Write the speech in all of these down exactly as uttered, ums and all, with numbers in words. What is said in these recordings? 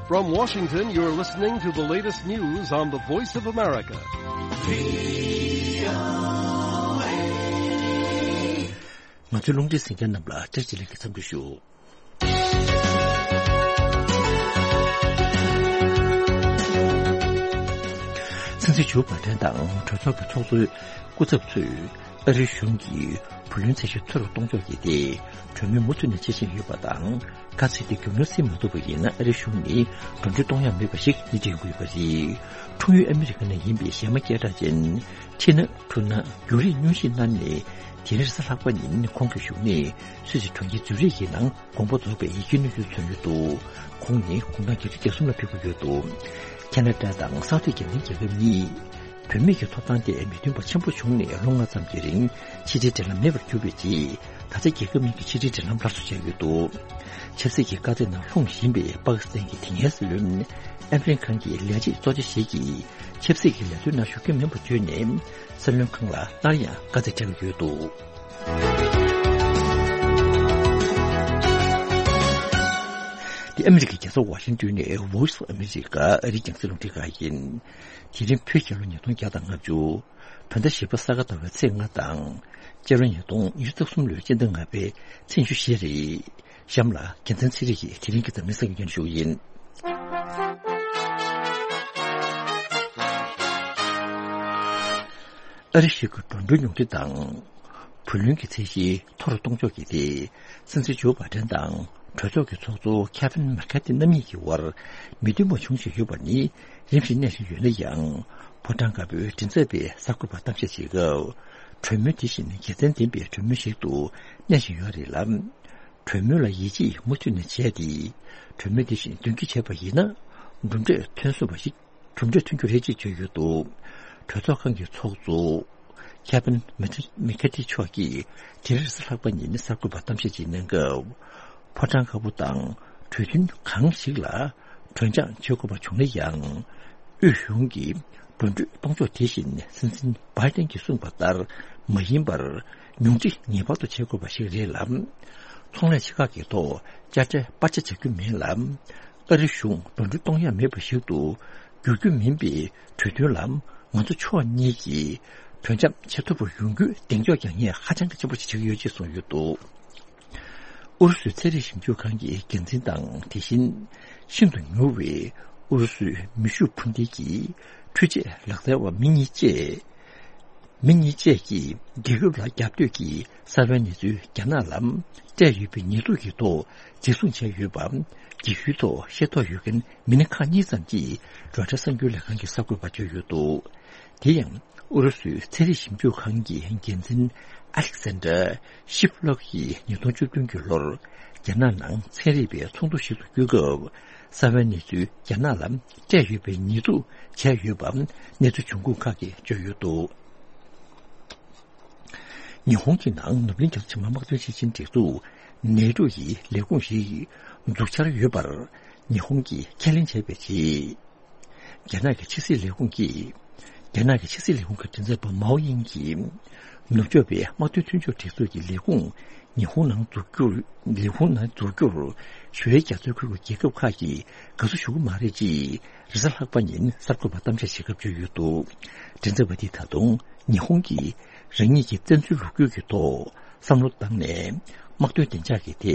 From Washington, you're listening to the latest news on the Voice of America. ང་ཚོའི་རླུང་འཕྲིན་གསན་མཁན་རྣམས་ལ་བཀྲ་ཤིས་བདེ་ལེགས་ཀྱི་འཚམས་འདྲི་ཞུ། སྲིད་འཛིན་ཇོ་བྷའི་ཌེན་དང་གྲོས་ཚོགས་ཀྱི་ཚོགས་གཙོའི་སྐུ་ཚབ་ཚོས་ཨ་རིའི་གཞུང་གིས་བུ་ལོན་ཚད་གཞི་མཐོ་རུ་གཏོང་ཕྱོགས་ཀྱི་ཐད་གྲོས་མོལ་མུ་མཐུད་ནས་བྱེད་བཞིན་ཡོད་པ་དང་། ག་ཚོད་དེ་རྒྱུ་ནོར་སྲིད་མ་ཐུབ་པ་ཡིན་ན་ཨ་རིའི་གཞུང་ནས་འགྲོ་གྲོན་གཏོང་ཡ་མེད་པ་ཞིག་སྣེ་ཁྲིད་ཡོང་གི་ཡོད་པ་རེད། འཁྲུངས་ཡུལ་ཨ་མི་རི་ཀ་ནས་ཡིན་པའི་གཞས་མ་སྐད་གྲགས་ཅན་ཁྲི་ན་ཁྲུ་ན་གུ་རིས་སྙུང་གཞི་གནང་ནས་དེ་རིང་རེས་གཟའ་ལྷག་པ་ཉིན་ཁོང་གི་བཞུགས་གནས་སུད་སི་གྲོང་ཁྱེར་ཛུ་རིག་གི་ནང་དགོངས་པ་རྫོགས་པའི་ཡིད་ཀྱི་གནས་ཚུལ་ཐོན་ཡོད་འདུག་ཁོང་ནི་དགུང་གྲངས་བརྒྱད་ཅུ་གྱ་གསུམ་ལ་ཕེབས་ཀྱི་ཡོད་འདུག་ཁ་ན་ཌ་དང་ས་འཐུས་རྒྱལ་མཚན་རྒྱལ་ཁབ་གཉིས་བུད་མེད་ཀྱི་ཐོབ་ཐང་ཐད་མི་མཐུན་པ་ཆེན་པོ་བྱུང་ནས་ལོ་ལྔ་ཙམ་གྱི་རིང་ཕྱི་འབྲེལ་འབྲེལ་ལམ་མེད་པར་གྱུར་པའི་རྗེས། ད་ཆ་རྒྱལ་ཁབ་གཉིས་ཀྱི་ཕྱི་འབྲེལ་འབྲེལ་ལམ་སླར་གསོ་བྱས་ཡོད་འདུག་ཆབ་སྲིད་ཀྱི་དཀའ་ཚེགས་ནང་ལྷུང་བཞིན་པའི་པ་ཀི་སི་ཐན་གྱི་དེ་སྔའི་སྲིད་བློན་ཨེམ་རན་ཁཱན་གྱི་ལས་བྱེད་གཙོ་ཆེ་ཞིག་གིས་ཆབ་སྲིད་ཀྱི་ལས་དོན་ནང་ཞུགས་ཀྱི་མིན་པ་བརྗོད་ནས། སྲིད་བློན་ཁཱན་ལ་སླར་ཡང་དཀའ་ཚེགས་འཕྲད་ཀྱི་ཡོད་འདུག་འདི་ཨ་མི་རི་ཀའི་རྒྱལ་ས་ཝ་ཤིང་ཏོན་ནས་Voice of America ཨ་རིའི་རྒྱང་སྲིང་རླུང་འཕྲིན་ཁང་ཡིན། དེ་རིང་བོད་རྒྱལ་ལོ་ཉིས་སྟོང་བརྒྱ་དང་ལྔ་བཅུ། བོད་ཟླ་བཞི་པ་ས་ག་ཟླ་བའི་ཚེས་ལྔ་དང་། སྤྱི་ལོ་ཉིས་སྟོང་ཉི་ཤུ་རྩ་གསུམ་ལོའི་སྤྱི་ཟླ་ལྔ་པའི་ཚེས་ཉི་ཤུ་བཞི་རེད། གཤམ་ལ་རྒྱལ་མཚན་ཚེ་རིང་གིས་དེ་རིང་གི་འཛམ་གླིང་གསར་འགྱུར་སྙན་ཞུ་ཡིན། ཨ་རི་གཞུང་གི་འགྲོ་གྲོན་ཉུང་འཕྲི་དང་། བུ་ལོན་གྱི་ཚད་གཞི་མཐོ་རུ་གཏོང་ཕྱོགས་ཀྱི་ཐད། སྲིད་འཛིན་ཇོ་བྷའི་ཌེན་དང་གྲོས་ཚོགས་ཀྱི་ཚོགས་གཙོ་ཁེ་ཕིན་མེ་ཁ་ཐི་རྣམ་གཉིས་ཀྱི་དབར་མི་མཐུན་པ་བྱུང་བཞིན་ཡོད་པ་ནི་རིམ་བཞིན་གནས་བཞིན་ཡོད་ན་ཡང་། ཕོ་བྲང་དཀར་པོའི་མགྲིན་ཚབ་པས་གསར་འགོད་པར་གཏམ་བཤད་བྱེད་སྐབས། གྲོས་མོལ་དེ་བཞིན་དགེ་མཚན་ལྡན་པའི་གྲོས་མོལ་ཞིག་ཏུ་གནས་བཞིན་ཡོད་རེད་ལ། གྲོས་མོལ་ལ་ཡིད་ཆེས་མུ་མཐུད་ནས་བྱས་ཏེ། གྲོས་མོལ་དེ་བཞིན་དོན་འཁྱོལ་བྱས་པ་ཡིན་ན། གྲུབ་འབྲས་ཐོན་སོང་བ་ཞིག་གྲུབ་འབྲས་ཐོན་རྒྱུ་རེད་ཅེས་བརྗོད་ཡོད་འདུག་གྲོས་ཚོགས་ཁང་གི་ཚོགས་གཙོ་ཁེ་ཕིན་མེ་ཁ་ཐི་མཆོག་གིས་དེ་རིང་རེས་གཟའ་ལྷག་པ་ཉིན་གསར་འགོད་པར་གཏམ་བཤད་ཅིག་གནང་སྐབས། ཕོ་བྲང་དཀར་པོ་དང་གྲོས་མཐུན་གང་ཞིག་ལ་གྲོས་འཆམ་བྱེད་དགོས་པ་བྱུང་ན་ཡང་། དབུས་གཞུང་གིས་འགྲོ་གྲོན་གཏོང་ཕྱོགས་དེ་བཞིན་སྲིད་འཛིན་བྷའི་ཏན་གྱིས་གསུངས་པ་ལྟར་མ་ཡིན་པར། ཉུང་འཕྲི་ངེས་པར་དུ་བྱེད་དགོས་པ་ཞིག་རེད་ལ། ཚོང་ལས་ཆེ་ཁག་གི་ཐོག་དཔྱ་ཁྲལ་སྤར་ཆ་བྱ་རྒྱུ་མིན་ལ། ཨ་རི་གཞུང་འགྲོ་གྲོན་གཏོང་ཡ་མེད་པ་ཞིག་ཏུ་འགྱུར་རྒྱུ་མིན་པའི་གྲོས་མཐུན་ལ་ང་ཚོ་ཕྱོགས་གཉིས་ཀྱིས་གྲོས་འཆམ་བྱེད་ཐུབ་པ་ཡོང་རྒྱུའི་གདེང་འཇོག་རྒྱག་ངེས་ཧ་ཅང་གི་ཆེན་པོ་ཞིག་བྱེད་ཀྱི་ཡོད་ཅེས་གསུངས་ཡོད་འདུག་ཨུ་རུ་སུའི་ཚན་རིག་ཞིབ་འཇུག་ཁང་གི་འགན་འཛིན་དང་། དེ་བཞིན་ཤིན་ཏུ་མྱུར་བའི་ཨུ་རུ་སུའི་མེ་ཤུགས་འཕུར་མདེལ་གྱི་འཕྲུལ་ཆས་ལག་རྩལ་བ་མི་གཉིས་བཅས། མི་གཉིས་བཅས་ཀྱིས་རྒྱལ་ཁབ་ལ་རྒྱབ་གཏོད་ཀྱི་གསར་པའི་གནས་ཚུལ་རྒྱ་ནག་ལ་སྤྲད་ཡོད་པའི་ཉེས་འཛུགས་ཀྱི་ཐོག་འཛིན་བཟུང་བྱས་ཡོད་པ། རྒྱལ་ཡུལ་ཐོག་ཤེས་རྟོགས་ཡོད་མཁན་མི་སྣ་ཁག་གཉིས་ཙམ་གྱིས་རོའི་ཊར་གསར་འགྱུར་ལས་ཁང་གི་གསར་འགོད་པར་བརྗོད་ཡོད་འདུག་དེ་ཡང་ཨུ་རུ་སུའི་ཚན་རིག་ཞིབ་འཇུག་ཁང་གི་འགན་འཛིན་ཨ་ལེག་སན་ཌར་ཤིབ་ལོབ་ཀྱིས་ཉིས་སྟོང་བཅུ་བདུན་གྱི་ལོར་རྒྱ་ནག་ནང་ཚན་རིག་པའི་ཚོགས་འདུ་ཞིག་ཏུ་བསྐྱོད་སྐབས། གསར་པའི་གནས་ཚུལ་རྒྱ་ནག་ལ་སྤྲད་ཡོད་པའི་ཉེས་འཛུགས་བྱས་ཡོད་པ་གནས་ཚུལ་འབྱུང་ཁུངས་ཁག་གིས་བརྗོད་ཡོད་འདུག་ཉི་ཧོང་གི་ནང་ནུབ་གླིང་རྒྱ་མཚོ་ཆེན་པོའི་དམག་དོན་སྤྱི་ཆིངས་སྒྲིག་འཛུགས་ནེ་ཊོ་ཡི་ལས་ཁུངས་ཤིག་འཛུགས་འཆར་ཡོད་པར་ཉི་ཧོང་གིས་ཁས་ལེན་བྱས་པའི་རྗེས། རྒྱ་ནག་གི་ཕྱི་སྲིད་ལས་ཁུངས་ཀྱིས། རྒྱ་ནག་གི་ཕྱི་སྲིད་ལས་ཁུངས་ཀྱི་མགྲིན་ཚབ་པ་མའོ་དབྱིང་གིས། ནུབ་ཕྱོགས་པའི་དམག་དོན་མཐུན་ཕྱོགས་སྒྲིག་འཛུགས་ཀྱི་ལས་ཁུངས་ཉི་ཧོང་ནང་འཛུགས་རྒྱུར། ལས་ཁུངས་ནང་འཛུགས་རྒྱུར་ཞུ་ཡིག་རྒྱ་མཚོའི་ཁུལ་གྱི་རྒྱལ་ཁབ་ཁག་གིས་དགའ་བསུ་ཞུ་གི་མ་རེད་ཅེས་རེས་གཟའ་ལྷག་པ་ཉིན་གསར་འགོད་པར་གཏམ་བཤད་བྱེད་སྐབས་བརྗོད་ཡོད་འདུག་མགྲིན་ཚབ་པ་འདིས་ད་དུང་ཉི་ཧོང་གིས་རང་ཉིད་ཀྱི་བཙན་འཛུལ་ལོ་རྒྱུས་ཀྱི་ཐོག་བསམ་བློ་བཏང་ནས་དམག་དོན་བདེ་འཇགས་ཀྱི་ཐད་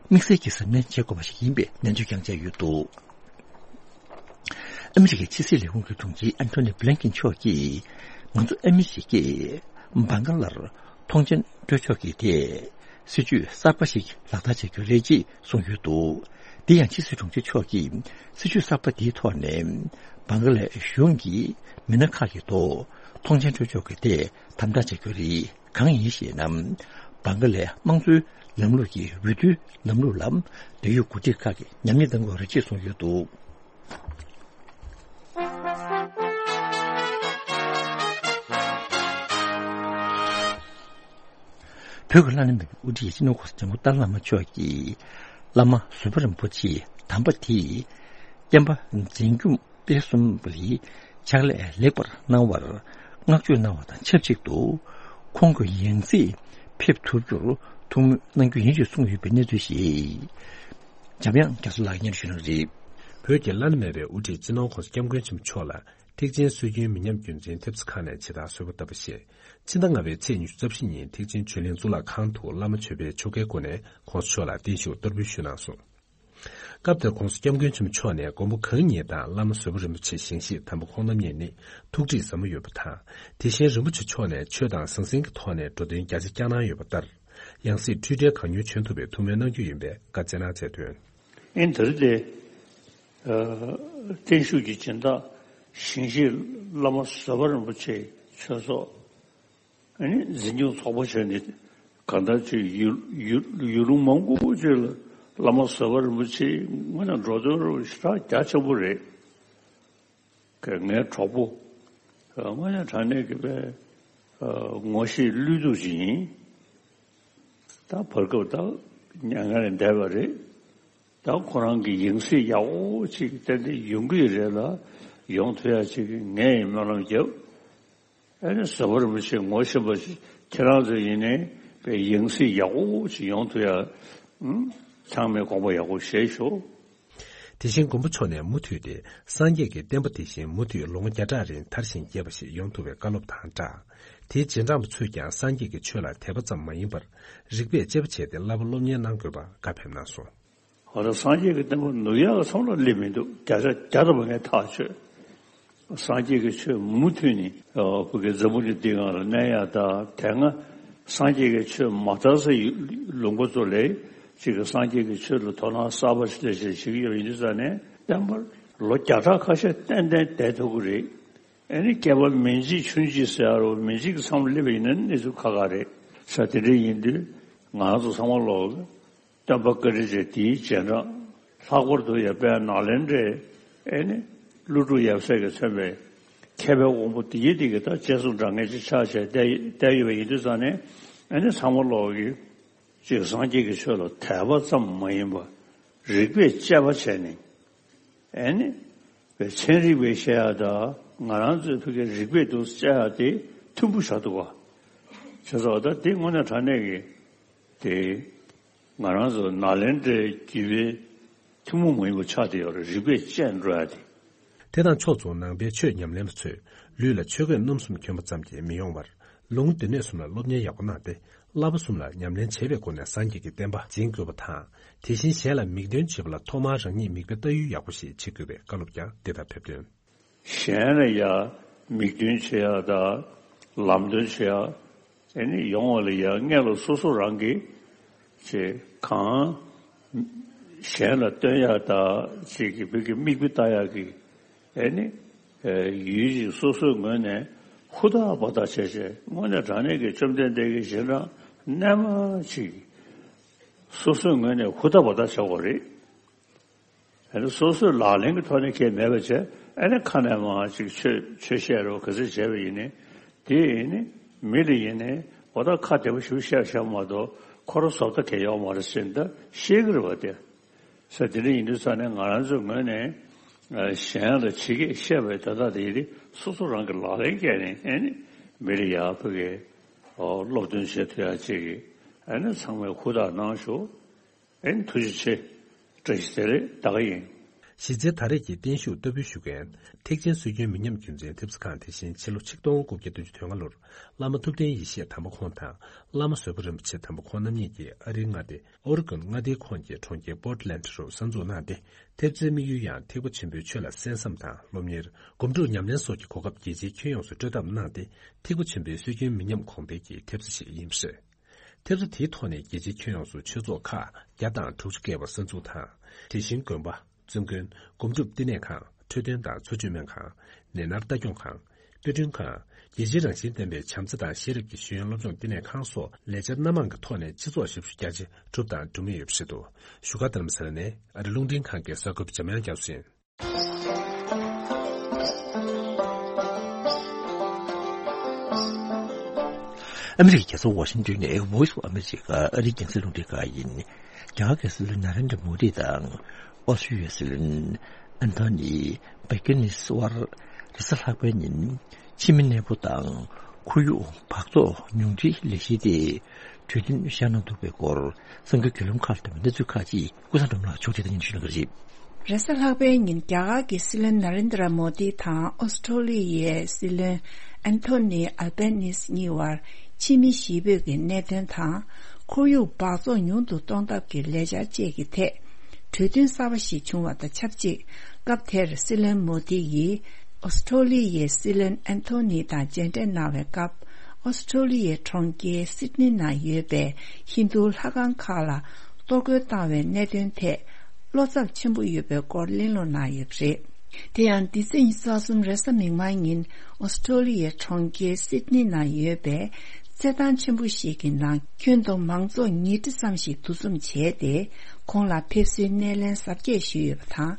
དམིགས་བསལ་གྱི་གཟབ་ནན་བྱེད་དགོས་པ་ཞིག་ཡིན་པའི་ནན་བརྗོད་ཀྱང་བྱས་ཡོད་འདུག་ཨ་མི་རི་ཀའི་ཕྱི་སྲིད་ལས་ཁུངས་ཀྱི་དྲུང་ཆེ་ཨན་ཐོ་ནི་བྷི་ལན་ཀིན་མཆོག་གིས། ང་ཚོ་ཨ་མི་རི་ཀས་བྷང་ག་ལར་ཐོངས་མཆན་སྤྲོད་ཕྱོགས་ཀྱི་ཐད་སྲིད་ཇུས་གསར་པ་ཞིག་ལག་བསྟར་བྱ་རྒྱུ་རེད་ཅེས་གསུངས་ཡོད་འདུག་དེ་ཡང་ཕྱི་སྲིད་དྲུང་ཆེ་མཆོག་གིས་སྲིད་ཇུས་གསར་པ་དེའི་ཐོག་ནས་བྷང་ག་ལའི་གཞུང་གིས་མི་སྣ་ཁག་གི་ཐོག་ཐོངས་མཆན་སྤྲོད་ཕྱོགས་ཀྱི་ཐད་དམ་དྲག་བྱ་རྒྱུ་རེད། གང་ཡིན་ཞེ་ན། བྷང་ག་ལའི་དམངས་གཙོའི་ལམ་ལུགས་ཀྱི་འོས་བསྡུའི་ལམ་ལུགས་ལ་འབྲེལ་ཡོད་འགོ་ཁྲིད་ཁག་གིས་ཉམས་ཉེས་བཏང་དགོས་རེད་ཅེས་གསུངས་ཡོད་འདུག་བོད་ཀྱི་བླ་ན་མེད་པའི་དབུ་ཁྲིད་སྤྱི་ནོར་གོང་ས་སྐྱབས་མགོན་ཏཱ་ལའི་བླ་མ་མཆོག་གིས་བླ་མ་ཟུར་པ་རིན་པོ་ཆེ་དམ་པ་དེས་བསྟན་པ་འཛིན་སྐྱོང་སྤེལ་གསུམ་ལ་ཕྱག་ལས་ལེགས་པར་གནང་བར་བསྔགས་བརྗོད་གནང་བ་དང་ཆབས་ཅིག་ཏུ། ཁོང་གི་ཡང་སྲིད་ཕེབས་ཐུབ་རྒྱུར་ཐུགས་སྨོན་གནང་རྒྱུ་ཡིན་ཞེས་གསུངས་ཡོད་པའི་གནས་ཚུལ་ཞིག་འཇམ་དབྱངས་རྒྱ་མཚོ་ལགས་སྙན་ཞུ་གནང་གི་རེད། བོད་ཀྱི་བླ་ན་མེད་པའི་དབུ་ཁྲིད་སྤྱི་ནོར་༸གོང་ས་༸སྐྱབས་མགོན་ཆེན་པོ་མཆོག་ལ་ཐེག་ཆེན་སྲོལ་རྒྱུན་མི་ཉམས་རྒྱུན་འཛིན་ཐེབས་རྩ་ཁང་ནས་ཇི་ལྟར་གསོལ་བ་བཏབ་པ་བཞིན། ཕྱི་ཟླ་ལྔ་པའི་ཚེས་ཉི་ཤུ་རྩ་བཞི་ཉིན་ཐེག་ཆེན་ཆོས་གླིང་གཙུག་ལག་ཁང་དུ་བླ་མ་ཆོས་འཕེལ་མཆོག་གིས་བསྐོ་ནས་༸གོང་ས་མཆོག་ལ་བརྟན་བཞུགས་བསྟར་འབུལ་ཞུས་གནང་སོང་། སྐབས་དེར་༸གོང་ས་༸སྐྱབས་མགོན་ཆེན་པོ་མཆོག་ནས་མགོན་པོ་གང་ཉིད་དང་བླ་མ་བཟོད་པ་རིན་པོ་ཆེ་ཞིང་གཤེགས་དམ་པ་ཁོང་རྣམ་གཉིས་ནི་ཐུགས་འདྲིས་ཟབ་མོ་ཡོད་པ་དང་། དེ་བཞིན་རིན་པོ་ཆེ་མཆོག་ནས་ཆོས་དང་ཟང་ཟིང་གི་ཐོག་ནས་འགྲོ་དོན་རྒྱ་ཆེ་བསྐྱངས་གནང་ཡོད་པ་ལྟར། ཡང་སྲིད་འཁྲུལ་བྲལ་གང་མྱུར་བྱོན་ཐུབ་པའི་ཐུགས་སྨོན་གནང་རྒྱུ་ཡིན་པའི་བཀའ་སྩལ་གནང་མཛད་དོན། ཨིན་དེ་རིང་འདི། ཨ། བརྟན་བཞུགས་ཀྱི་སྦྱིན་བདག་ཞིང་གཤེགས་བླ་མ་བཟོད་པ་རིན་པོ་ཆེའི་ཆོས་ཚོགས། ཨ་ནི་འཛིན་སྐྱོང་ཚོགས་པ་བྱས་ནས་གང་ལྟར་ཅིག་ཡུལ་ཡུལ་ཡུལ་ལུང་མང་པོ་ཅིག་ལ་བླ་མ་བཟོད་པ་རིན་པོ་ཆེའི་དངོས་གནས་འགྲོ་དོན་རུ་ཞེ་དྲག་རྒྱ་ཆེན་པོ་རེད། ངའི་གྲོགས་པོ་དངོས་གནས་དྲང་གནས་ཀྱི་པའི་ངོ་ཤེས་བློས་གཏུག་ཅིག་ཡིན། ད་བར་སྐབས་ད་མྱ་ངན་ལས་འདས་པ་རེད། ད་ཁོ་རང་གི་ཡང་སྲིད་ཡག་པོ་ཅིག་ཏན་ཏན་ཡོང་གི་རེད་ལ། ཡོང་ཐུབ་ཡ་ཅིག་ངས་སྨོན་ལམ་བརྒྱབ། ཨ་ནི་བཟོད་པ་རིན་པོ་ཆེ་ངོ་ཤེས་པ་ཁྱེད་རང་ཚོ་ཡིན་ནའི་པའི་ཡང་སྲིད་ཡག་པོ་ཅིག་ཡོང་ཐུབ་ཡ། ཨུམ། ཚང་མས་དགོངས་པ་ཡག་པོ་བཞེས་ཤོག། དེ་བཞིན་མགོན་པོ་མཆོག་ནས་མུ་མཐུད་དེ་སངས་རྒྱས་ཀྱི་བསྟན་པ་དེ་བཞིན་མུ་མཐུད་ལོ་ངོ་བརྒྱ་ཕྲག་རིང་དར་ཞིང་རྒྱས་པ་ཞིག་ཡོང་ཐུབ་པའི་བཀའ་སློབ་དང་སྦྲགས། དེའི་རྗེས་འབྲང་པ་ཚོས་ཀྱང་སངས་རྒྱས་ཀྱི་ཆོས་ལ་དད་པ་ཙམ་མ་ཡིན་པར། རིག་པས་དཔྱད་པ་བྱས་ཏེ་བསླབ་པ་སློབ་གཉེར་གནང་དགོས་པར་བཀའ་ཕེབས་གནང་སོང་། འོ་ད་སངས་རྒྱས་ཀྱི་བསྟན་པ་ནུབ་ཡག་གི་མཚམས་ལ་སླེབས་མི་འདུག། བརྒྱ་ཆ་བརྒྱ་ཐམ་པ་ངས་ཐག་ཆོད། སངས་རྒྱས་ཀྱི་ཆོས་མུ་མཐུད་ནས་བོད་ཀྱི་འཛམ་བུ་གླིང་འདིའི་སྒང་ལ་གནས་ཡག་དང་། དེ་སྔ་སངས་རྒྱས་ཀྱི་ཆོས་མ་དར་སའི་ལུང་པ་ཚོ་ལ་ཅིག་གི་སངས་རྒྱས་ཀྱི་ཆོས་ལ་དོ་སྣང་གསར་པ་ཞིག་ལས་ཞེས་བྱེད་ཀྱི་ཡོད་པ་ཡིན་དུས་ཙང་ནས། བསྟན་པར་ལོ་བརྒྱ་ཕྲག་ཁ་ཤས་ཏན་ཏན་བསྡད་ཐུབ་ཀྱི་རེད། ཨ་ནི་བསྐལ་པ་མི་འཇིག་ཆུན་འཇིག་ཟེར་ཡ་རུ་མི་འཇིག་གི་མཚམས་སླེབས་པ་ཡིན་ན་གནས་ཚུལ་ཁག་ཁག་རེད། ས་དེ་འདྲ་ཡིན་དུས་ང་རང་ཚོ་ཚང་མ་ལོག་སྟོན་པ་བཀའ་དྲིན་ཅན་དེའི་རྗེས་འབྲང་། ལྷག་པར་དུ་ཡང་དཔལ་ནཱ་ལེནྡྲའི་ཨེ་ནི་ཀླུ་སྒྲུབ་ཡབ་སྲས་ཀྱིས་མཚོན་པའི་མཁས་པའི་དབང་པོ་དེ་ཡི་དེ་གི་ད་རྗེས་སུ་འབྲང་མཁན་ཅིག་ཆགས་བྱས་བསྡད་བསྡད་ཡོད་པ་ཡིན་དུས་ཙང་ནས། ཨེ་ནི་ཚང་མ་ལོག་གི་ཅིག་སངས་རྒྱས་ཀྱི་ཆོས་ལ་དད་པ་ཙམ་མ་ཡིན་པར་རིག་པས་དཔྱད་པ་བྱས་ནས། ཨེ་ནི། པའི་ཚན་རིག་པས་བཤད་ཡ་དང་ང་རང་ཚོའི་ཕ་གིའི་རིག་པས་འདུག་དཔྱད་ཡ་དེ་མཐུན་པོ་ཆགས་འདུག་བ། བྱས་ཙང་ད་དེ་དངོས་གནས་དྲང་གནས་ཀྱི་དེ་ང་རང་ཚོ་ནཱ་ལེནྡྲའི་བརྒྱུད་པའི་ཐུན་མོང་མ་ཡིན་པ་ཆགས་བསྡད་ཡོད་རེད། རིག་པས་དཔྱད་འགྲོ་ཡ་དེ། དེ་དང་ཕྱོགས་མཚུངས་ནང་པའི་ཆོས་ཉམས་ལེན་པ་ཚོས་ལུས་ལ་ཆོས་གོས་རྣམ་གསུམ་གྱོན་པ་ཙམ་གྱིས་མི་ཡོང་བར། ལུང་སྡེ་སྣོད་གསུམ་ལ་སློབ་གཉེར་ཡག་པོ་གནང་སྟེ། བསླབ་པ་གསུམ་ལ་ཉམས་ལེན་བྱེད་པའི་སྒོ་ནས་སངས་རྒྱས་ཀྱི་བསྟན་པ་འཛིན་དགོས་པ་དང་། དེ་བཞིན་གཞན་ལ་མིག་སྟོན་བྱེད་པ་ལ་ཐོག་མར་རང་ཉིད་མིག་དཔེ་ལྟ་ཡུལ་ཡག་པོ་ཞིག་བྱེད་དགོས་པའི་བཀའ་སློབ་ཀྱང་འདི་ལྟར་ཕེབས་དོན། གཞན་ལ་ཡང་མིག་སྟོན་བྱེད་ཡག་དང་ལམ་སྟོན་བྱེད་ཡག་ཨེ་ནི་ཡོང་བ་ལ་ཡང་སྔོན་ལ་སོ་སོ་རང་གིས་ཅིག་གང་གཞན་ལ་སྟོན་ཡག་དང་ཅིག་གི་བོད་ཀྱི་མིག་དཔེ་ལྟ་ཡག་གི་ཨེ་ནི། ཡུལ་ཅིག་སོ་སོའི་ངོས་ནས་ཧུར་ཐག་འབད་ཐག་བྱས་བྱས། དངོས་གནས་དྲང་གནས་ཀྱི་བཅོམ་ལྡན་འདས་ཀྱི་རྗེས་འབྲང་རྣལ་མ་ཅིག་སོ་སོའི་ངོས་ནས་ཧུར་ཐག་འབད་ཐག་བྱ་དགོས་རེད། ཨ་ནི་སོ་སོའི་ལག་ལེན་གྱི་ཐོག་ནས་ཁྱད་མེད་པ་བྱས། ཨ་ནི་ཁ་ནས་མར་ཅིག་ཆོས་ཆོས་བཤད་རོགས་ག་ཚོད་བྱས་པ་ཡིན་ནའི། དེ་ཡིན་ནི་མི་ལ་ཡིན་ནའི་འོ་ད་ཁ་བདེ་པོ་ཞིག་བཤད་བཤད་མ་གཏོགས་ཁོ་རང་བཟོ་ལྟ་གལ་ཡོད་མ་རེད་ཟེར་ནས་ད་བཤད་ཀྱི་རེད་བ། དེ་ས་དེ་འདྲ་ཡིན་དུས་ཙང་ནས་ང་རང་ཚོའི་ངོས་ནས་གཞན་ལ་ཇི་སྐད་བཤད་པའི་དོན་དག་དེ་ཡིན་ཏེ། སོ་སོ་རང་གི་ལག་ལེན་བཀལ་ནས་ཨ་ནི་མི་ལ་ཡག་པོ་གི་སློབ་སྟོན་བྱེད་ཐུབ་ཡག་ཅིག་གི་ཨ་ནི་ཚང་མས་ཧུར་ཐག་གནང་ཤོག། ཨེ། ཐུགས་རྗེ་ཆེ། བཀྲ་ཤིས་བདེ་ལེགས། ད་ག་ཡིན། གཞི་རྩའི་ད་རེས་ཀྱི་བརྟན་བཞུགས་བསྟར་འབུལ་ཞུ་མཁན། ཐེག་ཆེན་སྲོལ་རྒྱུན་མི་ཉམས་རྒྱུན་འཛིན་ཐེབས་རྩ་ཁང་དེ་བཞིན་ཕྱི་ལོ་ཆིག་སྟོང་དགུ་བརྒྱ་བདུན་ཅུ་དོན་ལྔ་ལོར་བླ་མ་ཐུབ་བསྟན་ཡེ་ཤེས་དམ་པ་ཁོང་དང་བླ་མ་བཟོད་པ་རིན་པོ་ཆེ་དམ་པ་ཁོང་རྣམ་གཉིས་ཀྱིས་ཨ་རིའི་མངའ་སྡེ་ཨོ་རི་གོན་མངའ་སྡེའི་ཁོངས་ཀྱི་གྲོང་ཁྱེར་པོར་ཏི་ལེན་ཌི་རུ་གསར་འཛུགས་གནང་སྟེ། ཐེབས་རྩའི་དམིགས་ཡུལ་ཡང་ཐེག་པ་ཆེན་པོའི་ཆོས་ལ་གསན་བསམ་དང་སློབ་གཉེར། སྒོམ་སྒྲུབ་ཉམས་ལེན་སོགས་ཀྱི་གོ་སྐབས་རྒྱལ་སྤྱིའི་ཁྱོན་ཡོངས་སུ་སྤྲོད་ཐབས་གནང་སྟེ། ཐེག་པ་ཆེན་པོའི་སྲོལ་རྒྱུན་མི་ཉམས་གོང་འཕེལ་གྱི་ཐེབས་རྩ་ཞིག་ཡིན་པ་རེད། ཐེབས་རྩ་དེའི་ཐོག་ནས་རྒྱལ་སྤྱིའི་ཁྱོན་ཡོངས་སུ་ཆོས་ཚོགས་ཁག་བརྒྱ་དང་དྲུག་ཅུ་བརྒལ་བ་གསར་འཛུགས་དང་། དེ་བཞིན་དགོན་པ། བཙུན་དགོན། སྒོམ་སྒྲུབ་བསྟི་གནས་ཁང་། འཕྲོད་བསྟེན་དང་འཚོ་བཅུད་སྨན་ཁང་། ནད་མནར་ལྟ་སྐྱོང་ཁང་། དཔེ་སྐྲུན་ཁང་། རྒྱལ་སྤྱིའི་རང་བཞིན་ལྡན་པའི་བྱམས་བརྩེ་དང་ཤེས་རབ་ཀྱི་ཤེས་ཡོན་སློབ་སྦྱོང་བསྟི་གནས་ཁང་སོགས་ལས་འཆར་སྣ་མང་གི་ཐོག་ནས་སྤྱི་ཚོགས་ཞབས་ཞུ་རྒྱ་ཆེ་བསྒྲུབས་དང་སྒྲུབ་མུས་ཡོད་པ་རེད་འདུག་བཞུགས་སྒར་རྡ་རམ་ས་ལ་ནས་ཨ་རི་རླུང་འཕྲིན་ཁང་གི་གསར་འགོད་པ་འཇམ་དབྱངས་རྒྱ་མཚོ་ཡིན། ཨ་མི་རི་ཀའི་རྒྱལ་ས་ཝ་ཤིང་ཏོན་ནས་Voice of America ཨ་རིའི་རྒྱང་སྲིང་རླུང་འཕྲིན་ཁང་ཡིན། རྒྱ་གར་རྒྱལ་སྲིད་བློན་ན་རེན་དྲ་མོ་དི་དང་ཨོ་སི་ཀྲི་ཡའི་སྲིད་བློན་ཨན་ཐོ་ནི་བྷེ་ཀེ་ནིས་དབར་རེས་གཟའ་ལྷག་པའི་ཉིན་ཕྱི་མི་གནས་སྤོ་དང་ཁོར་ཡུག་འབག་བཙོག་ཉུང་འཕྲིའི་ལས་གཞི་དེ་གྲོས་མཐུན་བཞག་གནང་ཐུབ་པའི་སྐོར་གསར་འགྱུར་བརྒྱུད་ལམ་ཁག་ལ་བཏོན་པའི་གནས་ཚུལ་ཁག་ཅིག་ཀུན་བཟང་སྒྲོལ་མ་ལགས་ཕྱོགས་སྒྲིག་དང་སྙན་ཞུ་གནང་གི་རེད། རེས་གཟའ་ལྷག་པའི་ཉིན་རྒྱ་གར་གྱི་སྲིད་བློན་ན་རེན་དྲ་མོ་དི་དང་ཨོ་སི་ཁྲོ་ལི་ཡའི་སྲིད་བློན་ཨན་ཐོ་ནི་ཨལ་བྷེ་ནིས་གཉིས་བར་ཕྱི་མི་ཞི་བོད་ཀྱི་གནད་དོན་དང་། ཁོར་ཡུག་འབག་བཙོག་ཉུང་དུ་གཏོང་ཐབས་ཀྱི་ལས་འཆར་བཅས་ཀྱི་ཐད་གྲོས་མཐུན་གསར་པ་ཞིག་བྱུང་བ་དང་ཆབས་ཅིག་སྐབས་དེར་སྲིད་བློན་མོ་དི་ཡིས་ཨོ་སི་ཁྲོ་ལི་ཡའི་སྲིད་བློན་ཨན་ཐོ་ནི་དང་མཇལ་འཕྲད་གནང་བའི་སྐབས། ཨོ་སི་ཁྲོ་ལི་ཡའི་གྲོང་ཁྱེར་སིད་ནི་ནང་ཡོད་པའི་ཧིན་རྡུ་ལྷ་ཁང་ཁག་ལ་གཏོར་རྒོལ་བཏང་བའི་གནད་དོན་ཐད་བློ་འཚབ་ཆེན་པོ་ཡོད་པའི་སྐོར་གླེང་སློང་གནང་ཡོད་པ་རེད། དེ་ཡང་འདི་ཚེས་ཉི་ཤུ་རྩ་གསུམ་རེས་གཟའ་མིག་དམར་ཉིན་ཨོ་སི་ཁྲོ་ལི་ཡའི་གྲོང་ཁྱེར་སིད་ནི་ནང་ཡོད་པའི་རྩེད་ཐང་ཆེན་པོ་ཞིག་གི་ནང་ཁྱོན་བསྡོམས་མང་ཚོགས་ཉིས་ཁྲི་ཙམ་ཞིག་འདུ་འཛོམས་བྱས་ཏེ། ཁོང་ལ་ཕེབས་བསུའི་སྣེ་ལེན་གཟབ་རྒྱས་ཞུས་ཡོད་པ་དང་།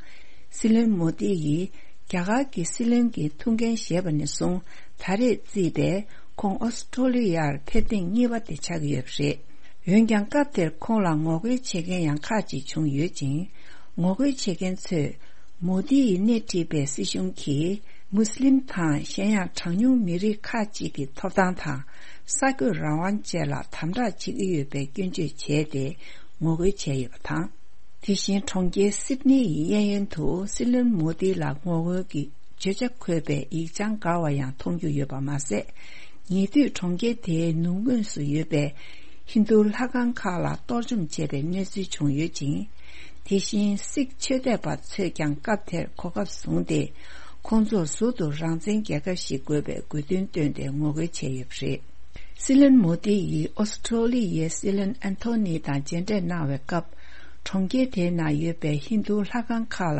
སྲིད་བློན་མོ་དི་ཡིས་རྒྱ་གར་གྱི་སྲིད་བློན་གྱི་ཐུགས་འགན་བཞེས་པ་ནས་བཟུང་ད་རེས་བརྩིས་པས་ཁོང་ཨོ་སི་ཁྲོ་ལི་ཡར་ཕེབས་ཐེངས་གཉིས་པ་དེ་ཆགས་ཀྱི་ཡོད་པ་རེད། འོན་ཀྱང་སྐབས་དེར་ཁོང་ལ་ངོ་རྒོལ་བྱེད་མཁན་ཡང་ཁག་ཅིག་བྱུང་ཡོད་ཅིང་། ངོ་རྒོལ་བྱེད་མཁན་ཚོས་མོ་དི་ཡིས་སྣེ་ཁྲིད་པའི་སྲིད་གཞུང་གིས་མུ་སི་ལིམ་དང་གཞན་ཡང་གྲངས་ཉུང་མི་རིགས་ཁག་ཅིག་གི་ཐོབ་ཐང་དང་གསར་འགོད་རང་དབང་བཅས་ལ་དམ་དྲག་བྱེད་ཀྱི་ཡོད་པའི་སྐྱོན་བརྗོད་བྱས་ཏེ་ངོ་རྒོལ་བྱས་ཡོད་པ་དང་། དེ་བཞིན་གྲོང་ཁྱེར་སིད་ནི་ཡི་གཡས་གཡོན་དུ་སྲིད་བློན་མོ་དི་ལ་ངོ་རྒོལ་གྱི་བརྗོད་བྱ་འཁོད་པའི་ཡིག་བྱང་འགའ་བ་ཡང་མཐོང་རྒྱུ་ཡོད་པ་མ་ཟད། ཉེ་དུས་གྲོང་ཁྱེར་དེའི་ནུབ་ངོས་སུ་ཡོད་པའི་ཧིན་རྡུ་ལྷ་ཁང་ཁག་ལ་གཏོར་བཅོམ་བྱས་པའི་གནས་ཚུལ་བྱུང་ཡོད་ཅིང་། དེ་བཞིན་སིག་ཆོས་དད་པ་ཚོས་ཀྱང་སྐབས་དེར་གོ་སྐབས་བཟུང་སྟེ། ཁོང་ཚོར་ཟུར་དུ་རང་བཙན་རྒྱལ་ཁབ་ཞིག་དགོས་པའི་དགོས་འདུན་བཏོན་ཏེ་ངོ་རྒོལ་བྱས་ཡོད་པ་རེད། སྲིད་བློན་མོ་དི་ཡིས་ཨོ་སི་ཁྲོ་ལི་ཡའི་སྲིད་བློན་ཨན་ཐོ་ནི་དང་མཇལ་འཕྲད་གནང་བའི་སྐབས། གྲོང་ཁྱེར་དེའི་ནང་ཡོད་པའི་ཧིན་རྡུ་ལྷ་ཁང་ཁག་ལ་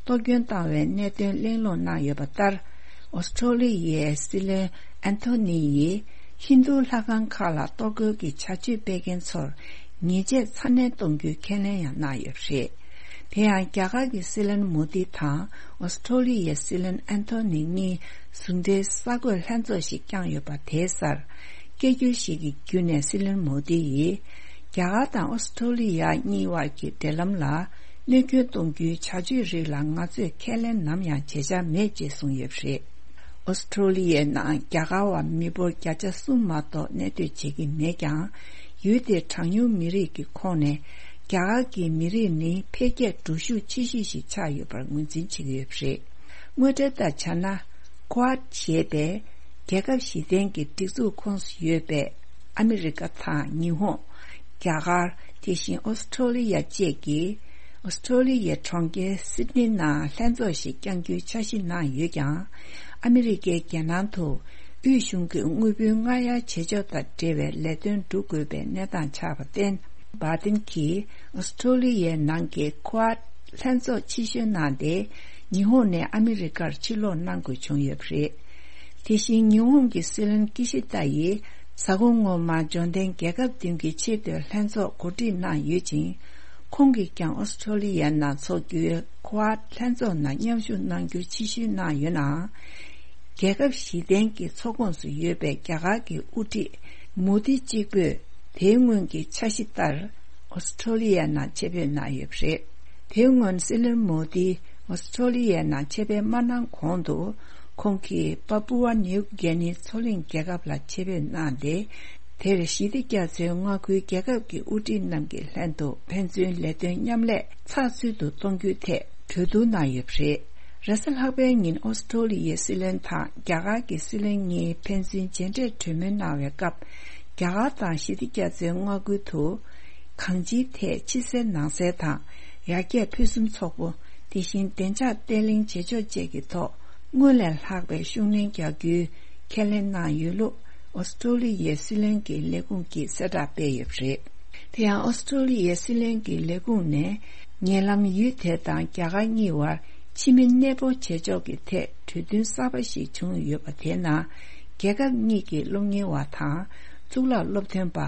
གཏོར་སྐྱོན་བཏང་བའི་གནད་དོན་གླེང་སློང་གནང་ཡོད་པ་ལྟར། ཨོ་སི་ཁྲོ་ལི་ཡའི་སྲིད་བློན་ཨན་ཐོ་ནི་ཡིས་ཧིན་རྡུ་ལྷ་ཁང་ཁག་ལ་གཏོར་རྒོལ་གྱི་བྱ་སྤྱོད་སྤེལ་མཁན་ཚོར་ཉེས་ཆད་ཚ་ནན་གཏོང་རྒྱུའི་ཁས་ལེན་ཡང་གནང་ཡོད་པ་རེད། དེ་ཡང་རྒྱ་གར་གྱི་སྲིད་བློན་མོ་དི་དང་ཨོ་སི་ཁྲོ་ལི་ཡའི་སྲིད་བློན་ཨན་ཐོ་ནི་གཉིས་ཟུང་འབྲེལ་གསར་འགོད་ལྷན་ཚོགས་ཤིག་བསྐྱངས་ཡོད་པ་དེའི་སར། སྐད་སྒྱུར་ཞིག་གི་བརྒྱུད་ནས་སྲིད་བློན་མོ་དི་ཡིས། རྒྱ་གར་དང་ཨོ་སི་ཁྲོ་ལི་ཡ་གཉིས་བར་གྱི་འབྲེལ་ལམ་ལ་གནོད་སྐྱོན་གཏོང་རྒྱུའི་བྱ་སྤྱོད་རིགས་ལ་ང་ཚོས་ཁས་ལེན་ནམ་ཡང་བྱེད་འཆར་མེད་ཅེས་གསུངས་ཡོད་པ་རེད། ཨོ་སི་ཁྲོ་ལི་ཡའི་ནང་རྒྱ་གར་བ་མི་འབོར་བརྒྱ་ཆ་གསུམ་མ་གཏོགས་གནས་སྡོད་བྱེད་ཀྱི་མེད་ཀྱང་། ཡུལ་དེའི་གྲངས་ཉུང་མི་རིགས་ཀྱི་ཁོངས་ནས་རྒྱ་གར་གྱི་མི་རིགས་ནི་འཕེལ་རྒྱས་འགྲོ་ཤུགས་ཆེ་ཤོས་ཤིག་ཆགས་ཡོད་པར་ངོས་འཛིན་བྱེད་ཀྱི་ཡོད་པ་རེད། དངོས་འབྲེལ་ལྟར་བྱས་ན། ཀུ་ཝཱད་ཞེས་པའི་རྒྱལ་ཁབ་བཞི་ལྡན་གྱི་སྒྲིག་འཛུགས་ཁོངས་སུ་ཡོད་པའི་ཨ་མི་རི་ཀ་དང་ཉི་ཧོང་། རྒྱ་གར། དེ་བཞིན་ཨོ་སི་ཁྲོ་ལི་ཡ་བཅས་ཀྱིས། ཨོ་སི་ཁྲོ་ལི་ཡའི་གྲོང་ཁྱེར་སིད་ནི་ནང་ལྷན་ཚོགས་ཤིག་བསྐྱང་རྒྱུའི་འཆར་གཞི་གནང་ཡོད་ཀྱང་། ཨ་མི་རི་ཀའི་རྒྱལ་ནང་དུ་དབུས་གཞུང་གི་དངུལ་བུན་སྔར་གཡར་བྱེད་ཕྱོགས་དང་འབྲེལ་བའི་ལས་དོན་སྒྲུབ་དགོས་པའི་གནས་སྟངས་ཆགས་པར་བརྟེན། བྷ་ཏིན་གྱིས་ཨོ་སི་ཁྲོ་ལི་ཡའི་ནང་གི་ཀུ་ཝཱད་ལྷན་ཚོགས་ཕྱིར་བཤོལ་གནང་སྟེ། ཉི་ཧོང་ནས་ཨ་མི་རི་ཀར་ཕྱིར་ལོག་གནང་དགོས་བྱུང་ཡོད་པ་རེད། དེ་བཞིན་ཉི་ཧོང་གི་སྲིད་བློན་ཀི་ཤི་ཏཱ་ཡིས་གཟའ་འཁོར་སྔོན་མ་འབྱོར་ལྡན་རྒྱལ་ཁབ་བདུན་གྱི་ཆེས་མཐོའི་ལྷན་ཚོགས་གོ་སྒྲིག་གནང་ཡོད་ཅིང་། ཁོང་གིས་ཀྱང་ཨོ་སི་ཁྲོ་ལི་ཡའི་ནང་འཚོགས་རྒྱུའི་ཀུ་ཝཱད་ལྷན་ཚོགས་ནང་མཉམ་ཞུགས་གནང་རྒྱུ་ཕྱིར་བཤོལ་གནང་ཡོད་ནའང་། རྒྱལ་ཁབ་བཞི་ལྡན་གྱི་ཚོགས་ཁོངས་སུ་ཡོད་པའི་རྒྱ་གར་གྱི་དབུ་ཁྲིད་མོ་དི་གཅིག་པུས་དེའི་སྔོན་གྱི་འཆར་གཞི་ལྟར། ཨོ་སི་ཁྲོ་ལི་ཡའི་ནང་ཆེད་ཕེབས་གནང་ཡོད་པ་རེད། དེའི་སྔོན་སྲིད་བློན་མོ་དི་ཨོ་སི་ཁྲོ་ལི་ཡའི་ནང་ཆེད་ཕེབས་མ་གནང་གོང་དུ། ཁོང་གིས་པ་པུ་ཝ་ནིའུ་གྷི་ནི་མཚོ་གླིང་རྒྱལ་ཁབ་ལ་ཆེད་ཕེབས་གནང་སྟེ། དེར་ཞི་བདེ་རྒྱ་མཚོའི་མངའ་ཁུལ་རྒྱལ་ཁབ་ཀྱི་དབུ་ཁྲིད་རྣམས་ཀྱི་ལྷན་དུ་ཕན་ཚུན་ལས་དོན་མཉམ་ལས་ཚགས་ཚུད་དུ་གཏོང་རྒྱུའི་ཐད་གྲོས་བསྡུར་གནང་ཡོད་པ་རེད། རེས་གཟའ་ལྷག་པའི་ཉིན་ཨོ་སི་ཁྲོ་ལི་ཡའི་སྲིད་བློན་དང་རྒྱ་གར་གྱི་སྲིད་བློན་གཉིས་ཕན་ཚུན་མཇལ་འཕྲད་གྲོས་མོལ་གནང་བའི་སྐབས། རྒྱ་གར་དང་ཞི་བདེ་རྒྱ་མཚོའི་མངའ་ཁུལ་དུ། གང་ཅིའི་ཐད་ཕྱི་གསལ་ནང་གསལ་དང་། ཡར་རྒྱས་ཕུན་སུམ་ཚོགས་པོ། དེ་བཞིན་བདེ་འཇགས་བརྟན་ལྷིང་བྱེད་ཕྱོགས་བཅས་ཀྱི་ཐོག་སྔོན་ལས་ལྷག་པའི་ཤུགས་སྣོན་རྒྱག་རྒྱུའི་ཁས་ལེན་གནང་ཡོད་ལུགས། ཨོ་སི་ཁྲོ་ལི་ཡའི་སྲིད་བློན་གྱི་ལས་ཁུངས་ཀྱིས་གསལ་བསྒྲགས་སྤེལ་ཡོད་པ་རེད། དེ་ཡང་ཨོ་སི་ཁྲོ་ལི་ཡའི་སྲིད་བློན་གྱི་ལས་ཁུངས་ནས། ཉེ་ལམ་ཡུལ་དེ་དང་རྒྱ་གར་གཉིས་བར་ཕྱི་མི་གནས་སྤོ་བྱེད་ཕྱོགས་ཀྱི་ཐད་གྲོས་མཐུན་གསར་པ་ཞིག་བྱུང་ཡོད་པ་དེའི་ནང་། རྒྱལ་ཁབ་གཉིས་ཀྱི་སློབ་གཉེར་བ་དང་། གཙུག་ལག་སློབ་སྟོན་པ།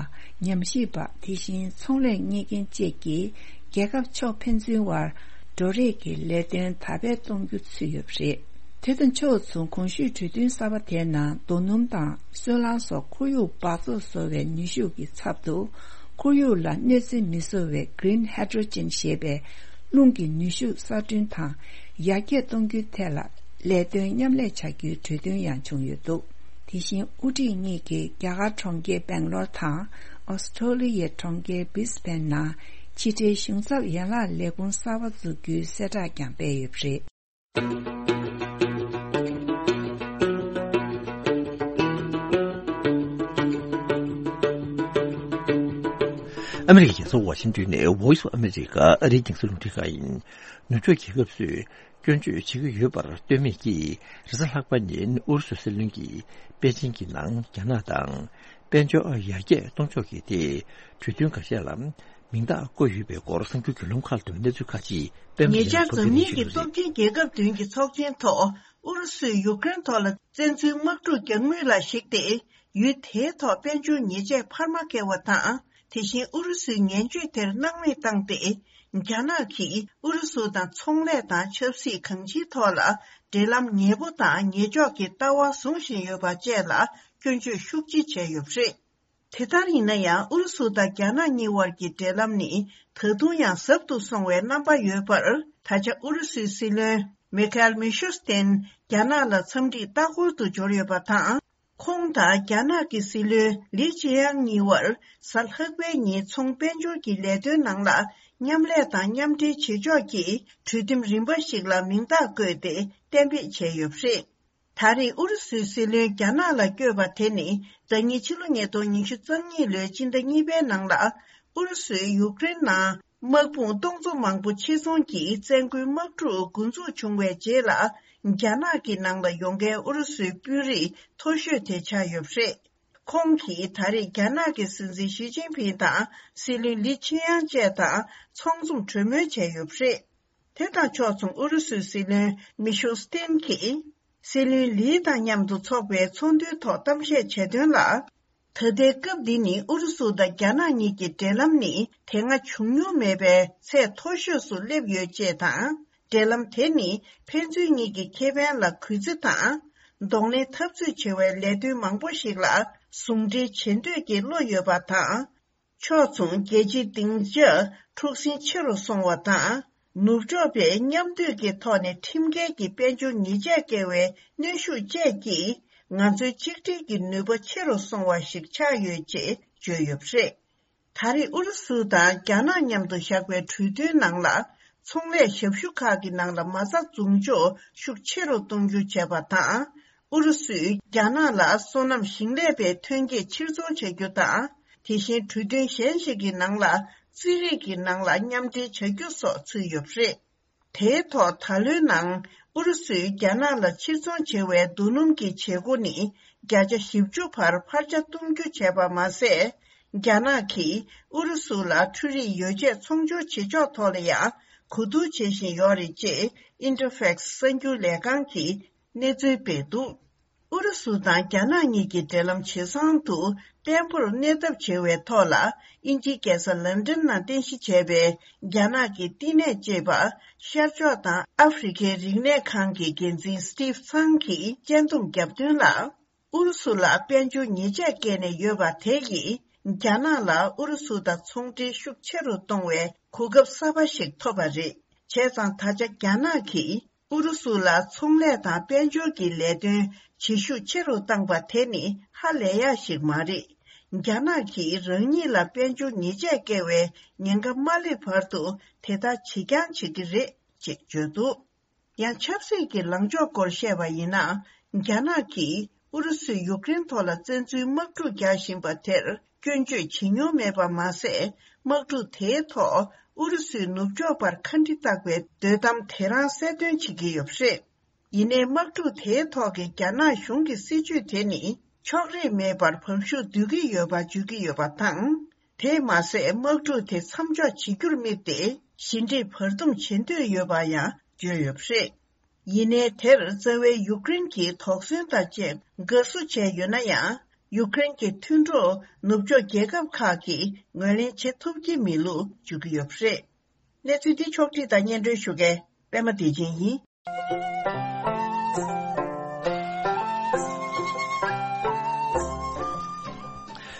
ཉམས་ཞིབ་པ། དེ་བཞིན་ཚོང་ལས་གཉེར་མཁན་བཅས་ཀྱིས་རྒྱལ་ཁབ་ཕྱོགས་ཕན་ཚུན་བར་འགྲོ་རེས་ཀྱི་ལས་དོན་དར་སྤེལ་གཏོང་རྒྱུ་ཚུད་ཡོད་པ་རེད། དེ་དང་ཕྱོགས་མཚུངས་གོང་ཞུས་གྲོས་མཐུན་གསར་པ་དེའི་ནང་རྡོ་སྣུམ་དང་སོལ་རླངས་སོགས་ཁོར་ཡུག་འབག་བཙོག་བཟོ་བའི་ནུས་ཤུགས་ཀྱི་ཚབ་ཏུ་ཁོར་ཡུག་ལ་གནོད་འཚེ་མི་བཟོ་བའི་Green Hydrogen་ཞེས་པའི་རླུང་གི་ནུས་ཤུགས་གསར་སྐྲུན་དང་ཡར་རྒྱས་གཏོང་རྒྱུའི་ཐད་ལ་ལས་དོན་མཉམ་ལས་བྱ་རྒྱུའི་གྲོས་མཐུན་ཡང་བྱུང་ཡོད་འདུག་དེ་བཞིན་དབུ་ཁྲིད་གཉིས་ཀྱིས་རྒྱ་གར་གྲོང་ཁྱེར་སྦེང་ལོར་དང་ཨོ་སི་ཁྲོ་ལི་ཡའི་གྲོང་ཁྱེར་Brisbane་ནང་ ཕྱི་འབྲེལ་གཞུང་ཚབ་ཡན་ལག་ལས་ཁུངས་གསར་པ་འཛུགས་རྒྱུའི་གསལ་བསྒྲགས་ཀྱང་སྤེལ་ཡོད་པ་རེད། ཨ་མི་རི་ཀའི་རྒྱལ་ས་ཝ་ཤིང་ཏོན་ནས་Voice of America ཨ་རིའི་རྒྱང་སྲིང་རླུང་འཕྲིན་ཁང་ཡིན། ནུབ་ཕྱོགས་རྒྱལ་ཁབ་ཚོས་སྐྱོན་བརྗོད་བྱེད་ཀྱི་ཡོད་པར་ལྟོས་མེད་ཀྱིས། རེས་གཟའ་ལྷག་པ་ཉིན་ཨུ་རུ་སུའི་སྲིད་བློན་གྱིས་པེ་ཅིང་གི་ནང་རྒྱ་ནག་དང་དཔལ་འབྱོར་ཡར་རྒྱས་གཏོང་ཕྱོགས་ཀྱི་ཐད་གྲོས་མཐུན་འགའ་ཤས་ལ་མིང་རྟགས་བཀོད་ཡོད་པའི་སྐོར་གསར་འགྱུར་བརྒྱུད་ལམ་ཁག་ཏུ་གནས་ཚུལ་ཁག་ཅིག་པད་མ་ཉེ་ཆར་བརྒྱ་འཛམ་གླིང་གི་སྟོབས་ཆེན་རྒྱལ་ཁབ་བདུན་གྱི་ཚོགས་ཆེན་ཐོག་ཨུ་རུ་སུས་ཡུཀ་རེན་ཐོག་ལ་བཙན་འཛུལ་དམག་འཁྲུག་རྒྱག་མུས་ལ་གཞིགས་ཏེ། ཡུལ་དེའི་ཐོག་དཔལ་འབྱོར་ཉེས་ཆད་འཕར་མ་བཀལ་བ་དང་། དེ་བཞིན་ཨུ་རུ་སུའི་ངན་བྱུས་དེར་སྣང་མེད་བཏང་སྟེ། རྒྱ་ནག་གིས་ཨུ་རུ་སུ་དང་ཚོང་ལས་དང་ཆབ་སྲིད་གང་ཅིའི་ཐོག་ལ་འབྲེལ་ལམ་ཉེ་པོ་དང་ཉེ་ཕྱོགས་ཀྱི་ལྟ་བ་བཟུང་བཞིན་ཡོད་པ་བཅས་ལ་སྐྱོན་བརྗོད་ཤུགས་ཆེ་བྱས་ཡོད་པ་རེད། དེ་ལྟར་ཡིན་ན་ཡང་ཨུ་རུ་སུ་དང་རྒྱ་ནག་གཉིས་དབར་གྱི་འབྲེལ་ལམ་ནི་ད་དུང་ཡང་ཟབ་ཏུ་སོང་བའི་རྣམ་པ་ཡོད་པར། ད་ཆ་ཨུ་རུ་སུའི་སྲིད་བློན་མི་ཁ་ཨེལ་མི་ཤུ་སྟེན་རྒྱ་ནག་ལ་འཚམས་འདྲིའི་ལྟ་སྐོར་དུ་འབྱོར་ཡོད་པ་དང་། ཁོང་དང་རྒྱ་ནག་གི་སྲིད་བློན་ལི་ཅི་ཡང་གཉིས་དབར་གཟའ་ལྷག་པའི་ཉིན་ཚོང་དཔལ་འབྱོར་གྱི་ལས་དོན་ནང་ལ་མཉམ་ལས་དང་མཉམ་འབྲེལ་བྱེད་ཕྱོགས་ཀྱི་གྲོས་མཐུན་རིམ་པ་ཞིག་ལ་མིང་རྟགས་བཀོད་དེ་གཏན་འབེབས་བྱས་ཡོད་པ་རེད། ད་རེས་ཨུ་རུ་སུའི་སྲིད་བློན་རྒྱ་ནག་ལ་བསྐྱོད་པ་དེ་ནི་ཟླ་ཉིན་ཕྱི་ལོ་ཉིས་སྟོང་ཉི་ཤུ་རྩ་གཉིས་ལོའི་སྤྱི་ཟླ་གཉིས་པའི་ནང་ལ་ཨུ་རུ་སུས་ཡུཀ་རེན་ནང་དམག་དཔུང་སྟོང་ཚོ་མང་པོ་ཆེད་རྫོང་གིས་བཙན་རྒོལ་དམག་འཁྲུག་འགོ་འཛུགས་བྱུང་བའི་རྗེས་ལ། རྒྱ་ནག་གི་ནང་ལ་ཡོང་མཁན་ཨུ་རུ་སུའི་དཔོན་རིགས་མཐོ་ཤོས་དེ་ཆགས་ཡོད་པ་རེད། ཁོང་གིས་ད་རེས་རྒྱ་ནག་གི་སྲིད་འཛིན་ཞི་ཅིན་ཕིང་དང་སྲིད་བློན་ལི་ཆི་ཡང་བཅས་དང་ཚོགས་འཛོམས་གྲོས་མོལ་བྱས་ཡོད་པ་རེད། དེ་དང་ཕྱོགས་མཚུངས་ཨུ་རུ་སུའི་སྲིད་བློན་མི་ཤུ་སྟེན་གྱིས་སྲིད་བློན་ལི་དང་མཉམ་དུ་འཚོགས་པའི་ཚོགས་འདུའི་ཐོག་གཏམ་བཤད་བྱས་དོན་ལ། ད་ལྟའི་སྐབས་འདི་ནི་ཨུ་རུ་སུ་དང་རྒྱ་ནག་གཉིས་ཀྱི་འབྲེལ་ལམ་ནི་དེ་སྔ་བྱུང་མྱོང་མེད་པའི་ཚད་མཐོ་ཤོས་སུ་སླེབས་ཡོད་ཅེས་དང་། འབྲེལ་ལམ་དེ་ནི་ཕན་ཚུན་གཉིས་ཀྱི་ཁེ་ཕན་ལ་གུས་བརྩི་དང་། གདོང་ལེན་འཐབ་རྩོད་བྱེད་པའི་ལས་དོན་མང་པོ་ཞིག་ལ་ཟུང་འབྲེལ་བྱེད་འདོད་ཀྱི་བློ་ཡོད་པ་དང་། ཕྱོགས་མཚུངས་རྒྱལ་སྤྱིའི་སྡིངས་ཆ་འཁྲུག་ཟིང་ཆེ་རུ་སོང་བ་དང་། ནུབ་ཕྱོགས་པས་མཉམ་འདུས་ཀྱི་ཐོག་ནས་ཁྲིམས་འགལ་གྱི་དཔལ་འབྱོར་ཉེས་ཆད་བཀལ་བའི་གནོན་ཤུགས་བཅས་ཀྱིས། ང་ཚོའི་གཅིག་སྒྲིལ་གྱི་ནུས་པ་ཆེ་རུ་སོང་བ་ཞིག་ཆགས་ཡོད་ཅེས་བརྗོད་ཡོད་པ་རེད། ད་རེས་ཨུ་རུ་སུ་དང་རྒྱ་ནག་མཉམ་དུ་བཞག་པའི་གྲོས་མཐུན་ནང་ལ། ཚོང་ལས་ཞབས་ཞུ་ཁག་གི་ནང་ལ་མ་རྩ་འཛུགས་འཇོག་ཤུགས་ཆེ་རུ་གཏོང་རྒྱུ་བྱས་པ་དང་། ཨུ་རུ་སུས་རྒྱ་ནག་ལ་སོ་ནམ་ཞིང་ལས་པའི་ཐོན་སྐྱེད་ཕྱིར་ཚོང་བྱ་རྒྱུ་དང་། དེ་བཞིན་གྲོས་མཐུན་གཞན་ཞིག་གི་ནང་ལ་རྩིས་རིག་གི་ནང་ལ་མཉམ་འབྲེལ་བྱ་རྒྱུ་སོགས་ཚུད་ཡོད་པ་རེད། དེའི་ཐོག་ད་ལོའི་ནང་ཨུ་རུ་སུས་རྒྱ་ནག་ལ་ཕྱིར་ཚོང་བྱེད་པའི་རྡོ་སྣུམ་གྱི་བྱེད་སྒོ་ནི་བརྒྱ་ཆ་བཞི་བཅུ་བར་འཕར་ཆ་གཏོང་རྒྱུ་བྱས་པ་མ་ཟད། རྒྱ་ནག་གིས་ཨུ་རུ་སུ་ལ་འཕྲུལ་རིག་ཡོ་བྱད་ཚོང་སྦྱོར་བྱེད་ཕྱོགས་ཐོག་ལ་ཡང་གོ་བསྡུར་བྱེད་བཞིན་ཡོད་རེད་ཅེས་ཨིན་ཊར་ཕེག་སི་གསར་འགྱུར་ལས་ཁང་གིས་གནས་ཚུལ་སྤེལ་འདུག་ཨུ་རུ་སུ་དང་རྒྱ་ནག་གཉིས་ཀྱི་འབྲེལ་ལམ་ཇེ་བཟང་དུ་བརྟན་པོར་གནས་ཐབས་བྱེད་པའི་ཐོག་ལ། དབྱིན་ཇིའི་རྒྱལ་ས་ལན་ཀྲན་ནང་རྟེན་གཞི་བྱས་པའི་རྒྱ་ནག་གི་བསྟི་གནས་ཅེས་པ་ཤར་ཕྱོགས་དང་ཨ་ཧྥེ་རི་ཁའི་རིག་གནས་ཁང་གི་འགན་འཛིན་སི་ཏིབ་ཚང་གིས་སྤྱན་འདུམ་བརྒྱབ་དོན་ལ། ཨུ་རུ་སུ་ལ་དཔལ་འབྱོར་ཉེས་ཆད་བཀལ་ནས་ཡོད་པ་དེ་ཡིས་རྒྱ་ནག་ལ་ཨུ་རུ་སུ་དང་ཚོང་འབྲེལ་ཤུགས་ཆེ་རུ་གཏོང་བའི་གོ་སྐབས་གསར་པ་ཞིག་ཐོབ་པ་རེད། བྱས་ཙང་ད་ཆ་རྒྱ་ནག་གིས། ཨུ་རུ་སུ་ལ་ཚོང་ལས་དང་དཔལ་འབྱོར་གྱི་ལས་དོན་བྱེད་ཤུགས་ཆེ་རུ་བཏང་པ་དེ་ནི་ཧ་ལས་ཡག་ཞིག་མ་རེད། རྒྱ་ནག་གིས་རང་ཉིད་ལ་དཔལ་འབྱོར་ཉེས་ཆད་བཀལ་བའི་ཉེན་ཁ་མ་སླེབས་བར་དུ་དེ་ལྟར་བྱེད་རྐྱང་བྱེད་ཀྱི་རེད་ཅེས་བརྗོད་འདུག་ཡང་ཆབ་སྲིད་ཀྱི་ལངས་ཕྱོགས་སྐོར་བཤད་པ་ཡིན་ན། རྒྱ་ནག་གིས་ཨུ་རུ་སུས་ཡུཀ་རེན་ཐོག་ལ་བཙན་འཛུལ་དམག་འཁྲུག་རྒྱག་བཞིན་པ་དེར། སྐྱོན་བརྗོད་བྱེད་མྱོང་མེད་པ་མ་ཟད། དམག་འཁྲུག་དེའི་ཐོག་ཨུ་རུ་སུས་ནུབ་ཕྱོགས་པར་ཁ་འདྲི་བཏགས་པའི་འདོད་གཏམ་དེ་རང་གསལ་སྟོན་བྱེད་ཀྱི་ཡོད་པ་རེད། ཡིན་ནའི་དམག་འཁྲུག་དེའི་ཐོག་གི་རྒྱ་ནག་གཞུང་གི་སྲིད་བྱུས་དེ་ནི་ཕྱོགས་རིས་མེད་པར་བབས་ཤུགས་སྡུད་ཀྱི་ཡོད་པ་བརྗོད་ཀྱི་ཡོད་པ་དང་། དེས་མ་ཟད། དམག་འཁྲུག་དེ་མཚམས་འཇོག་བྱེད་རྒྱུར་དམིགས་ཏེ་ཞི་འགྲིག་བར་འདུམ་བྱེད་འདོད་ཡོད་པ་ཡང་བརྗོད་ཡོད་པ་རེད། ཡིན་ནའི་དེར་རྩ་བའི་ཡུཀ་རེན་གྱིས་དོགས་ཟོན་དང་བཅས་དགའ་བསུ་བྱས་ཡོད་ན་ཡང་། ཡུཀ་རེན་གྱི་མཐུན་གྲོགས་ནུབ་ཕྱོགས་རྒྱལ་ཁབ་ཁག་གིས་ངོས་ལེན་བྱེད་ཐུབ་ཀྱི་མེད་ལུགས་བརྗོད་ཀྱི་ཡོད་པ་རེད། གནས་ཚུལ་འདི་ཕྱོགས་བསྒྲིགས་དང་སྙན་སྒྲོན་ཞུ་མཁན་པད་མ་བདེ་ཆེན་ཡིན།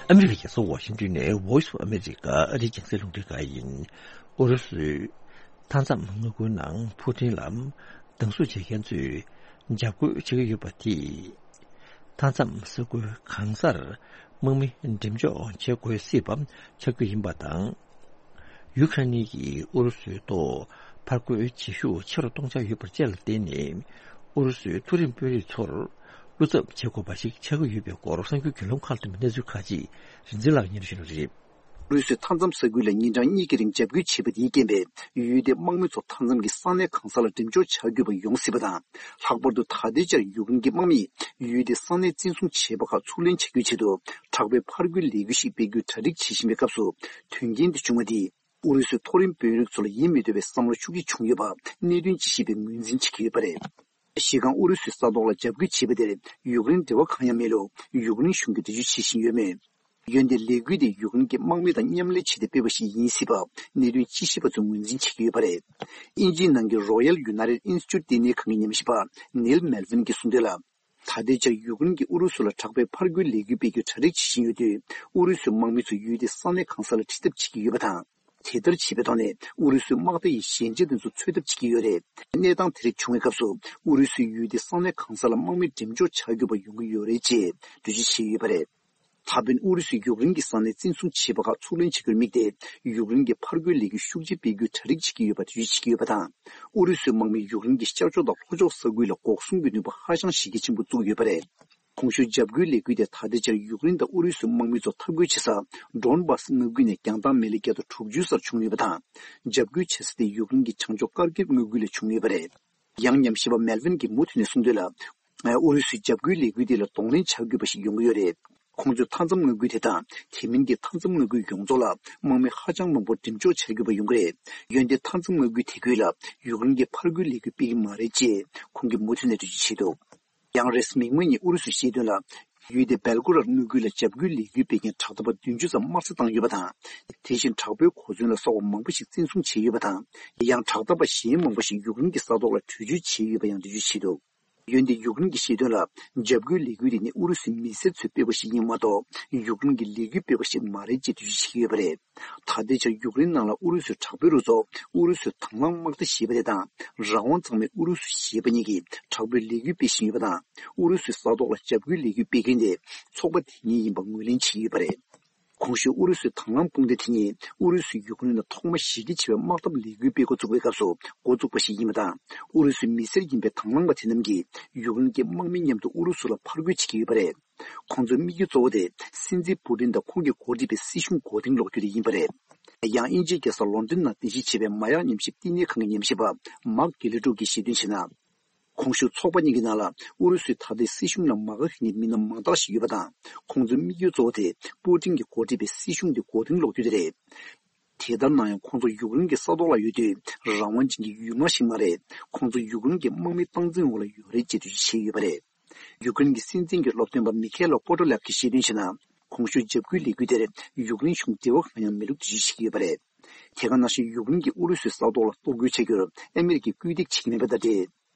ཨ་མི་རི་ཀའི་རྒྱལ་ས་ཝ་ཤིང་ཏོན་ནས་Voice of America ཨ་རིའི་རྒྱང་སྲིང་རླུང་འཕྲིན་ཁང་ཡིན། ཨུ་རུ་སུས་མཐའ་མཚམས་མངའ་ཁུལ་ནང་ཕུ་ཊིན་ལ་སྡང་ཟུག་བྱེད་མཁན་ཚོས་འཇབ་རྒོལ་བྱེད་ཀྱི་ཡོད་པ་དེས། མཐའ་མཚམས་ས་ཁུལ་གང་སར་དམག་མི་འགྲེམས་འཇོག་བྱེད་དགོས་སྲིད་པ་ཆགས་རྒྱུ་ཡིན་པ་དང་། ཡུ་ཁ་རེན་གྱིས་ཨུ་རུ་སུའི་ཐོག་ཕར་རྒོལ་བྱེད་ཤུགས་ཆེ་རུ་གཏོང་འཆར་ཡོད་པར་དཔྱད་ལ་བརྟེན་ནས། ཨུ་རུ་སུའི་མཐོ་རིམ་དཔོན་རིགས་ཚོར་བློ་འཚབ་བྱེད་དགོས་པ་ཞིག་ཆགས་ཀྱི་ཡོད་པའི་སྐོར་གསར་འགྱུར་བརྒྱུད་ལམ་ཁག་ལ་ཐོན་པའི་གནས་ཚུལ་ཁག་ཅིག་རིག་འཛིན་ལགས་སྙན་སྒྲོན་ཞུ་གནང་གི་རེད། ཨུ་རུ་སུས་མཐའ་མཚམས་ས་ཁུལ་ལ་ཉིན་གྲངས་གཉིས་ཀྱི་རིང་འཇབ་རྒོལ་བྱས་པ་དེའི་རྐྱེན་པས། ཡུལ་དེའི་དམག་མི་ཚོ་མཐའ་མཚམས་ཀྱི་ས་གནས་གང་ས་ལ་འགྲེམས་འཇོག་བྱ་དགོས་པ་ཡོང་སྲིད་པ་དང་། ལྷག་པར་དུ་ད་ལྟའི་ཆར་ཡུཀ་རེན་གྱི་དམག་མིས་ཡུལ་དེའི་ས་གནས་བཙན་བཟུང་བྱས་པ་ཁག་ཚུར་ལེན་བྱ་རྒྱུའི་ཆེད་དུ། དྲག་པོའི་ཕར་རྒོལ་ལས་འགུལ་ཞིག་སྤེལ་རྒྱུའི་གྲ་སྒྲིག་བྱེད་བཞིན་པའི་སྐབས་སུ། དོན་རྐྱེན་དེ་བྱུང་བ་དེས། ཨུ་རུ་སུའི་མཐོ་རིམ་དཔོན་རིགས་ཚོ་ལ་ཡིད་མི་བདེ་བའི་བསམ་བློ་ཤུགས་ཆེ་བྱུང་ཡོད་པ། གནད་དོན་ཅི་ཤེས་པས་ངོས་འཛིན་བྱེད་ཀྱི་ཡོད་པ་རེད། གཞི་རྐང་ཨུ་རུ་སུའི་ས་ཐོག་ལ་འཇབ་རྒོལ་བྱས་པ་དེར་ཡུཀ་རེན་འབྲེལ་བ་གང་ཡང་མེད་ལུགས་ཡུཀ་རེན་གཞུང་གིས་འགྲེལ་བརྗོད་བྱེད་བཞིན་ཡོད་མོད། འོན་ཏེ་ལས་འགུལ་དེ་ཡུཀ་རེན་གྱི་དམག་མི་དང་མཉམ་ལས་བྱས་ཏེ་སྤེལ་བ་ཞིག་ཡིན་སྲིད་པ། གནད་དོན་དཔྱད་ཞིབ་པ་ཚོས་ངོས་འཛིན་བྱེད་ཀྱི་ཡོད་པ་རེད། དབྱིན་ཇིའི་ནང་གི་Royal United Institute་ལྟེ་གནས་ཁང་གི་ཉམས་ཞིབ་པ་ནིལ་མེལ་ཝིན་གྱིས་གསུངས་དོན་ལ། ད་ལྟའི་ཆར་ཡུཀ་རེན་གྱིས་ཨུ་རུ་སུ་ལ་དྲག་པོའི་ཕར་རྒོལ་ལས་འགུལ་སྤེལ་རྒྱུའི་གྲ་སྒྲིག་བྱེད་བཞིན་ཡོད་དུས། ཨུ་རུ་སུའི་དམག་མི་ཚོ་ཡུལ་དེའི་ས་གནས་གང་ས་ལ་ཁྲིད་ཐབས་བྱེད་ཀྱི་ཡོད་པ་དང་། དེ་ལྟར་བྱེད་པའི་ཐོག་ནས་ཨུ་རུ་སུའི་དམག་སྡེ་ཡི་ཞན་ཆ་དེ་ཚོ་འཚོལ་ཐབས་བྱེད་ཀྱི་ཡོད་རེད། གནས་སྟངས་དེ་རིགས་བྱུང་བའི་སྐབས་སུ། ཨུ་རུ་སུའི་ཡུལ་དེའི་ས་གནས་གང་ས་ལ་དམག་མི་འགྲེམས་འཇོག་བྱ་དགོས་པ་ཡོང་གི་ཡོད་རེད་ཅེས་འགྲེལ་བརྗོད་བྱས་ཡོད་པ་རེད། ད་ཕན་ཨུ་རུ་སུས་ཡུཀ་རེན་གྱི་ས་གནས་བཙན་བཟུང་བྱས་པ་ཁག་ཚུར་ལེན་བྱ་རྒྱུར་དམིགས་ཏེ། ཡུཀ་རེན་གྱི་ཕར་རྒོལ་ལས་འགུལ་ཤུགས་ཆེ་སྤེལ་རྒྱུའི་གྲ་སྒྲིག་བྱེད་ཀྱི་ཡོད་པ་འགྲེལ་བརྗོད་བྱེད་ཀྱི་ཡོད་པ་དང་། ཨུ་རུ་སུའི་དམག་མིས་ཡུཀ་རེན་གྱི་ཤར་ཕྱོགས་དང་ལྷོ་ཕྱོགས་ས་ཁུལ་ལ་འགོག་སྲུང་གི་ནུས་པ་ཧ་ཅང་གཞི་རྒྱ་ཆེན་པོ་བཙུགས་ཡོད་པ་རེད། གོང་ཞུས་འཇབ་རྒོལ་ལས་འགུལ་དེ་ད་ལྟའི་ཆར་ཡུཀ་རེན་དང་ཨུ་རུ་སུའི་དམག་མི་ཚོ་འཐབ་རྒོལ་བྱེད་ས་ཌོན་སྦཱ་སི་མངའ་ཁུལ་ནས་རྒྱང་ཐག་མལ་ལེ་བརྒྱ་དང་དྲུག་ཅུ་སར་བྱུང་ཡོད་པ་དང་། འཇབ་རྒོལ་བྱེད་ས་དེ་ཡུཀ་རེན་གྱི་བྱང་ཕྱོགས་ཀར་ཀིབ་མངའ་ཁུལ་ལ་བྱུང་ཡོད་པ་རེད། ཡང་ཉམས་ཞིབ་པ་མེལ་ཝིན་གྱིས་མུ་མཐུད་ནས་གསུངས་དོན་ལ། ཨུ་རུ་སུའི་འཇབ་རྒོལ་ལས་འགུལ་དེ་ལ་གདོང་ལེན་བྱ་དགོས་པ་ཞིག་ཡོང་གི་ཡོད་རེད། ཁོང་ཚོས་མཐའ་མཚམས་མངའ་ཁུལ་དེ་དང་། དེ་མིན་གྱི་མཐའ་མཚམས་མངའ་ཁུལ་ཡོངས་རྫོགས་ལ་དམག་མི་ཧ་ཅང་མང་པོ་འགྲེམས་འཇོག་བྱ་དགོས་པ་ཡོང་གི་རེད། འོན་ཏེ་མཐའ་མཚམས་མངའ་ཁུལ་དེ་ཁུལ་ལ་ཡུཀ་རེན་གྱི་ཕར་རྒོལ་ལས་འགུལ་སྤེལ་གྱི་མ་རེད་ཅེས་ཁོང་གིས་མུ་མཐུད་ནས་འགྲེལ་བརྗོད་བྱས་འདུག་ཡང་རེས་མིག་དམར་ཉིན་ཨུ་རུ་སུས་བཤད་དོན་ལ། ཡུལ་དེ་སྦེལ་ཀོ་ར་དངུལ་ཁུལ་ལ་འཇབ་རྒོལ་ལས་འགུལ་སྤེལ་མཁན་དྲག་འཐབ་པ་བདུན་ཅུ་ཙམ་དམར་གསོད་བཏང་ཡོད་པ་དང་། དེ་བཞིན་དྲག་པོའི་གོ་མཚོན་ལ་སོགས་པ་མང་པོ་ཞིག་བཙན་བཟུང་བྱས་ཡོད་པ་དང་། ཡང་དྲག་འཐབ་པ་གཞན་མང་པོ་ཞིག་ཡུཀ་རེན་གྱི་ས་ཐོག་ལ་བྲོས་བྱོལ་བྱས་ཡོད་པ་ཡང་འགྲེལ་བརྗོད་བྱས་འདུག་ཡོན་ཏན་ཡུཀ་རེན་གྱིས་བཤད་དོན་ལ། འཇབ་རྒོལ་ལས་འགུལ་དེ་ནི་ཨུ་རུ་སུའི་མི་སེར་ཚོས་སྤེལ་བ་ཞིག་ཡིན་མ་གཏོགས། ཡུཀ་རེན་གྱི་ལས་འགུལ་སྤེལ་བ་ཞིག་མ་རེད་ཅེས་འགྲེལ་བརྗོད་བྱེད་ཀྱི་ཡོད་པ་རེད། ད་ལྟའི་ཆར་ཡུཀ་རེན་ནང་ལ་ཨུ་རུ་སུའི་དྲག་པོའི་རུ་ཚོགས་ཨུ་རུ་སུའི་དང་བླངས་དམག་སྡེ་ཞེས་པ་དེ་དང་། རང་དབང་གཙང་མའི་ཨུ་རུ་སུ་ཞེས་པ་གཉིས་ཀྱིས་དྲག་པོའི་ལས་འགུལ་སྤེལ་བཞིན་ཡོད་པ་དང་། ཨུ་རུ་སུའི་ས་ཐོག་ལ་འཇབ་རྒོལ་ལས་འགུལ་སྤེལ་མཁན་དེ་ཚོགས་པ་དེ་ཉིད་ཡིན་པ་ངོས་ལེན་བྱེད་ཀྱི་ཡོད་པ་རེད། གོང་ཞུས་ཨུ་རུ་སུའི་དང་བླངས་དཔུང་སྡེ་དེ་ཉིད་ཨུ་རུ་སུས་ཡུཀ་རེན་ལ་ཐོག་མ་གཞི་རྒྱ་ཆེ་བའི་དམག་འཐབ་ལས་འགུལ་སྤེལ་འགོ་བཙུགས་པའི་སྐབས་སུ་འགོ་བཙུགས་པ་ཞིག་ཡིན་པ་དང་། ཨུ་རུ་སུའི་མི་སེར་ཡིན་པའི་དང་བླངས་པ་དེ་རྣམས་ཀྱིས་ཡུཀ་རེན་གྱི་དམག་མི་མཉམ་དུ་ཨུ་རུ་སུ་ལ་ཕར་རྒོལ་བྱེད་ཀྱི་ཡོད་པ་རེད། ཁོང་ཚོའི་དམིགས་ཡུལ་གཙོ་བོ་དེ་སྲིད་འཛིན་པུ་ཏིན་དང་ཁོང་གིས་འགོ་ཁྲིད་པའི་སྲིད་གཞུང་མགོ་རྟིང་སློག་རྒྱུ་དེ་ཡིན་པ་རེད། ཡང་དབྱིན་ཇིའི་རྒྱལ་ས་ལོན་ཌོན་ནང་རྟེན་གཞི་བྱས་པའི་མ་ཡག་ཉམས་ཞིབ་བསྟི་གནས་ཁང་གི་ཉམས་ཞིབ་པ་མཱག་གེ་ལི་ཀྲུག་གིས་བཤད་དོན་བྱས་ན། གོང་ཞུས་ཚོགས་པ་གཉིས་ཀྱི་ནང་ལ་ཨུ་རུ་སུའི་ད་ལྟའི་སྲིད་གཞུང་ལ་མ་དགའ་མཁན་གྱི་མི་སྣ་མང་དག་ཞིག་ཡོད་པ་དང་། ཁོང་ཚོའི་དམིགས་ཡུལ་གཙོ་བོ་དེ་པུ་ཏིན་གྱིས་འགོ་ཁྲིད་པའི་སྲིད་གཞུང་དེ་མགོ་རྟིང་སློག་རྒྱུ་དེ་རེད། དེ་ལྟར་ན་ཡང་ཁོང་ཚོ་ཡུཀ་རེན་གྱི་ས་ཐོག་ལ་ཡོད་དུས་རང་དབང་ཅན་གྱི་ཡུལ་དམག་ཞིག་མ་རེད། ཁོང་ཚོ་ཡུཀ་རེན་གྱི་དམག་མིའི་སྟངས་འཛིན་འོག་ལ་ཡོད་རེད་ཅེས་འགྲེལ་བརྗོད་བྱས་ཡོད་པ་རེད། ཡུཀ་རེན་གྱི་སྲིད་འཛིན་གྱི་སློབ་སྟོན་པ་མི་ཁེ་ལོ་པོ་ཏོ་ལེབ་ཀྱིས་བཤད་དོན་བྱས་ན། གོང་ཞུས་འཇབ་རྒོལ་ལས་འགུལ་དེར་ཡུཀ་རེན་གཞུང་འབྲེལ་བ་གང་ཡང་མེད་ལུགས་འགྲེལ་བརྗོད་བྱེད་ཀྱི་ཡོད་པ་རེད། དེ་ག་ནང་བཞིན་ཡུཀ་རེན་གྱིས་ཨུ་རུ་སུའི་ས་ཐོག་ལ་གཏོར་རྒོལ་བྱ་རྒྱུར་ཨ་མེ་རི་ཀས་སྐུལ་འདེད་བྱེད་ཀྱི་མེད་པ་དང་འབྲེལ།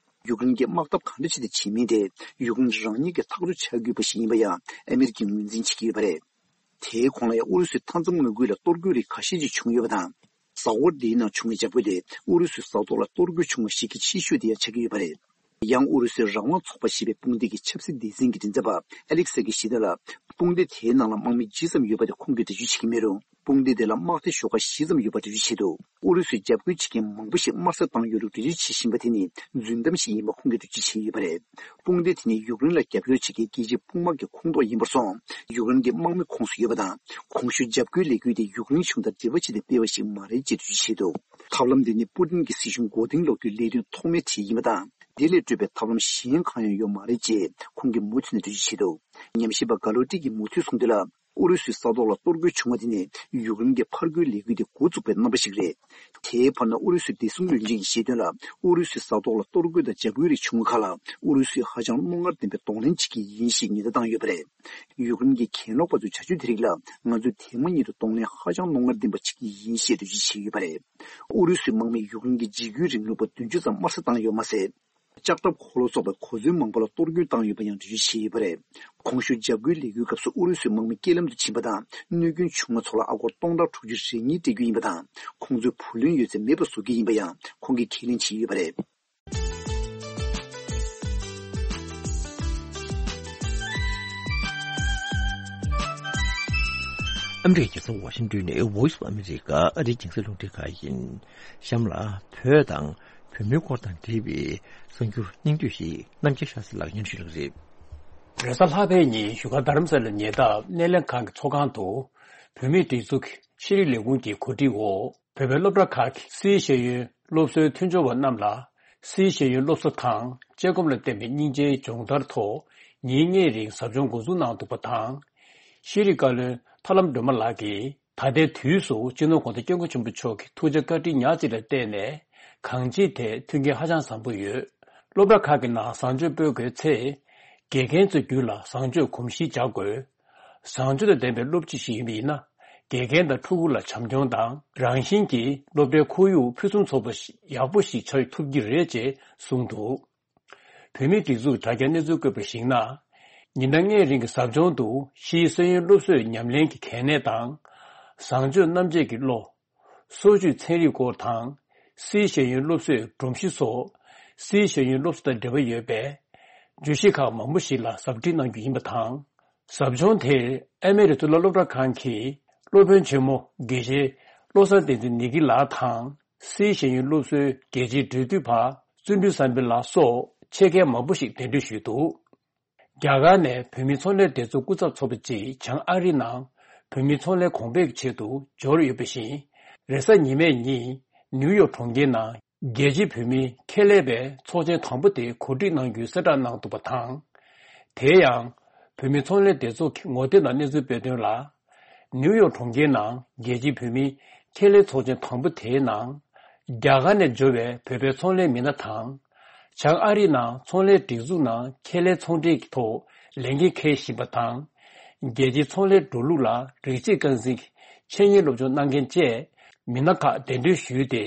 ཡུཀ་རེན་གྱིས་དམག་འཐབ་གང་འདྲ་བྱས་ཏེ་བྱེད་མིན་དེ་ཡུཀ་རེན་རང་ཉིད་ཀྱིས་ཐག་གཅོད་བྱ་དགོས་པ་ཞིག་ཡིན་པ་ཡང་ཨ་མེ་རི་ཀས་ངོས་འཛིན་བྱེད་ཀྱི་ཡོད་པ་རེད། དེའི་གོང་ལ་ཡང་ཨུ་རུ་སུའི་མཐའ་མཚམས་མངའ་ཁུལ་ལ་གཏོར་རྒོལ་རིགས་ཁ་ཤས་ཤིག་བྱུང་ཡོད་པ་དང་། གཟའ་འཁོར་འདིའི་ནང་བྱུང་བའི་འཇབ་རྒོལ་དེ་ཨུ་རུ་སུའི་ས་ཐོག་ལ་གཏོར་རྒོལ་བྱུང་བ་ཞིག་གི་ཆེ་ཤོས་དེ་ཡང་ཆགས་ཀྱི་ཡོད་པ་རེད། ཡང་ཨུ་རུ་སུའི་རང་དབང་ཚོགས་པ་ཞེས་པའི་དཔུང་སྡེ་གི་ཆབ་སྲིད་སྡེ་ཚན་གྱི་མགྲིན་ཚབ་པ་ཨ་ལེག་སེ་གིས་བཤད་དོན་ལ། དཔུང་སྡེ་དེའི་ནང་ལ་དམག་མི་ཇི་ཙམ་ཡོད་པ་དེ་ཁོང་གིས་འགྲེལ་བརྗོད་བྱེད་ཀྱི་མེད་རུང་། དཔུང་སྡེ་དེ་ལ་དམག་སྡེ་ཤོག་ཁག་བཞི་ཙམ་ཡོད་པ་འགྲེལ་བརྗོད་བྱས་འདུག་ཨུ་རུ་སུས་འཇབ་རྒོལ་བྱེད་མཁན་མང་པོ་ཞིག་དམར་གསོད་བཏང་ཡོད་ལུགས་འགྲེལ་བརྗོད་བྱེད་བཞིན་པ་དེ་ནི་རྫུན་གཏམ་ཞིག་ཡིན་པ་ཁོང་གིས་འགྲེལ་བརྗོད་བྱེད་བཞིན་ཡོད་པ་རེད། དཔུང་སྡེ་དེ་ནི་ཡུཀ་རེན་ལ་རྒྱབ་སྐྱོར་བྱེད་མཁན་རྒྱལ་སྤྱིའི་དཔུང་དམག་གི་ཁོངས་གཏོགས་ཡིན་པར་སོང་། ཡུཀ་རེན་གྱི་དམག་མི་ཁོངས་སུ་ཡོད་པ་དང་། གོང་ཞུས་འཇབ་རྒོལ་ལས་འགུལ་དེ་ཡུཀ་རེན་གཞུང་དང་འབྲེལ་བ་བྱས་ཏེ་སྤེལ་བ་ཞིག་མ་རེད་ཅེས་འགྲེལ་བརྗོད་བྱས་འདུག་ཐབས་ལམ་འདི་ནི་པུ་ཏིན་གྱི་སྲིད་གཞུང་མགོ་རྟིང་སློག་རྒྱུའི་ལས་དོན་ཐོག་མའི་གྲས་ཡིན་པ་དང་། འདི་ལས་སྤྲོས་པའི་ཐབས་ལམ་གཞན་གང་ཡང་ཡོད་མ་རེད་ཅེས་ཁོང་གིས་མུ་མཐུད་ནས་འགྲེལ་བརྗོད་བྱས་འདུག་ཉམས་ཞིབ་པ་ག་ལོ་ཏི་གིས་མུ་མཐུད་གསུངས་དོན་ལ། ཨུ་རུ་སུའི་ས་ཐོག་ལ་གཏོར་རྒོལ་བྱུང་བ་དེ་ནི་ཡུཀ་རེན་གྱི་ཕར་རྒོལ་ལས་འགུལ་དེ་འགོ་བཙུགས་པའི་རྣམ་པ་ཞིག་རེད། དེའི་བར་ན་ཨུ་རུ་སུའི་བདེ་སྲུང་བློན་ཆེན་གྱིས་བཤད་དོན་ལ། ཨུ་རུ་སུའི་ས་ཐོག་ལ་གཏོར་རྒོལ་དང་འཇབ་རྒོལ་རིགས་བྱུང་བ་ཁག་ལ་ཨུ་རུ་སུས་ཧ་ཅང་རྣོ་ངར་ལྡན་པའི་གདོང་ལེན་བྱེད་ཀྱི་ཡིན་ཞེས་ཉེན་བརྡ་བཏང་ཡོད་པ་རེད། ཡུཀ་རེན་གྱི་གྱེན་ལོག་པ་ཚོའི་བྱ་སྤྱོད་དེ་རིགས་ལ་ང་ཚོས་དེ་མ་ཉིད་དུ་གདོང་ལེན་ཧ་ཅང་རྣོ་ངར་ལྡན་པ་བྱེད་ཀྱི་ཡིན་ཞེས་འགྲེལ་བརྗོད་བྱས་ཡོད་པ་རེད། ཨུ་རུ་སུའི་དམག་མིས་ཡུཀ་རེན་གྱི་འཇིགས་སྐུལ་རིང་ལུགས་པ་བདུན་ཅུ་ཙམ་དམར་གསོད་བཏང་ཡོད་མ་ཟད། ལྕགས་ཁྲབ་འཁོར་ལོ་སོགས་པའི་གོ་མཚོན་མང་པོ་ལ་གཏོར་རྒོལ་བཏང་ཡོད་པ་ཡང་འགྲེལ་བརྗོད་བྱས་ཡོད་པ་རེད། གོང་ཞུས་འཇབ་རྒོལ་ལས་འགུལ་སྐབས་སུ་ཨུ་རུ་སུའི་དམག་མི་རྐྱེན་ལམ་དུ་ཕྱིན་པ་དང་གནོད་སྐྱོན་བྱུང་བ་ཚོ་ལ་ཨ་སྒོར་སྟོང་ཕྲག་དྲུག་ཅུ་རེ་གཉིས་སྤྲད་རྒྱུ་ཡིན་པ་དང་། ཁོང་ཚོའི་བུ་ལོན་ཡོད་ཚད་མེད་པར་བཟོ་རྒྱུ་ཡིན་པ་ཡང་ཁོང་གིས་ཁས་ལེན་བྱས་ཡོད་པ་རེད། ཨ་མི་རི་ཀའི་རྒྱལ་ས་ཝ་ཤིང་ཏོན་ནས་Voice of America ཨ་རིའི་རྒྱང་སྲིང་རླུང་འཕྲིན་ཁང་ཡིན། གཤམ་ལ་བོད་དང་བོད་མིའི་སྐོར་དང་འབྲེལ་བའི་གསར་འགྱུར་སྙིང་བསྡུས་ཤིག་རྣམ་རྒྱལ་ཤཱ་ཟི་ལགས་སྙན་ཞུ་ལགས་རེད། རེས་གཟའ་ལྷག་པའི་ཉིན་བཞུགས་སྒར་རྡ་རམ་ས་ལའི་ཉེ་འདབས་སྣེ་ལེན་ཁང་གི་ཚོགས་ཁང་དུ། བོད་མིའི་སྒྲིག་འཛུགས་ཤེས་རིག་ལས་ཁུངས་ཀྱི་གོ་སྒྲིག་འོག་བོད་པའི་སློབ་གྲྭ་ཁག་གི་སིའི་ཤེས་ཡོན་སློབ་གསོའི་མཐུན་སྦྱོར་བ་རྣམས་ལ། སིའི་ཤེས་ཡོན་སློབ་གསོ་དང་དཔྱད་སྒོམ་ལ་བརྟེན་པའི་སྙིང་རྗེའི་སྦྱོང་བརྡར་ཐོག་ཉིན་ལྔའི་རིང་ཟབ་སྦྱོང་འགོ་འཛུགས་གནང་འདུག་པ་དང་། ཤེས་རིག་བཀའ་བློན་ཐར་ལམ་སྒྲོལ་མ་ལགས་ཀྱིས། ད་ལྟའི་དུས་སུ་སྤྱི་ནོར་གོང་ས་སྐྱབས་མགོན་ཆེན་པོ་མཆོག་གི་ཐུགས་རྗེ་བཀའ་དྲིན་ཉག་གཅིག་ལ་བརྟེན་ནས། གང་ཅིའི་ཐད་མཐུན་རྐྱེན་ཧ་ཅང་བཟང་པོ་ཡོད། སློབ་གྲྭ་ཁག་གི་ནང་བཟང་སྤྱོད་སྤེལ་དགོས་ཚེ། དགེ་རྒན་ཚོའི་རྒྱུད་ལ་བཟང་སྤྱོད་གོམས་གཤིས་འཇགས་དགོས། བཟང་སྤྱོད་དང་ལྡན་པའི་སློབ་སྤྱི་ཞིག་ཡིན་པ་ཡིན་ན། དགེ་རྒན་དང་ཕྲུ་གུ་ལ་བྱམས་སྐྱོང་དང་རང་བཞིན་གྱིས་སློབ་གྲྭའི་ཁོར་ཡུག་ཕུན་སུམ་ཚོགས་པ་ཞིག་ཡག་པོ་ཞིག་ཆགས་ཐུབ་ཀྱི་རེད་ཅེས་གསུངས་འདུག་བོད་མིའི་སྒྲིག་འཛུགས་དྲ་རྒྱའི་གནས་ཚུལ་བཀོད་པར་གཞིགས་ན། ཉིན་ལྔའི་རིང་གི་ཟབ་སྦྱོང་དུ་ཕྱིའི་ས་ཡོམ་སློབ་གསོའི་ཉམས་ལེན་གྱི་གལ་གནད་དང་། བཟང་སྤྱོད་རྣམ་འབྱེད་ཀྱི་བློ། སོར་ཆུད་ཚན་རིག་སྐོར་དང་། སིའི་ཤེས་ཡོན་སློབ་གསོའི་སྒྲོམ་གཞི་སོགས། སིའི་ཤེས་ཡོན་སློབ་གསོ་དང་འབྲེལ་བ་ཡོད་པའི་བརྗོད་གཞི་ཁག་མང་པོ་ཞིག་ལ་ཟབ་ཁྲིད་གནང་རྒྱུ་ཡིན་པ་དང་། ཟབ་སྦྱོང་དེར་ཨ་མེ་རི་གཙུག་ལག་སློབ་གྲྭ་ཁང་གི་སློབ་དཔོན་ཆེན་མོ་དགེ་བཤེས་བློ་བཟང་བསྟན་འཛིན་ནི་གི་ལགས་དང་། སིའི་ཤེས་ཡོན་སློབ་གསོའི་རྒྱལ་སྤྱིའི་འབྲེལ་མཐུད་པ་བརྩོན་འགྲུས་བསམ་འཕེལ་ལགས་སོགས་ཆེད་མཁས་མང་པོ་ཞིག་གདན་འདྲེན་ཞུས་འདུག་རྒྱ་གར་ནས་བོད་མིའི་ཚོང་ལས་སྡེ་ཚོགས་སྐུ་ཚབ་ཚོགས་པ་གཅིག་བྱང་ཨ་རིའི་ནང་བོད་མིའི་ཚོང་ལས་གོང་འཕེལ་གྱི་ཆེད་དུ་འབྱོར་ཡོད་པ་བཞིན། རེས་གཟའ་ཉི་མའི་ཉིན་ནིའུ་ཡོག་གྲོང་ཁྱེར་ནང་རྒྱལ་སྤྱིའི་བོད་མིའི་ཁེ་ལས་པའི་ཚོགས་ཆེན་དང་པོ་དེ་གོ་སྒྲིག་གནང་རྒྱུའི་གསལ་བསྒྲགས་གནང་འདུག་པ་དང་། དེ་ཡང་། བོད་མིའི་ཚོང་ལས་སྡེ་ཚོགས་ཀྱི་ངོ་དེབ་ནང་གནས་ཚུལ་སྤེལ་དོན་ལ། ནིའུ་ཡོག་གྲོང་ཁྱེར་ནང་རྒྱལ་སྤྱིའི་བོད་མིའི་ཁེ་ལས་ཚོགས་ཆེན་དང་པོ་དེའི་ནང་། རྒྱ་གར་ནས་འབྱོར་བའི་བོད་པའི་ཚོང་ལས་མི་སྣ་དང་། བྱང་ཨ་རིའི་ནང་ཚོང་ལས་སྒྲིག་འཛུགས་ནང་ཁེ་ལས་ཚོང་འབྲེལ་གྱི་ཐོག་ལས་འགན་འཁྱེར་བཞིན་པ་དང་། རྒྱལ་སྤྱིའི་ཚོང་ལས་འགྲོ་ལུགས་ལ་རིགས་གཅིག་རྐང་འཛིན་གྱི་འཆད་ཉན་སློབ་སྦྱོང་གནང་མཁན་བཅས་མི་སྣ་ཁག་གདན་འདྲེན་ཞུས་ཏེ།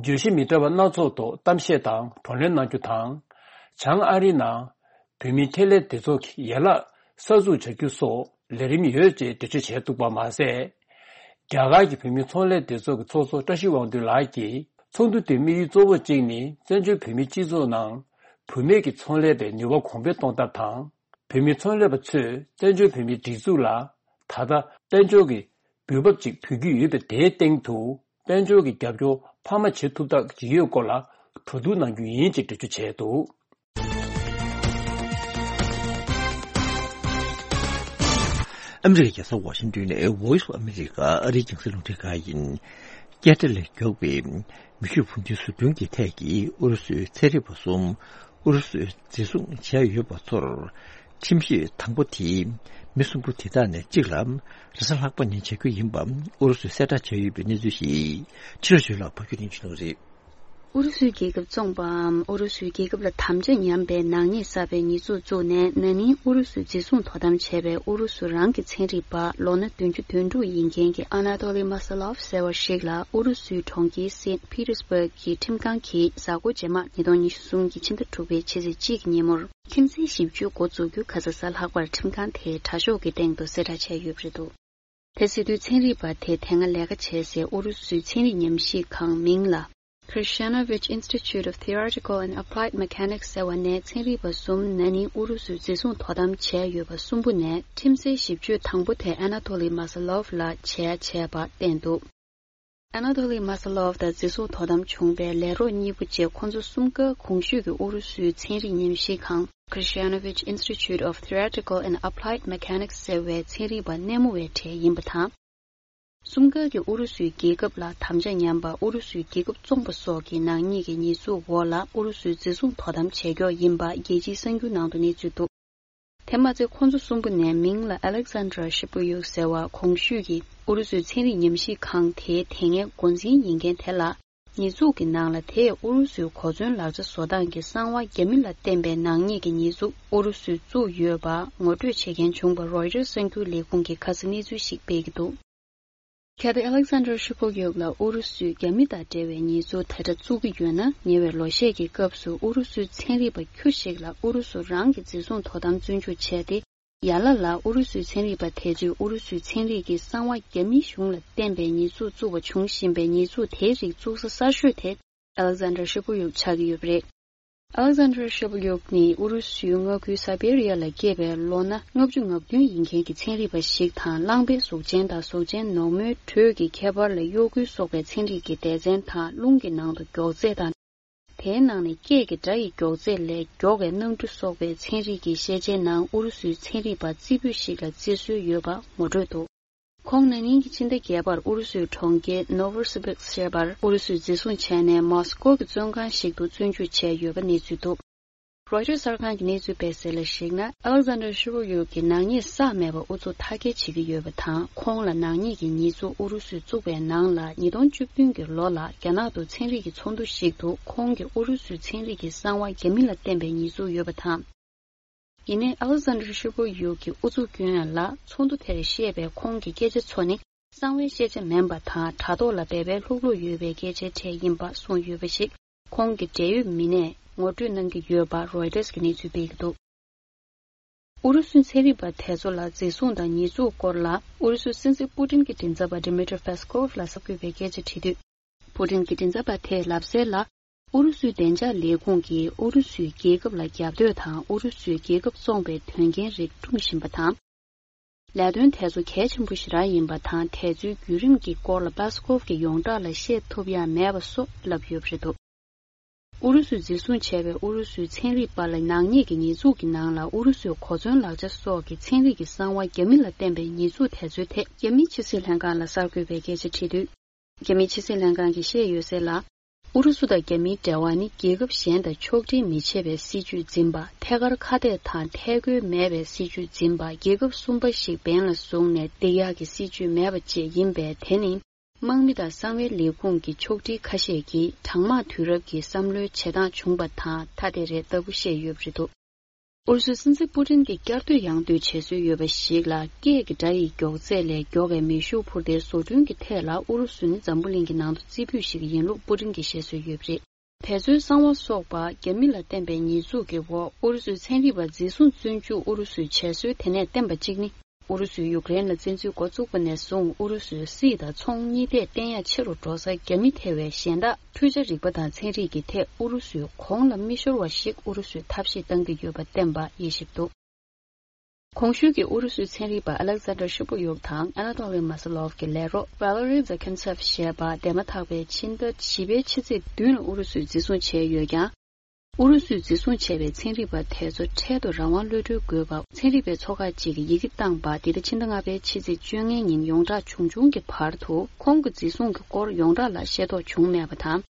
བརྗོད་གཞི་མི་འདྲ་བ་སྣ་ཚོགས་ཐོག་གཏམ་བཤད་དང་བགྲོ་གླེང་གནང་རྒྱུ་དང་། བྱང་ཨ་རིའི་ནང་བོད་མིའི་ཁེ་ལས་སྡེ་ཚོགས་ཀྱི་ཡན་ལག་གསར་འཛུགས་བྱ་རྒྱུ་སོགས་ལས་རིམ་ཡོད་ཅེས་འགྲེལ་བརྗོད་བྱས་འདུག་པ་མ་ཟད། རྒྱ་གར་གྱི་བོད་མིའི་ཚོང་ལས་སྡེ་ཚོགས་ཀྱི་ཚོགས་གཙོ་བཀྲ་ཤིས་དབང་འདུས་ལགས་ཀྱིས་ཚོགས་འདུ་དེའི་དམིགས་ཡུལ་གཙོ་བོ་གཅིག་ནི་བཙན་བྱོལ་བོད་མིའི་སྤྱི་ཚོགས་ནང་བུད་མེད་ཀྱི་ཚོང་ལས་པའི་ནུས་པ་གོང་འཕེལ་གཏོང་ཐབས་དང་། བོད་མིའི་ཚོང་ལས་པ་ཚོས་བཙན་བྱོལ་བོད་མིའི་སྒྲིག་འཛུགས་ལ་ད་ལྟ་དཔལ་འབྱོར་གྱི་འོས་བབ་ཅིག་ཕུལ་རྒྱུ་ཡོད་པ་དེའི་སྟེང་དུ། དཔལ་འབྱོར་གྱི་རྒྱབ་སྐྱོར་འཕར་མ་བྱེད་ཐུབ་ཐབས་ཀྱི་ཡོད་སྐོར་ལ་གྲོས་བསྡུར་གནང་རྒྱུ་ཡིན་ཅེས་འགྲེལ་བརྗོད་བྱས་འདུག་ཨ་མི་རི་ཀའི་རྒྱལ་ས་ཝ་ཤིང་ཏོན་ནས་Voice of America ཨ་རིའི་རྒྱང་སྲིང་རླུང་འཕྲིན་ཁང་ཡིན། ཀན་ཌ་ལ་མགྱོགས་པའི་མེ་ཤུགས་འཕུར་མདེལ་ཟུར་འདོན་གྱི་ཐད་ཀྱི་ཨུ་རུ་སུའི་ཚན་རིག་པ་གསུམ་ཨུ་རུ་སུས་འཛིན་བཟུང་བྱས་ཡོད་པ་ཚོར། ཁྲིམས་ཞིབ་དང་པོ་དེས་མི་གསུམ་པོ་དེ་དག་ནས་གཅིག་ལ་རེས་གཟའ་ལྷག་པ་ཉིན་བྱ་རྒྱུ་ཡིན་པ་ཨུ་རུ་སུས་གསལ་བསྒྲགས་བྱས་ཡོད་པའི་གནས་ཚུལ་ཞིག་ཕྱི་ལོགས་ཞུས་ལ་ཕབ་སྒྱུར་ཡིན་ཞུ་གནང་རེད། ཨུ་རུ་སུའི་རྒྱལ་ཁབ་བཙོངས་པའམ་ཨུ་རུ་སུའི་རྒྱལ་ཁབ་ལ་དམ་བཅའ་ཉམས་པའི་ནག་ཉེས་བསགས་པའི་ཉེས་འཛུགས་བཙུགས་ནས་ན་ནིང་ཨུ་རུ་སུས་འཛིན་བཟུང་དོ་དམ་བྱས་པའི་ཨུ་རུ་སུ་རང་གི་ཚན་རིག་པ་ལོ་ན་བདུན་ཅུ་དོན་དྲུག་ཡིན་མཁན་གྱི་ཨ་ན་ཏོ་ལི་མ་སེ་ལོབ་ཟེར་བ་ཞིག་ལ་ཨུ་རུ་སུའི་གྲོང་ཁྱེར་སེན་པི་ཏེར་སི་བྷག་གི་ཁྲིམས་ཁང་གིས་གཟའ་འཁོར་རྗེས་མ་ཉིས་སྟོང་ཉི་ཤུ་གསུམ་གྱི་ཕྱི་ཟླ་དྲུག་པའི་ཕྱི་ཚེས་གཅིག་གི་ཉིན་མོར། ཁྲིམས་རྩོད་ཞིབ་བརྗོད་འགོ་འཛུགས་རྒྱུ་ཁ་ས་གཟའ་ལྷག་པར་ཁྲིམས་ཁང་དེའི་དྲ་ཤོག་གི་སྟེང་དུ་གསལ་བསྒྲགས་བྱས་ཡོད་པ་རེད་འདུག་དེ་སྲིད་དུས་ཚན་རིག་པ་དེ་དེ་སྔ་ལས་ཀ་བྱས་སའི་ཨུ་རུ་སུའི་ཚན་རིག་ཉམས་ཞིབ་ཁང་མིང་ལ་Krishnanovich Institute of Theoretical and Applied Mechanics ཟེར་བ་ནས་ཚན་རིག་པ་གསུམ་ན་ནིང་ཨུ་རུ་སུས་འཛིན་བཟུང་དོ་དམ་བྱས་ཡོད་པ་གསུམ་པོ་ནས་ཁྲིམས་རྩོད་ཞིབ་བརྗོད་དང་པོ་དེ་ཨ་ན་ཐོ་ལི་མ་སེ་ལོབ་ལ་བྱས་བྱས་པ་བསྟན་འདུག་ཨ་ན་ཐོ་ལི་མ་སེ་ལོབ་དང་འཛིན་བཟུང་དོ་དམ་བྱུང་བའི་ལས་རོགས་གཉིས་པོ་བཅས་ཁོང་ཚོ་གསུམ་ཀ་གོང་ཞུས་ཀྱི་ཨུ་རུ་སུའི་ཚན་རིག་ཉམས་ཞིབ་ཁང་Krishnanovich Institute of Theoretical and Applied Mechanics ཟེར་བའི་ཚན་རིག་པ་སྣེ་མོ་བའི་གྲས་ཡིན་པ་དང་། གསུམ་ཀ་གིས་ཨུ་རུ་སུའི་རྒྱལ་ཁབ་ལ་དམ་བཅའ་ཉམས་པ་ཨུ་རུ་སུའི་རྒྱལ་ཁབ་བཙོངས་པ་སོགས་ཀྱི་ནག་ཉེས་ཀྱི་ཉེས་འཛུགས་འོག་ལ་ཨུ་རུ་སུས་འཛིན་བཟུང་དོ་དམ་བྱས་ཀྱོག་ཡིན་པ་རྒྱལ་སྤྱིའི་གསར་འགྱུར་ནང་དུ་གནས་ཚུལ་འདུག་དེ་མ་ཚད་ཁོང་ཚོ་གསུམ་པོ་ནས་མིང་ལ་Alexander Shipyuk ཟེར་བ་གོང་ཞུས་ཀྱི་ཨུ་རུ་སུའི་ཚན་རིག་ཉམས་ཞིབ་ཁང་དེའི་དེ་སྔའི་འགོ་འཛིན་ཡིན་མཁན་དེ་ལ་ཉེས་འཛུགས་ཀྱི་ནང་ལ་དེས་ཨུ་རུ་སུའི་གོ་མཚོན་ལག་ཆ་བཟོ་སྟངས་ཀྱི་གསང་བ་རྒྱ་མི་ལ་བརྟེན་པའི་ནག་ཉེས་ཀྱི་ཉེས་འཛུགས་ཨུ་རུ་སུས་བཙུགས་ཡོད་པ་ངོ་སྤྲོད་བྱེད་མཁན་བྱུང་བ་Reuters གསར་འགྱུར་ལས་ཁུངས་ཀྱིས་ཁ་སང་གནས་ཚུལ་ཞིག་སྤེལ་གྱི་འདུག་གལ་ཏེ་Alexander Shipyuk ལ་ཨུ་རུ་སུས་རྒྱ་མི་དང་འབྲེལ་བའི་ཉེས་འཛུགས་དེ་འདྲ་བཙུགས་ཀྱི་ཡོད་ན། ཉེ་བའི་ལོ་ཤས་ཀྱི་སྐབས་སུ་ཨུ་རུ་སུའི་ཚན་རིག་པ་ཁྱུ་ཞིག་ལ་ཨུ་རུ་སུ་རང་གིས་འཛིན་བཟུང་དོ་དམ་བཙོན་འཇུག་བྱས་ཏེ། ཡར་ལ་ལ་ཨུ་རུ་སུའི་ཚན་རིག་པ་དེ་ཚོས་ཨུ་རུ་སུའི་ཚན་རིག་གི་གསང་བ་རྒྱ་མིའི་གཞུང་ལ་བརྟེན་པའི་ཉེས་འཛུགས་བཙུགས་པ་བྱུང་བཞིན་པའི་ཉེས་འཛུགས་དེའི་རིགས་བཙུགས་ས་གསར་ཤོས་དེ་Alexander Shipyuk ཆགས་ཀྱི་ཡོད་པ་རེད། Alexander Shevlyuk ནི་ཨུ་རུ་སུའི་མངའ་ཁུལ་སཱ་བེ་རི་ཡ་ལ་སྐྱེས་པའི་ལོ་ན་ལྔ་བཅུ་ང་བདུན་ཡིན་མཁན་གྱི་ཚན་རིག་པ་ཞིག་དང་། རླངས་པའི་གཟུགས་ཅན་དང་གཟུགས་ཅན་ནོར་མོའི་དྲོད་ཀྱི་ཁྱད་པར་ལ་གཡོ་འགུལ་སོགས་པའི་ཚན་རིག་གི་སྡེ་ཚན་དང་། རླུང་གི་ནང་དུ་མགྱོགས་ཚད་དང་། དེའི་ནང་ནས་སྐད་ཀྱི་སྒྲ་ཡི་མགྱོགས་ཚད་ལས་མགྱོགས་པའི་སྣང་འཕྲུལ་སོགས་པའི་ཚན་རིག་གི་ཤེས་བྱའི་ནང་ཨུ་རུ་སུའི་ཚན་རིག་པ་རྩེ་ཕུད་ཞིག་ལ་བརྩི་སྲོལ་ཡོད་པ་ངོ་སྤྲོད་འདུག་ཁོང་ན་ནིང་གི་ཕྱི་ཟླ་བརྒྱད་པར་ཨུ་རུ་སུའི་གྲོང་ཁྱེར་ནོ་ཝོ་སི་བིར་སི་ཞེས་པར་ཨུ་རུ་སུས་འཛིན་བཟུང་བྱས་ནས། མོ་སི་ཀོ་གི་བཙོན་ཁང་ཞིག་ཏུ་བཙོན་འཇུག་བྱས་ཡོད་པ་གནས་ཚུལ་འདུག་རོའི་ཊར་གསར་ཁང་གི་གནས་ཚུལ་སྤེལ་གསལ་ལ་གཞིགས་ན། ཨ་ལེག་ཟན་ཌར་ཤི་ཝོ་ཡུག་གིས་ནག་ཉེས་བསགས་མེད་པར་ཨུ་ཚུགས་མཐའ་སྐྱེལ་བྱེད་ཀྱི་ཡོད་པ་དང་། ཁོང་ལ་ནག་ཉེས་ཀྱི་ཉེས་འཛུགས་ཨུ་རུ་སུས་བཙུགས་པའི་ནང་ལ། ཉིས་སྟོང་བཅུ་བདུན་གྱི་ལོ་ལ་རྒྱ་ནག་ཏུ་ཚན་རིག་གི་ཚོགས་འདུ་ཞིག་ཏུ་ཁོང་གིས་ཨུ་རུ་སུའི་ཚན་རིག་གི་གསང་བ་རྒྱ་མི་ལ་བརྟེན་པའི་ཉེས་འཛུགས་ཡོད་པ་དང་། ཡིན་ནའི་ཨ་ལེག་ཟན་ཌར་ཤི་ཝོ་ཡུག་གི་ཨུ་ཚུགས་སྐྱོན་ལ། ཚོགས་འདུ་དེར་བཤད་པའི་ཁོང་གི་སྐད་ཆ་ཚོ་ནི་གསང་བའི་ཤེས་བྱ་མིན་པ་དང་། དྲ་ཐོག་ལ་སྦས་པའི་ལྷུག་ལྷུག་ཡོད་པའི་སྐད་ཆའི་གྲས་ཡིན་པ་གསུངས་ཡོད་པ་ཞིག་ཁོང་གི་འབྲེལ་ཡོད་མི་སྣས་ངོ་སྤྲོད་གནང་གི་ཡོད་པ་རོའི་ཊར་གྱིས་གནས་ཚུལ་སྤེལ་གྱི་འདུག་ཨུ་རུ་སུའི་ཚན་རིག་པ་དེ་ཚོ་ལ་འཛིན་བཟུང་དང་ཉེས་འཛུགས་སྐོར་ལ། ཨུ་རུ་སུའི་སྲིད་འཛིན་པུ་ཏིན་གྱི་མགྲིན་ཚབ་པ་ཌི་མི་ཏྲི་ཕེ་སི་ཀོབ་ལ་གསར་འགོད་པས་སྐད་ཆ་དྲིས་དུས། པུ་ཏིན་གྱི་མགྲིན་ཚབ་པ་དེས་ལབ་གསལ་ལ། ཨུ་རུ་སུའི་བདེ་འཇགས་ལས་ཁུངས་ཀྱིས་ཨུ་རུ་སུའི་རྒྱལ་ཁབ་ལ་རྒྱབ་གཏོད་དང་། ཨུ་རུ་སུའི་རྒྱལ་ཁབ་བཙོང་པའི་དོན་རྐྱེན་རིགས་སྲུང་བཞིན་པ་དང་། ལས་དོན་དེ་ཚོ་གལ་ཆེན་པོ་ཞེ་དྲག་ཡིན་པ་དང་། དེ་ཚོའི་བརྒྱུད་རིམ་གྱི་སྐོར་ལ་པེ་སི་ཀོབ་ཀྱིས་ཡོངས་གྲགས་ལ་བཤད་ཐུབ་ཡ་མེད་པ་སོགས་ལབ་ཡོད་པ་རེད་འདུག་ཨུ་རུ་སུས་འཛིན་བཟུང་བྱས་པའི་ཨུ་རུ་སུའི་ཚན་རིག་པ་ལ་ནག་ཉེས་ཀྱི་ཉེས་འཛུགས་ཀྱི་ནང་ལ། ཨུ་རུ་སུའི་གོ་མཚོན་ལག་ཆ་སོགས་ཀྱི་ཚན་རིག་གི་གསང་བ་རྒྱ་མི་ལ་བརྟེན་པའི་ཉེས་འཛུགས་དེ་ཚོའི་ཐད། རྒྱ་མིའི་ཕྱི་སྲིད་ལྷན་ཁང་ལ་གསར་འགོད་པས་སྐད་ཆ་དྲིས་དུས། རྒྱ་མིའི་ཕྱི་སྲིད་ལྷན་ཁང་གིས་བཤད་ཡོད་གསལ་ལ། ཨུ་རུ་སུ་དང་རྒྱ་མིའི་འབྲེལ་བ་ནི་རྒྱལ་ཁབ་གཞན་དང་ཕྱོགས་སྒྲིག་མི་བྱེད་པའི་སྲིད་ཇུས་འཛིན་པ། ཐད་ཀར་ཁ་གཏད་དང་ཐད་རྒོལ་མེད་པའི་སྲིད་ཇུས་འཛིན་པ། རྒྱལ་ཁབ་གསུམ་པ་ཞིག་འབེན་ལ་བཟུང་ནས་སྡིགས་ཡག་གི་སྲིད་ཇུས་མེད་པ་བཅས་ཡིན་པས། དེ་ནི་དམག་མི་དང་གསང་བའི་ལས་ཁུངས་ཀྱི་ཕྱོགས་སྒྲིག་ཁ་ཤས་ཀྱིས་གྲང་དམག་དུས་རབས་ཀྱི་བསམ་བློའི་བྱེད་སྟངས་བྱུང་བ་དང་ཐ་དད་རེད་ལྟ་བུ་བཤད་ཡོད་པ་རེད་འདུག་ཨུ་རུ་སུའི་སྲིད་འཛིན་པུ་ཏིན་གྱིས་བསྐྱར་ཟློས་ཡང་ཟློས་བྱེད་སྲོལ་ཡོད་པ་ཞིག་ལ། སྐད་ཀྱི་སྒྲ་ཡི་མགྱོགས་ཚད་ལས་མགྱོགས་པའི་མེ་ཤུགས་འཕུར་མདེལ་བཟོ་སྐྲུན་གྱི་ཐད་ལ་ཨུ་རུ་སུ་ནི་འཛམ་བུ་གླིང་གི་ནང་དུ་རྩེ་ཕུད་ཞིག་ཡིན་ལུགས་པུ་ཏིན་གྱིས་བཤད་སྲོལ་ཡོད་པ་རེད། དེ་ཚོའི་གསང་བ་སོགས་པ་རྒྱ་མི་ལ་བརྟེན་པའི་ཉེས་འཛུགས་ཀྱི་འོག་ཨུ་རུ་སུའི་ཚན་རིག་པ་འཛིན་བཟུང་བཙོན་འཇུག་ཨུ་རུ་སུས་བྱས་སྲོལ་དེ་ནས་བརྟེན་པ་གཅིག་ནི། ཨུ་རུ་སུས་ཡུཀ་རེན་ལ་བཙན་འཛུལ་འགོ་བཙུགས་པ་ནས་བཟུང་། ཨུ་རུ་སུའི་སྲིད་དང་ཚོང་གཉིས་ཐད་བརྟན་ཡག་ཆེ་རུ་འགྲོ་སར། རྒྱ་མི་ཐེ་བའི་གཞན་དག་འཕྲུལ་ཆ་རིག་པ་དང་ཚན་རིག་གི་ཐད་ཨུ་རུ་སུས་གོང་ལ་མི་ཤོར་བ་ཞིག་ཨུ་རུ་སུས་ཐབས་ཤེས་གཏང་གི་ཡོད་པ་བསྟན་པ་དབྱེ་ཞིབ་འདུག་གོང་ཞུས་ཀྱི་ཨུ་རུ་སུའི་ཚན་རིག་པ་ཨ་ལེག་ཟན་ཌར་ཤི་པོ་ཡུག་དང་ཨ་ན་ཏོ་ལི་མ་སི་ལོབ་ཀྱི་ལས་རོགས་ཝ་ལེ་རི་ཛ་ཁན་ཚེབ་ཞེས་པ་འདས་མ་ཐག་པའི་ཕྱི་ཟླ་བཞི་པའི་ཕྱི་ཚེས་བདུན་ལ་ཨུ་རུ་སུས་འཛིན་བཟུང་བྱས་ཡོད་ཀྱང་། ཨུ་རུ་སུས་འཛིན་བཟུང་བྱས་པའི་ཚན་རིག་པ་དེ་ཚོ་འཕྲལ་དུ་རང་དབང་གློད་གྲོལ་དགོས་པ་ཚན་རིག་པའི་ཚོགས་ཁག་ཅིག་གིས་ཡི་གེ་བཏང་པ། འདི་ཟླ་ཕྱི་ཟླ་ལྔ་པའི་ཕྱི་ཚེས་བཅོ་ལྔའི་ཉིན་ཡོངས་གྲགས་བྱུང་བྱུང་གི་བར་དུ་ཁོང་གི་འཛིན་བཟུང་གི་སྐོར་ཡོངས་གྲགས་ལ་ཤེས་རྟོགས་བྱུང་མེད་པ་དང་།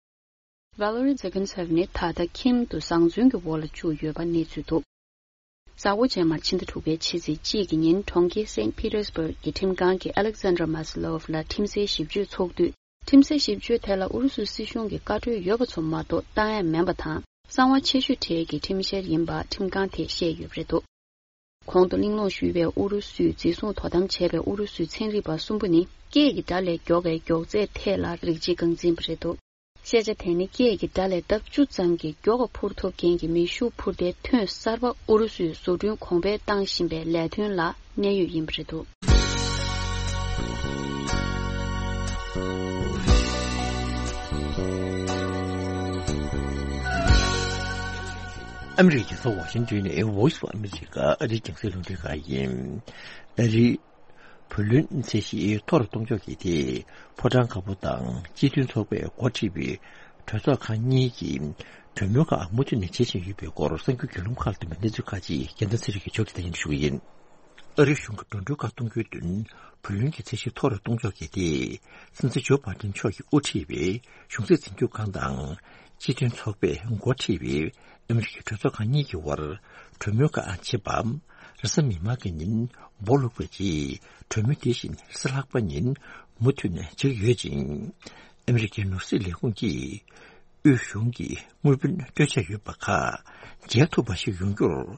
ཝ་ལེ་རི་ཛེ་གན་སེབ་ནི་ད་ལྟ་ཁྱིམ་དུ་བཟང་བཙོན་གྱི་འོག་ལ་བཅུག་ཡོད་པ་གནས་ཚུལ་འདུག་གཟའ་འཁོར་རྗེས་མར་ཕྱི་ཟླ་དྲུག་པའི་ཕྱི་ཚེས་གཅིག་གི་ཉིན་གྲོང་ཁྱེར་སེན་པི་ཏེར་སྦུག་གི་ཁྲིམས་ཁང་གིས་ཨ་ལེག་ཟན་ཌར་མ་སི་ལོབ་ལ་ཁྲིམས་སའི་ཞིབ་དཔྱོད་ཚོགས་འདུས། ཁྲིམས་སའི་ཞིབ་དཔྱོད་དེ་ལ་ཨུ་རུ་སུའི་སྲིད་གཞུང་གི་བཀའ་འཁྲོལ་ཡོད་པ་ཚོ་མ་གཏོགས་བཏང་ཡ་མིན་པ་དང་། གསང་བ་ཆེ་ཤོས་གྲས་ཀྱི་ཁྲིམས་བཤེར་ཡིན་པ་ཁྲིམས་ཁང་དེས་བཤད་ཡོད་པ་རེད་འདུག་གོང་དུ་གླེང་སློང་ཞུས་པའི་ཨུ་རུ་སུས་འཛིན་བཟུང་དོ་དམ་བྱས་པའི་ཨུ་རུ་སུའི་ཚན་རིག་པ་གསུམ་པོ་ནི་སྐད་ཀྱི་སྒྲ་ལས་མགྱོགས་པའི་མགྱོགས་ཚད་ཐད་ལ་རིགས་གཅིག་རྐང་འཛིན་པ་རེད་འདུག་ཤེས་བྱ་དེ་ནི་སྐད་ཀྱི་སྒྲ་ལས་ལྡབ་བཅུ་ཙམ་གྱིས་མགྱོགས་པ་འཕུར་ཐུབ་མཁན་གྱི་མེ་ཤུགས་འཕུར་མདེལ་ཐོན་གསར་པ་ཨུ་རུ་སུས་བཟོ་སྐྲུན་གོང་འཕེལ་བཏང་བཞིན་པའི་ལས་དོན་ལ་གནད་ཡོད་ཡིན་པ་རེད་འདུག་ཨ་མི་རི་ཀའི་རྒྱལ་ས་ཝ་ཤིང་ཏོན་ནས་Voice of America ཨ་རིའི་རྒྱང་སྲིང་རླུང་འཕྲིན་ཁང་ཡིན། ཨ་རིའི་བུ་ལོན་ཚད་གཞི་མཐོ་རུ་གཏོང་ཕྱོགས་ཀྱི་ཐད་ཕོ་བྲང་དཀར་པོ་དང་སྤྱི་མཐུན་ཚོགས་པས་འགོ་ཁྲིད་པའི་གྲོས་ཚོགས་ཁང་གཉིས་ཀྱིས་གྲོས་མོལ་ཁག་མུ་མཐུད་ནས་བྱེད་བཞིན་ཡོད་པའི་སྐོར་གསར་འགྱུར་བརྒྱུད་ལམ་ཁག་ལ་ཐོན་པའི་གནས་ཚུལ་ཁག་ཅིག་རྒྱལ་མཚན་ཚེ་རིང་གིས་ཕྱོགས་སྒྲིག་དང་སྙན་སྒྲོན་ཞུ་གི་ཡིན། ཨ་རིའི་གཞུང་གིས་འགྲོ་གྲོན་ཁག་གཏོང་རྒྱུའི་དོན་བུ་ལོན་གྱི་ཚད་གཞི་མཐོ་རུ་གཏོང་ཕྱོགས་ཀྱི་ཐད་སྲིད་འཛིན་ཇོ་བྷའི་ཏིན་མཆོག་གིས་དབུ་ཁྲིད་པའི་གཞུང་སྲིད་འཛིན་སྐྱོང་ཁང་དང་སྤྱི་མཐུན་ཚོགས་པས་འགོ་ཁྲིད་པའི་ཨ་མི་རི་ཀའི་གྲོས་ཚོགས་ཁང་གཉིས་ཀྱི་དབར་གྲོས་མོལ་ཁག་བྱེད་པ། རེས་གཟའ་མིག་དམར་གྱི་ཉིན་འབོ་ལུག་པའི་རྗེས་གྲོས་མོལ་དེ་བཞིན་རེས་གཟའ་ལྷག་པ་ཉིན་མུ་མཐུད་ནས་བྱེད་ཀྱི་ཡོད་ཅིང་། ཨ་མི་རི་ཀའི་ནོར་སྲིད་ལས་ཁུངས་ཀྱིས་དབུས་གཞུང་གི་དངུལ་བུན་སྤྲོད་འཆར་ཡོད་པ་ཁག་འཇལ་ཐུབ་པ་ཞིག་ཡོང་རྒྱུར།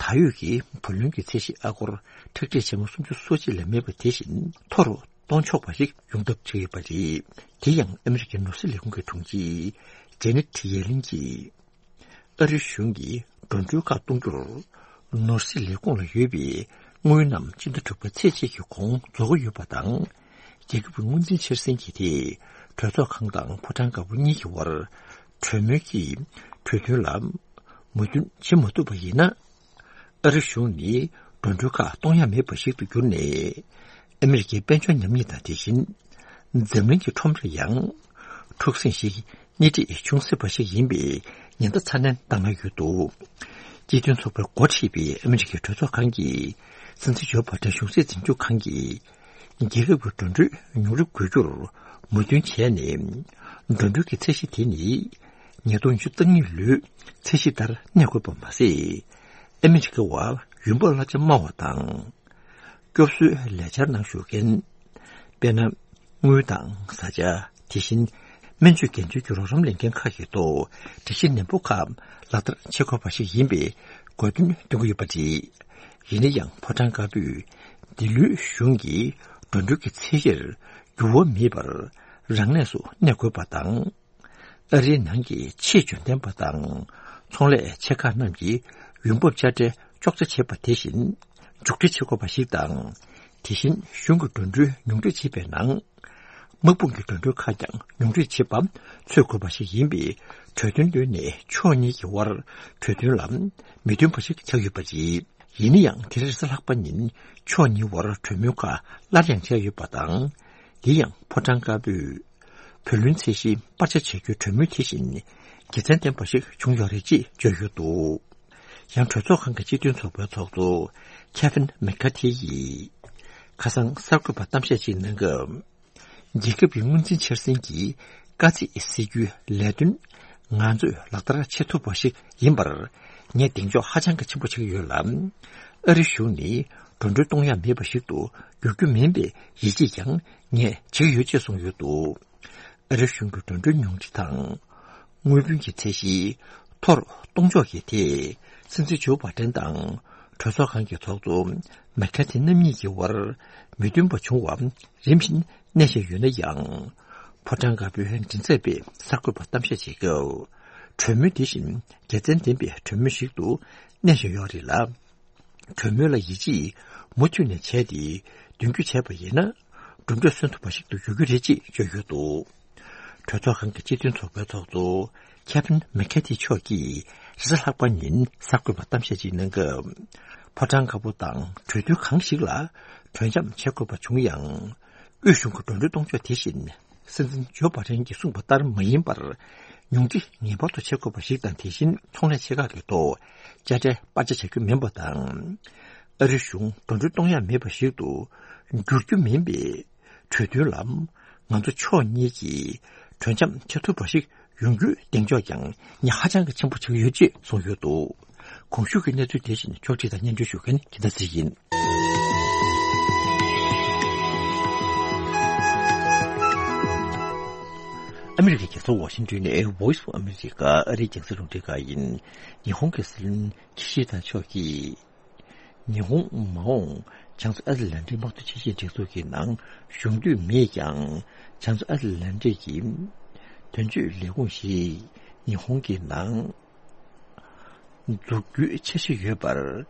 ད་ཡོད་ཀྱི་བུ་ལོན་གྱི་ཚད་གཞི་ཨ་སྒོར་ཁྲག་ཁྲིག་ཆེན་མོ་སུམ་ཅུ་སོ་གཅིག་ལས་མེད་པ་དེ་བཞིན་མཐོ་རུ་གཏོང་ཆོག་པ་ཞིག་ཡོང་ཐབས་བྱས་ཡོད་པ་རེད། དེ་ཡང་ཨ་མི་རི་ཀའི་ནོར་སྲིད་ལས་ཁུངས་ཀྱི་དྲུང་ཆེ་ཇེ་ནེ་ཊི་ཡེ་ལིན་གྱིས། ཨ་རིའི་གཞུང་གིས་འགྲོ་གྲོན་ཁག་གཏོང་རྒྱུར། ནོར་སྲིད་ལས་ཁུངས་ལ་ཡོད་པའི་དངུལ་རྣམས་སྤྱི་ཟླ་དྲུག་པ་ཚེས་གཅིག་གི་གོང་རྫོགས་ཀྱི་ཡོད་པ་དང་། རྒྱལ་ཁབ་ཀྱི་དངུལ་འཛིན་འཆར་ཟིན་གྱི་ཐད། གྲོས་ཚོགས་ཁང་དང་ཕོ་བྲང་དཀར་པོ་གཉིས་ཀྱི་དབར། གྲོས་མོལ་གྱི་གྲོས་མཐུན་ལ། མོས་མཐུན་བྱེད་མ་ཐུབ་པ་ཡིན་ན། ཨ་རི་གཞུང་ནི་འགྲོ་གྲོན་ཁག་གཏོང་ཡ་མེད་པ་ཞིག་ཏུ་གྱུར་ནས། ཨ་མི་རི་ཀའི་དཔལ་འབྱོར་ཉམས་ཉེས་དང་དེ་བཞིན། འཛམ་གླིང་གི་ཁྲོམ་ར་ཡང་འཁྲུག་ཟིང་ཞིག་སྣེ་ཁྲིད་བྱུང་སྲིད་པ་ཞིག་ཡིན་པའི་ཉེན་བརྡ་ཚ་ནན་བཏང་གནང་ཡོད་འདུག་སྤྱི་མཐུན་ཚོགས་པའི་འགོ་ཁྲིད་པའི་ཨ་མི་རི་ཀའི་གྲོས་ཚོགས་ཁང་གི་སྲིད་འཛིན་ཇོ་བྷ་ཏན་གཞུང་སྲིད་འཛིན་སྐྱོང་ཁང་གིས། རྒྱལ་ཁབ་ཀྱི་འགྲོ་གྲོན་ཉུང་རུ་དགོས་རྒྱུར་མོས་མཐུན་བྱས་ནས། འགྲོ་གྲོན་གྱི་ཚད་གཞི་དེ་ནི། ཉིས་སྟོང་ཉི་ཤུ་རྩ་གཉིས་ལོའི་ཚད་གཞི་ལྟར་གནས་དགོས་པ་མ་ཟད། ཨ་མི་རི་ཀ་བ་ཡོང་འབབ་གླ་ཆ་དམའ་བ་དང་། སྐྱོབ་གསོའི་ལས་འཆར་ནང་ཞུགས་མཁན། དཔེར་ན། དངུལ་དང་བཟའ་བཅའ། དེ་བཞིན། སྨན་བཅོས་འགན་བཅོལ་གྱི་རོགས་རམ་ལེན་མཁན་ཁག་གི་ཐོག་སྒྲིག་གཞི་ནན་པོ་ཁག་ལག་བསྟར་བྱེད་དགོས་པ་ཞིག་ཡིན་པའི་དགོས་འདུན་བཏོན་གྱི་ཡོད་པ་རེད། ཡིན་ན་ཡང་ཕོ་བྲང་དཀར་པོས་འདི་ལོའི་གཞུང་གི་འགྲོ་གྲོན་གྱི་ཚད་གཞིར་འགྱུར་བ་མེད་པར་རང་གནས་སུ་གནས་དགོས་པ་དང་། ཨ་རིའི་ནང་གི་ཆེས་འཇོན་ལྡན་པ་དང་ཚོང་ལས་ཆེ་ཁག་རྣམས་ཀྱི་ཡོང་འབབ་དཔྱ་ཁྲལ་གཅོག་ཆ་བྱེད་པ་དེ་བཞིན་མཇུག་སྒྲིལ་བྱེད་དགོས་པ་ཞིག་དང་། དེ་བཞིན་གཞུང་གི་འགྲོ་གྲོན་ཉུང་འཕྲི་བྱེད་པའི་ནང་། དམག་དཔུང་གི་འགྲོ་གྲོན་ཁག་ཀྱང་ཉུང་འཕྲི་བྱེད་པ་འཚོལ་དགོས་པ་ཞིག་ཡིན་པའི་གྲོས་མཐུན་བཏོན་ནས་ཕྱོགས་གཉིས་ཀྱི་དབར་གྲོས་མཐུན་ལ་མོས་མཐུན་པ་ཞིག་ཆགས་ཡོད་པ་རེད། ཡིན་ན་ཡང་དེ་རིང་རེས་གཟའ་ལྷག་པ་ཉིན་ཕྱོགས་གཉིས་དབར་གྲོས་མོལ་ཁག་སླར་ཡང་བྱས་ཡོད་པ་དང་། དེ་ཡང་ཕོ་བྲང་དཀར་པོས་བུ་ལོན་ཚད་གཞི་སྤར་ཆ་བྱ་རྒྱུའི་གྲོས་མོལ་དེ་བཞིན་དགེ་མཚན་ལྡན་པ་ཞིག་བྱུང་ཡོད་རེད་ཅེས་བརྗོད་ཡོད་འདུག་ཡང་གྲོས་ཚོགས་ཁང་གི་སྤྱི་མཐུན་ཚོགས་པའི་ཚོགས་གཙོ་ཁེ་ཕིན་མེག་ཁ་ཐི་ཡིས་ཁ་སང་གསར་འགོད་པར་གཏམ་བཤད་ཅིག་གནང་སྐབས། རྒྱལ་ཁབ་ཀྱི་དངུལ་འཛིན་འཆར་ཟིན་གྱི་དཀའ་ཚེགས་སེལ་རྒྱུའི་ལས་དོན་ང་ཚོས་ལག་བསྟར་བྱེད་ཐུབ་པ་ཞིག་ཡིན་པར་ངས་གདེང་འཇོག་ཧ་ཅང་གི་ཆེན་པོ་བྱེད་ཀྱི་ཡོད་ལ། ཨ་རི་གཞུང་ནི་འགྲོ་གྲོན་གཏོང་ཡ་མེད་པ་ཞིག་ཏུ་འགྱུར་རྒྱུ་མིན་པའི་ཡིད་ཆེས་ཀྱང་ངས་བྱེད་ཀྱི་ཡོད་ཅེས་གསུངས་ཡོད་འདུག་ཨ་རི་གཞུང་གི་འགྲོ་གྲོན་ཉུང་འཕྲི་དང་། དངུལ་བུན་གྱི་ཚད་གཞི་མཐོ་རུ་གཏོང་ཕྱོགས་ཀྱི་ཐད། སྲིད་འཛིན་ཇོ་བྷ་ཏན་དང་གྲོས་ཚོགས་ཁང་གི་ཚོགས་གཙོ་མེག་ཁ་ཐི་རྣམ་གཉིས་ཀྱི་དབར་མོས་མཐུན་པ་བྱུང་བ་རིམ་བཞིན་གནས་བཞིན་ཡོད་ན་ཡང་། ཕོ་བྲང་དཀར་པོའི་མགྲིན་ཚབ་པས་གསར་འགོད་པར་གཏམ་བཤད་བྱེད་སྐབས། གྲོས་མོལ་དེ་བཞིན་དགེ་མཚན་ལྡན་པའི་གྲོས་མོལ་ཞིག་ཏུ་གནས་བཞིན་ཡོད་རེད་ལ། གྲོས་མོལ་ལ་ཡིད་ཆེས་མུ་མཐུད་ནས་བྱས་ཏེ་མདུན་སྐྱོད་བྱས་པ་ཡིན་ན། གྲུབ་འབྲས་སོན་ཐུབ་པ་ཞིག་ཏུ་འགྱུར་རྒྱུ་རེད་ཅེས་བརྗོད་ཡོད་འདུག་གྲོས་ཚོགས་ཁང་གི་སྤྱི་མཐུན་ཚོགས་པའི་ཚོགས་གཙོ་ཁེ་ཕིན་མེ་ཁེ་ཐི་མཆོག་གིས་རེས་གཟའ་ལྷག་པ་ཉིན་གསར་འགོད་པར་གཏམ་བཤད་ཅིག་གནང་སྐབས། ཕོ་བྲང་དཀར་པོ་དང་གྲོས་མཐུན་གང་ཞིག་ལ་གྲོས་འཆམ་བྱེད་དགོས་པ་བྱུང་ཡང་། དབུས་གཞུང་གི་འགྲོ་གྲོན་གཏོང་ཕྱོགས་དེ་བཞིན། སྲིད་འཛིན་ཇོ་བྷ་ཏན་གྱིས་གསུངས་པ་ལྟར་མ་ཡིན་པར། ཉུང་འཕྲི་ངེས་པར་དུ་བྱེད་དགོས་པ་ཞིག་དང་། དེ་བཞིན་ཚོང་ལས་ཆེ་ཁག་གི་ཐོག་དཔྱ་ཁྲལ་སྤར་ཆ་བྱ་རྒྱུ་མིན་པ་དང་། ཨ་རི་གཞུང་འགྲོ་གྲོན་གཏོང་ཡ་མེད་པ་ཞིག་ཏུ་འགྱུར་རྒྱུ་མིན་པའི་གྲོས་མཐུན་ལ། ང་ཚོ་ཕྱོགས་གཉིས་ཀྱིས་གྲོས་འཆམ་བྱེད་ཐུབ་པ་ཞིག་ཡོང་རྒྱུའི་གདེང་འཇོག་ཀྱང་ངས་ཧ་ཅང་གི་ཆེན་པོ་བྱེད་ཀྱི་ཡོད་ཅེས་གསུངས་ཡོད་འདུག་གོང་ཞུས་ཀྱི་གནས་ཚུལ་དེ་བཞིན་ཕྱོགས་སྒྲིག་དང་སྙན་སྒྲོན་ཞུ་མཁན་རྒྱལ་མཚན་ཚེ་རིང་ཡིན། ཨ་མི་རི་ཀའི་རྒྱལ་ས་ཝ་ཤིང་ཏོན་ནས་Voice of America ཨ་རིའི་རྒྱང་སྲིང་རླུང་འཕྲིན་ཁང་ཡིན། ཉི་ཧོང་གི་སྲིད་བློན་ཀི་ཤི་ད་མཆོག་གིས། ཉི་ཧོང་མ་འོངས་བྱང་མཚོ་ཨ་ཏི་ལན་ཏིག་དམག་དོན་ཆེད་སྦྱོང་སྒྲིག་འཛུགས་ཀྱི་ནང་ཞུགས་འདོད་མེད་ཀྱང་། བྱང་མཚོ་ཨ་ཏི་ལན་ཏིག་གི་དོན་གཅོད་ལས་ཁུངས་ཤིག་ཉི་ཧོང་གི་ནང་འཛུགས་རྒྱུའི་འཆར་གཞི་ཡོད་པར་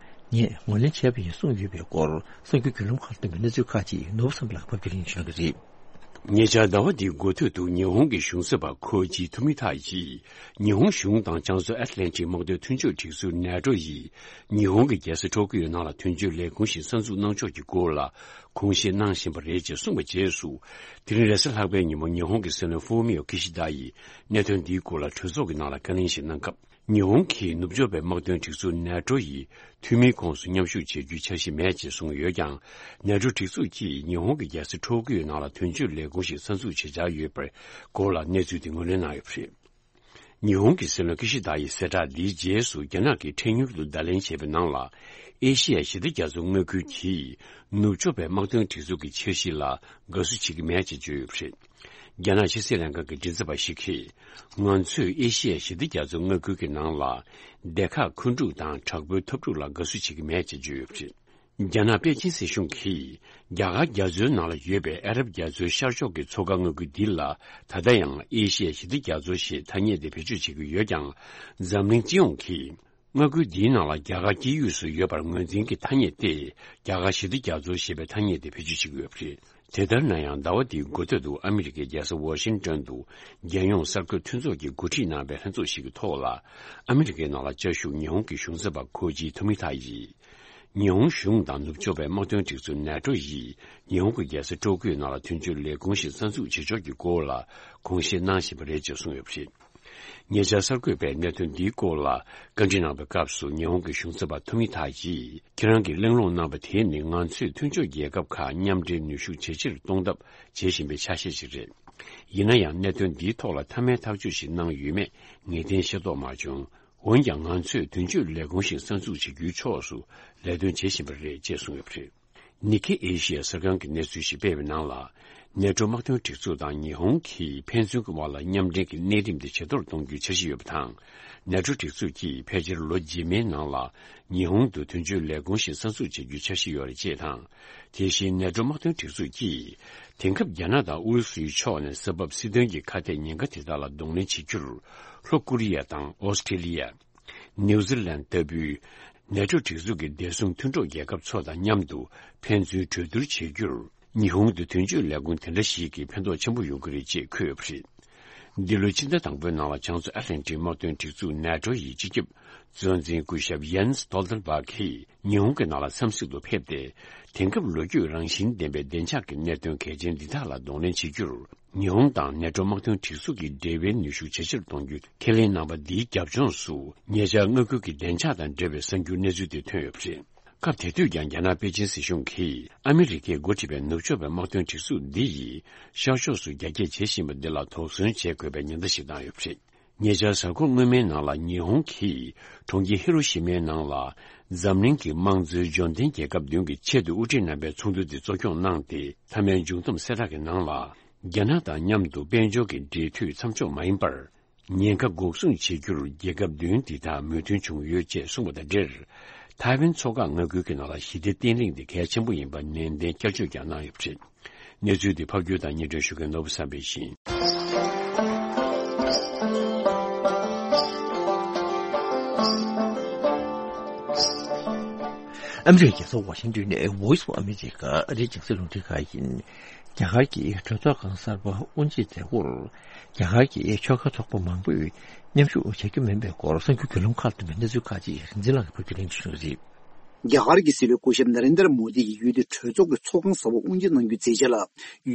ངས་ངོས་ལེན་བྱས་པ་ཡིན་གསུངས་ཡོད་པའི་སྐོར། གསར་འགྱུར་བརྒྱུད་ལམ་ཁག་ལ་བཏོན་པའི་གནས་ཚུལ་ཁག་ཅིག་ནོར་བུ་བསམ་འཕེལ་ལགས་ཕབ་སྒྱུར་ལེན་ཞུ་གི་རེད། ཉེ་ཆར་ཟླ་བ་འདིའི་འགོ་ཐོག་ཏུ་ཉི་ཧོང་གི་གཞུང་ཞབས་པ་ཁོ་ཇི་ཐུ་མི་ཐ་ཡིས། ཉི་ཧོང་གཞུང་དང་བྱང་མཚོ་ཨེཊ་ལན་ཊིག་དམག་དོན་མཐུན་སྦྱོར་སྒྲིག་འཛུགས་ནེ་ཊོ་ཡིས། ཉི་ཧོང་གི་རྒྱལ་ས་ཊོ་ཀི་ཡོ་ནང་ལ་དོན་གཅོད་ལས་ཁུངས་ཤིག་གསར་འཛུགས་གནང་ཕྱོགས་ཀྱི་སྐོར་ལ་དགོངས་བཞེས་གནང་བཞིན་པ་རེད་ཅེས་གསུངས་པའི་རྗེས་སུ། དེ་རིང་རེས་གཟའ་ལྷག་པའི་ཉིན་མོ་ཉི་ཧོང་གི་སྲིད་བློན་ཧྥུ་མི་ཡོ་ཀི་ཤི་ད་ཡིས་གནད་དོན་འདིའི་སྐོར་ལ་གྲོས་ཚོགས་ཀྱི་ནང་ལ་བཀའ་ལན་ཞིག་གནང་སྐབས། ཉི་ཧོང་གིས་ནུབ་ཕྱོགས་པའི་དམག་དོན་སྒྲིག་འཛུགས་ནེ་ཊོ་ཡི་འཐུས་མིའི་ཁོངས་སུ་མཉམ་ཞུགས་བྱེད་རྒྱུའི་འཆར་གཞི་མེད་ཅེས་གསུངས་ཡོད་ཀྱང་། ནེ་ཊོ་སྒྲིག་འཛུགས་ཀྱིས་ཉི་ཧོང་གི་རྒྱལ་ས་ཊོ་ཀི་ཡོ་ནང་ལ་དོན་གཅོད་ལས་ཁུངས་ཤིག་གསར་འཛུགས་བྱེད་འཆར་ཡོད་པའི་སྐོར་ལ་གནས་ཚུལ་དེ་ངོས་ལེན་གནང་ཡོད་པ་རེད། ཉི་ཧོང་གི་སྲིད་བློན་ཀི་ཤི་ད་ཡི་གསལ་བསྒྲགས་འདིའི་རྗེས་སུ། རྒྱ་ནག་གིས་འཕྲལ་མྱུར་དུ་བརྡ་ལན་བྱས་པའི་ནང་ལ། ཨེ་ཤི་ཡ་ཞི་བདེ་རྒྱ་མཚོ་མངའ་ཁུལ་གྱིས་ནུབ་ཕྱོགས་པའི་དམག་དོན་སྒྲིག་འཛུགས་ཀྱི་འཆར་གཞི་ལ་དགའ་བསུ་བྱེད་ཀྱི་མེད་ཅེས་བརྗོད་ཡོད་པ་རེད། རྒྱ་ནག་ཕྱི་སྲིད་ལྷན་ཁང་གི་མགྲིན་ཚབ་པ་ཞིག་གིས། ང་ཚོས་ཨེ་ཤི་ཡ་ཞི་བདེ་རྒྱ་མཚོ་མངའ་ཁུལ་གྱི་ནང་ལ། སྡེ་ཁག་མཁོ་སྒྲུབ་དང་དྲག་པོའི་འཐབ་འཁྲུག་ལ་དགའ་བསུ་བྱེད་ཀྱི་མེད་ཅེས་བརྗོད་ཡོད་པ་རེད། རྒྱ་ནག་པེ་ཅིན་སྲིད་གཞུང་གིས། རྒྱ་གར་རྒྱ་མཚོའི་ནང་ལ་ཡོད་པའི་ཨ་རབ་རྒྱ་མཚོའི་ཤར་ཕྱོགས་ཀྱི་མཚོ་ཁ་མངའ་ཁུལ་འདི་ལ། ད་ལྟ་ཡང་ཨེ་ཤི་ཡ་ཞི་བདེ་རྒྱ་མཚོ་ཞེས་ཐ་སྙད་དེ་བེད་སྤྱོད་བྱེད་ཀྱི་ཡོད་ཀྱང་། འཛམ་གླིང་སྤྱི་ཡོངས་ཀྱིས། མངའ་ཁུལ་འདིའི་ནང་ལ་རྒྱ་གར་དཀྱིལ་ཡུལ་སུ་ཡོད་པར་ངོས་འཛིན་གྱི་ཐ་སྙད་དེ། རྒྱ་གར་ཞི་བདེ་རྒྱ་མཚོ་ཞེས་པའི་ཐ་སྙད་དེ་བེད་སྤྱོད་བྱེད་ཀྱི་ཡོད་པ་རེད། དེ་ལྟར་ན་ཡང་ཟླ་བ་འདིའི་འགོ་སྟོད་དུ་ཨ་མི་རི་ཀའི་རྒྱལ་ས་ཝ་ཤིང་ཏོན་དུ་རྒྱལ་ཡོངས་གསར་འགོད་མཐུན་ཚོགས་ཀྱིས་འགོ་ཁྲིད་གནང་བའི་ལྷན་ཚོགས་ཤིག་གི་ཐོག་ལ། ཨ་མི་རི་ཀའི་ནང་ལ་བཅའ་བཞུགས་ཉི་ཧོང་གི་གཞུང་ཚབ་པ་ཁོ་ཇི་ཐོ་མི་ཐ་ཡིས། ཉི་ཧོང་གཞུང་དང་ནུབ་ཕྱོགས་པའི་དམག་དོན་སྒྲིག་འཛུགས་ནེ་ཊོ་ཡིས་ཉི་ཧོང་གི་རྒྱལ་ས་ཀྲོ་ཀིའོ་ནང་ལ་མཐུན་སྦྱོར་ལས་ཁུངས་ཤིག་གསར་འཛུགས་བྱེད་ཕྱོགས་ཀྱི་སྐོར་ལ་དགོངས་བཞེས་གནང་བཞིན་པ་རེད་ཅེས་གསུངས་ཡོད་པ་རེད། ཉེ་ཆར་གསར་འགོད་པས་གནད་དོན་འདིའི་སྐོར་ལ་བཀའ་འདྲི་གནང་བའི་སྐབས་སུ་ཉི་ཧོང་གི་གཞུང་ཚབ་པ་ཐོ་མི་ཐ་ཡིས། ཁྱེད་རང་གིས་གླེང་སློང་གནང་བ་དེ་ནི་ང་ཚོས་མཐུན་ཕྱོགས་རྒྱལ་ཁབ་ཁག་མཉམ་འབྲེལ་ནུས་ཤུགས་ཇེ་ཆེར་གཏོང་ཐབས་བྱེད་བཞིན་པའི་ཆ་ཤས་ཤིག་རེད། ཡིན་ན་ཡང་གནད་དོན་འདིའི་ཐོག་ལ་མཐའ་མའི་ཐག་གཅོད་ཞིག་གནང་ཡོད་མེད་ངེས་གཏན་ཤེས་རྟོགས་མ་བྱུང་། འོན་ཀྱང་ང་ཚོས་དོན་གཅོད་ལས་ཁུངས་ཤིག་གསར་འཛུགས་བྱེད་རྒྱུའི་ཕྱོགས་སུ་ལས་དོན་བྱེད་བཞིན་པ་རེད་ཅེས་གསུངས་ཡོད་པ་རེད། ནི་ཁེ་ཨེ་ཤི་ཡ་གསར་ཁང་གིས་གནས་ཚུལ་ཞིག་སྤེལ་བའི་ནང་ལ། ནེ་ཊོ་དམག་དོན་སྒྲིག་འཛུགས་དང་ཉི་ཧོང་གིས་ཕན་ཚུན་གྱི་དབར་ལ་མཉམ་འབྲེལ་གྱི་གནས་རིམ་དེ་ཇེ་མཐོར་གཏོང་རྒྱུའི་འཆར་གཞི་ཡོད་པ་དང་། ནེ་ཊོ་སྒྲིག་འཛུགས་ཀྱིས་ཕལ་ཆེར་ལོ་རྗེས་མའི་ནང་ལ་ཉི་ཧོང་དུ་དོན་གཅོད་ལས་ཁུངས་ཤིག་གསར་འཛུགས་བྱེད་རྒྱུའི་འཆར་གཞི་ཡོད་རེད་ཅེས་དང་། དེ་བཞིན་ནེ་ཊོ་དམག་དོན་སྒྲིག་འཛུགས་ཀྱིས་དེང་སྐབས་རྒྱ་ནག་དང་ཨུ་རུ་སུའི་ཕྱོགས་ནས་ས་བབ་སྲིད་དོན་གྱི་ཁ་གཏད་ཉེན་ཁ་དེ་དག་ལ་གདོང་ལེན་བྱེད་རྒྱུར་ལྷོ་ཀོ་རི་ཡ་དང་ཨོ་སི་ཀྲི་ལི་ཡ། ནིའུ་ཛི་ལན་ལྟ་བུའི་ནེ་ཊོ་སྒྲིག་འཛུགས་ཀྱི་བདེ་སྲུང་མཐུན་གྲོགས་རྒྱལ་ཁབ་ཚོ་དང་མཉམ་དུ་ཕན་ཚུན་གྲོས་བསྡུར་བྱེད་རྒྱུར་ཉི་ཧོང་དུ་དོན་གཅོད་ལས་ཁུངས་དེ་འདྲ་ཞིག་གིས་ཕན་ཐོགས་ཆེན་པོ་ཡོང་གི་རེད་ཅེས་འཁོད་ཡོད་པ་རེད། འདི་ལོའི་ཕྱི་ཟླ་དང་པོའི་ནང་ལ་བྱང་མཚོ་ཨ་ཊ་ལན་ཊིག་དམག་དོན་སྒྲིག་འཛུགས་ནེ་ཊོ་ཡི་སྤྱི་ཁྱབ་གཙོ་འཛིན་སྐུ་ཞབས་ཡན་སི་སྟོལ་ཐན་བྷག་གིས་ཉི་ཧོང་གི་ནང་ལ་འཚམས་གཟིགས་སུ་ཕེབས་ཏེ། དེང་སྐབས་ལོ་རྒྱུས་རང་བཞིན་ལྡན་པའི་བདེ་འཇགས་ཀྱི་གནད་དོན་གལ་ཆེན་འདི་དག་ལ་གདོང་ལེན་བྱེད་རྒྱུར། ཉི་ཧོང་དང་ནེ་ཊོ་དམག་དོན་སྒྲིག་འཛུགས་ཀྱི་འབྲེལ་བའི་ནུས་ཤུགས་ཇེ་ཆེར་གཏོང་རྒྱུའི་ཁས་ལེན་གནང་བ་འདིའི་རྒྱབ་ལྗོངས་སུ། ཉེ་ཆར་མངའ་ཁུལ་གྱི་བདེ་འཇགས་དང་འབྲེལ་བའི་གསར་འགྱུར་གནས་ཚུལ་དེ་ཐོན་ཡོད་པ་རེད། སྐབས་དེ་དུས་ཀྱང་རྒྱ་ནག་པེ་ཅིན་སྲིད་གཞུང་གིས་ཨ་མི་རི་ཀས་འགོ་ཁྲིད་པའི་ནུབ་ཕྱོགས་པའི་དམག་དོན་སྒྲིག་འཛུགས་འདི་ཡིས་ཤར་ཕྱོགས་སུ་རྒྱ་སྐྱེད་བྱེད་བཞིན་པ་འདི་ལ་དོགས་ཟོན་བྱེད་དགོས་པའི་ཉེན་བརྡ་ཞིག་བཏང་ཡོད་པ་རེད། ཉེ་ཆར་གཟའ་འཁོར་སྔོན་མའི་ནང་ལ་ཉི་ཧོང་གིས་གྲོང་ཁྱེར་ཧི་རོ་ཤི་མའི་ནང་ལ་འཛམ་གླིང་གི་དམངས་གཙོའི་འབྱོར་ལྡན་རྒྱལ་ཁབ་བདུན་གྱི་ཆེད་དུ་དབུ་ཁྲིད་རྣམ་པའི་ཚོགས་འདུ་དེ་གཙོ་སྐྱོང་གནང་སྟེ། མཐའ་མའི་མཇུག་བསྡོམས་གསལ་བསྒྲགས་ཀྱི་ནང་ལ། རྒྱ་ནག་དང་མཉམ་དུ་དཔལ་འབྱོར་གྱི་འབྲེལ་མཐུད་མཚམས་འཇོག་མ་ཡིན་པར། ཉེན་ཁ་འགོག་སྲུང་བྱེད་རྒྱུར་རྒྱལ་ཁབ་བདུན་འདི་དག་མོས་མཐུན་བྱུང་ཡོད་ཅེས་གསུངས་པ་དང་འབྲེལ། ཐའེ་ཝན་མཚོ་འགག་མངའ་ཁུལ་གྱི་ནང་ལ་ཞི་བདེ་བརྟན་ལྷིང་དེ་གལ་ཆེན་པོ་ཡིན་པ་ནན་ཏན་བསྐྱར་བརྗོད་ཀྱང་གནང་ཡོད་པ་རེད། གནས་ཚུལ་འདི་ཕབ་སྒྱུར་དང་སྙན་སྒྲོན་ཞུ་མཁན་ནོར་བུ་བསམ་འཕེལ་ཡིན། ཨ་མི་རི་ཀའི་རྒྱལ་ས་ཝ་ཤིང་ཏོན་ནས་Voice of America ཨ་རིའི་རྒྱང་སྲིང་རླུང་འཕྲིན་ཁང་ཡིན། རྒྱ་གར་གྱི་གྲོས་ཚོགས་ཁང་གསར་པ་དབུ་འབྱེད་མཛད་སྒོར། རྒྱ་གར་གྱི་ཆོལ་ཁ་ཚོགས་པ་མང་པོས་མཉམ་ཞུགས་བྱ་རྒྱུ་མིན་པའི་སྐོར་གསར་འགྱུར་བརྒྱུད་ལམ་ཁག་ཏུ་མའི་གནས་ཚུལ་ཁག་ཅིག་རིག་འཛིན་ལགས་ཀྱིས་ཕབ་སྒྱུར་ལེན་ཞུས་ཡོད་པ་རེད། རྒྱ་གར་གྱི་སྲིད་བློན་སྐུ་ཞབས་ན་རེན་དར་མོ་དི་ཡིས་ཡུལ་དེའི་གྲོས་ཚོགས་ཀྱི་ཚོགས་ཁང་གསར་པ་དབུ་འབྱེད་གནང་རྒྱུའི་མཛད་རྗེས་ལ།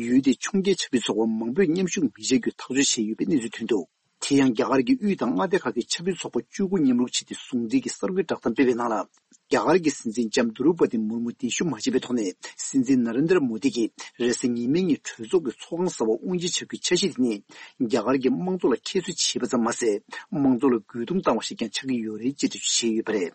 ཡུལ་དེའི་ཕྱོགས་འགལ་ཆབ་སྲིད་ཚོགས་པ་མང་པོས་མཉམ་ཞུགས་མི་བྱེད་རྒྱུའི་ཐག་གཅོད་བྱས་ཡོད་པའི་གནས་ཚུལ་ཐོན་འདུག་དེ་ཡང་རྒྱ་གར་གྱི་དབུས་དང་མངའ་སྡེ་ཁག་གི་ཆབ་སྲིད་ཚོགས་པ་བཅུ་དགུ་མཉམ་རུབ་བྱས་ཏེ་ཟུང་འབྲེལ་གྱི་གསར་འགོད་བསྒྲགས་གཏམ་སྤེལ་བའི་ནང་ལ། རྒྱ་གར་གྱི་སྲིད་འཛིན་ལྕམ་དུ་རུ་པ་ཏི་མུར་མུ་གདན་ཞུ་མ་བྱས་པའི་ཐོག་ནས་སྲིད་འཛིན་ན་རེན་དར་མོ་དི་གིས་རེས་གཟའ་ཉི་མའི་ཉིན་གྲོས་ཚོགས་ཀྱི་ཚོགས་ཁང་གསར་པ་དབུ་འབྱེད་བྱ་རྒྱུའི་འཆར་གཞི་དེ་ནི། རྒྱ་གར་གྱི་དམངས་གཙོ་ལ་ཁྱད་གསོད་བྱས་པ་ཙམ་མ་ཟད། དམངས་གཙོ་ལ་རྒོལ་རྡུང་བཏང་བ་ཞིག་ཀྱང་ཆགས་ཀྱི་ཡོད་རེད་ཅེས་འགྲེལ་བརྗོད་བྱས་ཡོད་པ་རེད།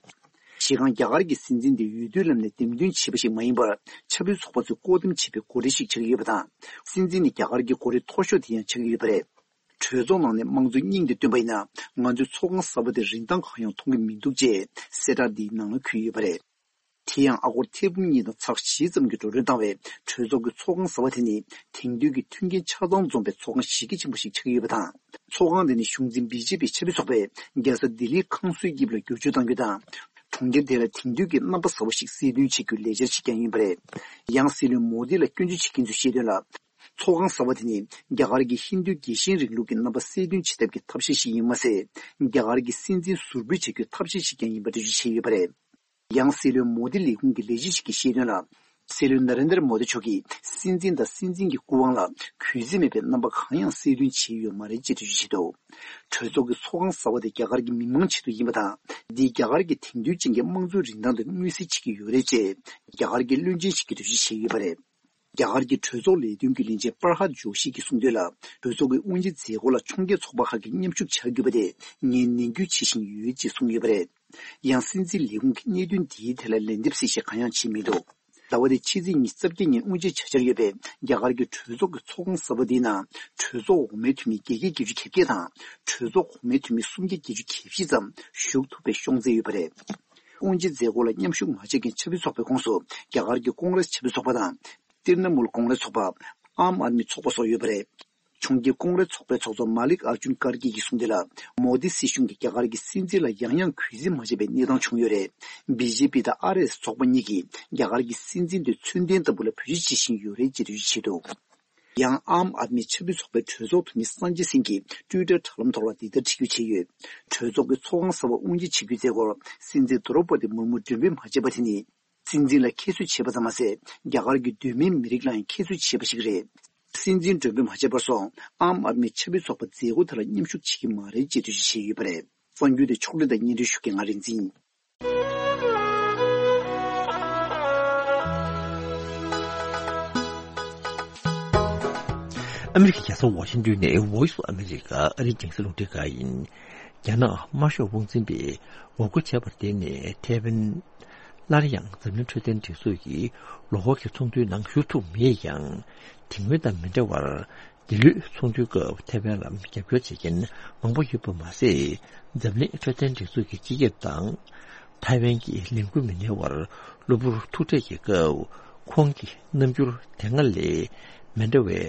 གཞི་རྐང་རྒྱ་གར་གྱི་སྲིད་འཛིན་དེ་འོས་བསྡུའི་ལམ་ནས་འདེམས་ཐོན་བྱས་པ་ཞིག་མ་ཡིན་པར། ཆབ་སྲིད་ཚོགས་པ་ཚོས་བསྐོ་འདེམས་བྱས་པའི་འགོ་ཁྲིད་ཞིག་ཆགས་ཀྱི་ཡོད་པ་དང་། སྲིད་འཛིན་ནི་རྒྱ་གར་གྱི་འགོ་ཁྲིད་མཐོ་ཤོས་དེ་ཡང་ཆགས་ཀྱི་ཡོད་པ་རེད། གྲོས་ཚོགས་ནང་ནས་དམངས་གཙོའི་སྙིང་དེ་བཏོན་པ་ཡིན་ན། ང་ཚོས་ཚོགས་ཁང་གསར་པ་དེ་རིན་ཐང་གང་ཡང་མཐོང་གི་མི་འདུག་ཅེས་གསལ་བསྒྲགས་འདིའི་ནང་ལ་འཁོད་ཡོད་པ་རེད། དེ་ཡང་ཨ་སྒོར་ཐེར་འབུམ་གཉིས་དང་ཚེག་བཞི་ཙམ་གྱིས་འགྲོ་གྲོན་བཏང་བའི་གྲོས་ཚོགས་ཀྱི་ཚོགས་ཁང་གསར་པ་དེ་ནི། དེང་དུས་ཀྱི་མཐུན་རྐྱེན་ཆ་ཚང་འཛོམས་པའི་ཚོགས་ཁང་གཞི་རྒྱ་ཆེན་པོ་ཞིག་ཆགས་ཀྱི་ཡོད་པ་དང་། ཚོགས་ཁང་དེ་ནི་གཞུང་འཛིན་བི་ཇེ་པི་ཆབ་སྲིད་ཚོགས་པས་རྒྱལ་ས་ལྡི་ལིའི་ཁང་བཟོའི་དབྱིབས་ལ་བསྒྱུར་བཅོས་གཏང་རྒྱུ་དང་། གྲོང་ཁྱེར་དེ་ལ་དེང་དུས་ཀྱི་རྣམ་པ་གསར་པ་ཞིག་གསལ་སྟོན་བྱེད་རྒྱུའི་ལས་འཆར་ཞིག་ཀྱང་ཡིན་པ་རེད། ཡང་སྲིད་བློན་མོ་དི་ལ་སྐྱོན་བརྗོད་བྱེད་མཁན་ཚོས་བཤད་དོན་ལ། ཚོགས་ཁང་གསར་པ་དེ་ནི་རྒྱ་གར་གྱི་ཧིན་རྡུའི་རྒྱལ་ཞེན་རིང་ལུགས་ཀྱི་རྣམ་པ་གསལ་སྟོན་བྱེད་ཐབས་ཀྱི་ཐབས་ཤེས་ཤིག་ཡིན་མ་ཟད། རྒྱ་གར་གྱི་སྲིད་འཛིན་ཟུར་འབུད་བྱེད་རྒྱུའི་ཐབས་ཤེས་ཤིག་ཀྱང་ཡིན་པ་འགྲེལ་བརྗོད་བྱས་ཡོད་པ་རེད། ཡང་སྲིད་བློན་མོ་དི་ལས་ཁུངས་ཀྱི་ལས་བྱེད་ཞིག་གིས་བཤད་དོན་ལ། སྲིད་བློན་ན་རེན་དར་མོ་དི་མཆོག་གིས་སྲིད་འཛིན་དང་སྲིད་འཛིན་གྱི་སྐུ་དབང་ལ་གུས་བརྩི་མེད་པའི་རྣམ་པ་གང་ཡང་གསལ་སྟོན་བྱས་ཡོད་མ་རེད་ཅེས་འགྲེལ་བརྗོད་བྱས་འདུག་གྲོས་ཚོགས་ཀྱི་ཚོགས་ཁང་གསར་པ་དེ་རྒྱ་གར་གྱི་མི་མང་ཆེད་དུ་ཡིན་པ་དང་། འདིས་རྒྱ་གར་གྱི་དེང་དུས་ཅན་གྱི་དམངས་གཙོའི་རིན་ཐང་དེ་མངོན་གསལ་བྱེད་ཀྱི་ཡོད་རེད་ཅེས་རྒྱ་གར་གྱི་བློན་ཆེན་ཞིག་གིས་འགྲེལ་བརྗོད་བྱས་ཡོད་པ་རེད། རྒྱ་གར་གྱི་གྲོས་ཚོགས་ལས་དོན་གྱི་བློན་ཆེན་པར་ཧ་ཇོ་ཤི་གིས་གསུངས་དོན་ལ། གྲོས་ཚོགས་ཀྱི་དབུ་འབྱེད་མཛད་སྒོ་ལ་ཕྱོགས་འགལ་ཚོགས་པ་ཁག་གིས་མཉམ་ཞུགས་བྱ་དགོས་པ་དེ་ངས་ནན་སྐུལ་བྱེད་བཞིན་ཡོད་ཅེས་གསུངས་ཡོད་པ་རེད། ཡང་སྲིད་འཛིན་ལས་ཁུངས་ཀྱིས་གནད་དོན་འདིའི་ཐད་ལ་ལན་འདེབས་གསལ་བཤད་གང་ཡང་བྱས་མི་འདུག་ཟླ་བ་འདིའི་ཕྱི་ཚེས་ཉི་ཤུ་རྩ་བརྒྱད་ཉིན་དབུ་འབྱེད་བྱ་འཆར་ཡོད་པའི་རྒྱ་གར་གྱི་གྲོས་ཚོགས་ཀྱི་ཚོགས་ཁང་གསར་པ་འདིའི་ནང་གྲོས་ཚོགས་འོག་མའི་འཐུས་མི་བརྒྱད་བརྒྱ་བརྒྱད་ཅུ་གྱ་བརྒྱད་དང་གྲོས་ཚོགས་གོང་མའི་འཐུས་མི་སུམ་བརྒྱ་བརྒྱད་ཅུ་གྱ་བཞི་ཙམ་ཞུགས་ཐུབ་པའི་ཤོང་ཚད་ཡོད་པ་རེད། དབུ་འབྱེད་མཛད་སྒོ་ལ་མཉམ་ཞུགས་མ་བྱས་མཁན་ཆབ་སྲིད་ཚོགས་པའི་ཁོངས་སུ་རྒྱ་གར་གྱི་ཀོང་རེས་ཆབ་སྲིད་ཚོགས་པ་དང་། ཏིར་ན་མུལ་ཀོང་རེས་ཚོགས་པ། ཨམ་ཨར་མི་ཚོགས་པ་སོགས་ཡོད་པ་རེད། ཕྱོགས་འགལ་ཀོང་རེས་ཚོགས་པའི་ཚོགས་གཙོ་མ་ལིག་ཨར་ཇུན་ཀར་གི་གིས་གསུངས་དོན་ལ། མོ་དི་སྲིད་གཞུང་གིས་རྒྱ་གར་གྱི་སྲིད་འཛིན་ལ་ཡང་ཡང་གུས་བརྩི་མ་བྱས་པའི་གནས་སྟངས་བྱུང་ཡོད་རེད། བི་ཇེ་པི་དང་ཨར་ཨེས་ཚོགས་པ་གཉིས་ཀྱིས་རྒྱ་གར་གྱི་སྲིད་འཛིན་དེ་མཚོན་ལྡན་ལྟ་བུ་ལ་བེད་སྤྱོད་བྱེད་བཞིན་ཡོད་རེད་ཅེས་འགྲེལ་བརྗོད་བྱས་འདུག། ཡང་ཨམ་ཨད་མི་ཆབ་སྲིད་ཚོགས་པའི་གྲོས་ཚོགས་འཐུས་མི་སངས་རྒྱས་སིང་གིས་ཊུའི་ཊར་དྲ་ལམ་ཐོག་ལ་འདི་ལྟར་བྲིས་བརྗོད་བྱས་ཡོད། གྲོས་ཚོགས་ཀྱི་ཚོགས་ཁང་གསར་པ་དབུ་འབྱེད་བྱེད་རྒྱུའི་མཛད་སྒོར་སྲིད་འཛིན་དོ་རོ་པ་ཏི་མུར་མུ་མགྲོན་འབོད་མ་བྱས་པ་དེ་ནི། སྲིད་འཛིན་ལ་ཁྱད་གསོད་བྱས་པ་ཙམ་མ་ཟད། རྒྱ་གར་གྱི་གདོད་མའི་མི་རིགས་ལ་ཡང་ཁྱད་གསོད་བྱས་པ་ཞིག་རེད། སྲིད་འཛིན་མགྲོན་འབོད་མ་བྱས་པར་སོང་། ཨམ་ཨད་མི་ཆབ་སྲིད་ཚོགས་པ་མཛད་སྒོ་དེ་ལ་མཉམ་ཞུགས་བྱེད་ཀྱི་མ་རེད་ཅེས་འགྲེལ་བརྗོད་བྱས་ཡོད་པ་རེད། གསར་འགྱུར་དེ་ཕྱོགས་སྒྲིག་དང་སྙན་སྒྲོན་ཞུ་མཁན་ང་རིག་འཛིན། ཨ་མི་རི་ཀའི་རྒྱལ་ས་ཝ་ཤིང་ཏོན་ནས་Voice of America ཨ་རིའི་རྒྱང་སྲིང་རླུང་འཕྲིན་ཁང་ཡིན། རྒྱ་ནག་དམར་ཤོག་དབང་འཛིན་པས་ངོ་རྒོལ་བྱས་པར་བརྟེན་ནས་ཐའེ་ཝན་སླར་ཡང་འཛམ་གླིང་འཕྲོད་བསྟེན་སྒྲིག་འཛུགས་ཀྱི་ལོ་འཁོར་གྱི་ཚོགས་འདུའི་ནང་ཞུགས་ཐུབ་མེད་ཀྱང་། དེ་སྔོན་དང་མི་འདྲ་བར། འདི་ལོའི་ཚོགས་འདུའི་སྐབས་ཐའེ་ཝན་ལ་རྒྱབ་སྐྱོར་བྱེད་མཁན་མང་པོ་ཡོད་པ་མ་ཟད། འཛམ་གླིང་འཕྲོད་བསྟེན་སྒྲིག་འཛུགས་ཀྱི་སྤྱི་ཁྱབ་དང་། ཐའེ་ཝན་གྱི་ལས་འགུལ་མི་སྣའི་དབར་གློ་བུར་ཐུག་འཕྲད་ཀྱི་སྐབས། ཁོང་གི་རྣམ་འགྱུར་དེ་སྔ་ལས་མི་འདྲ་བའི་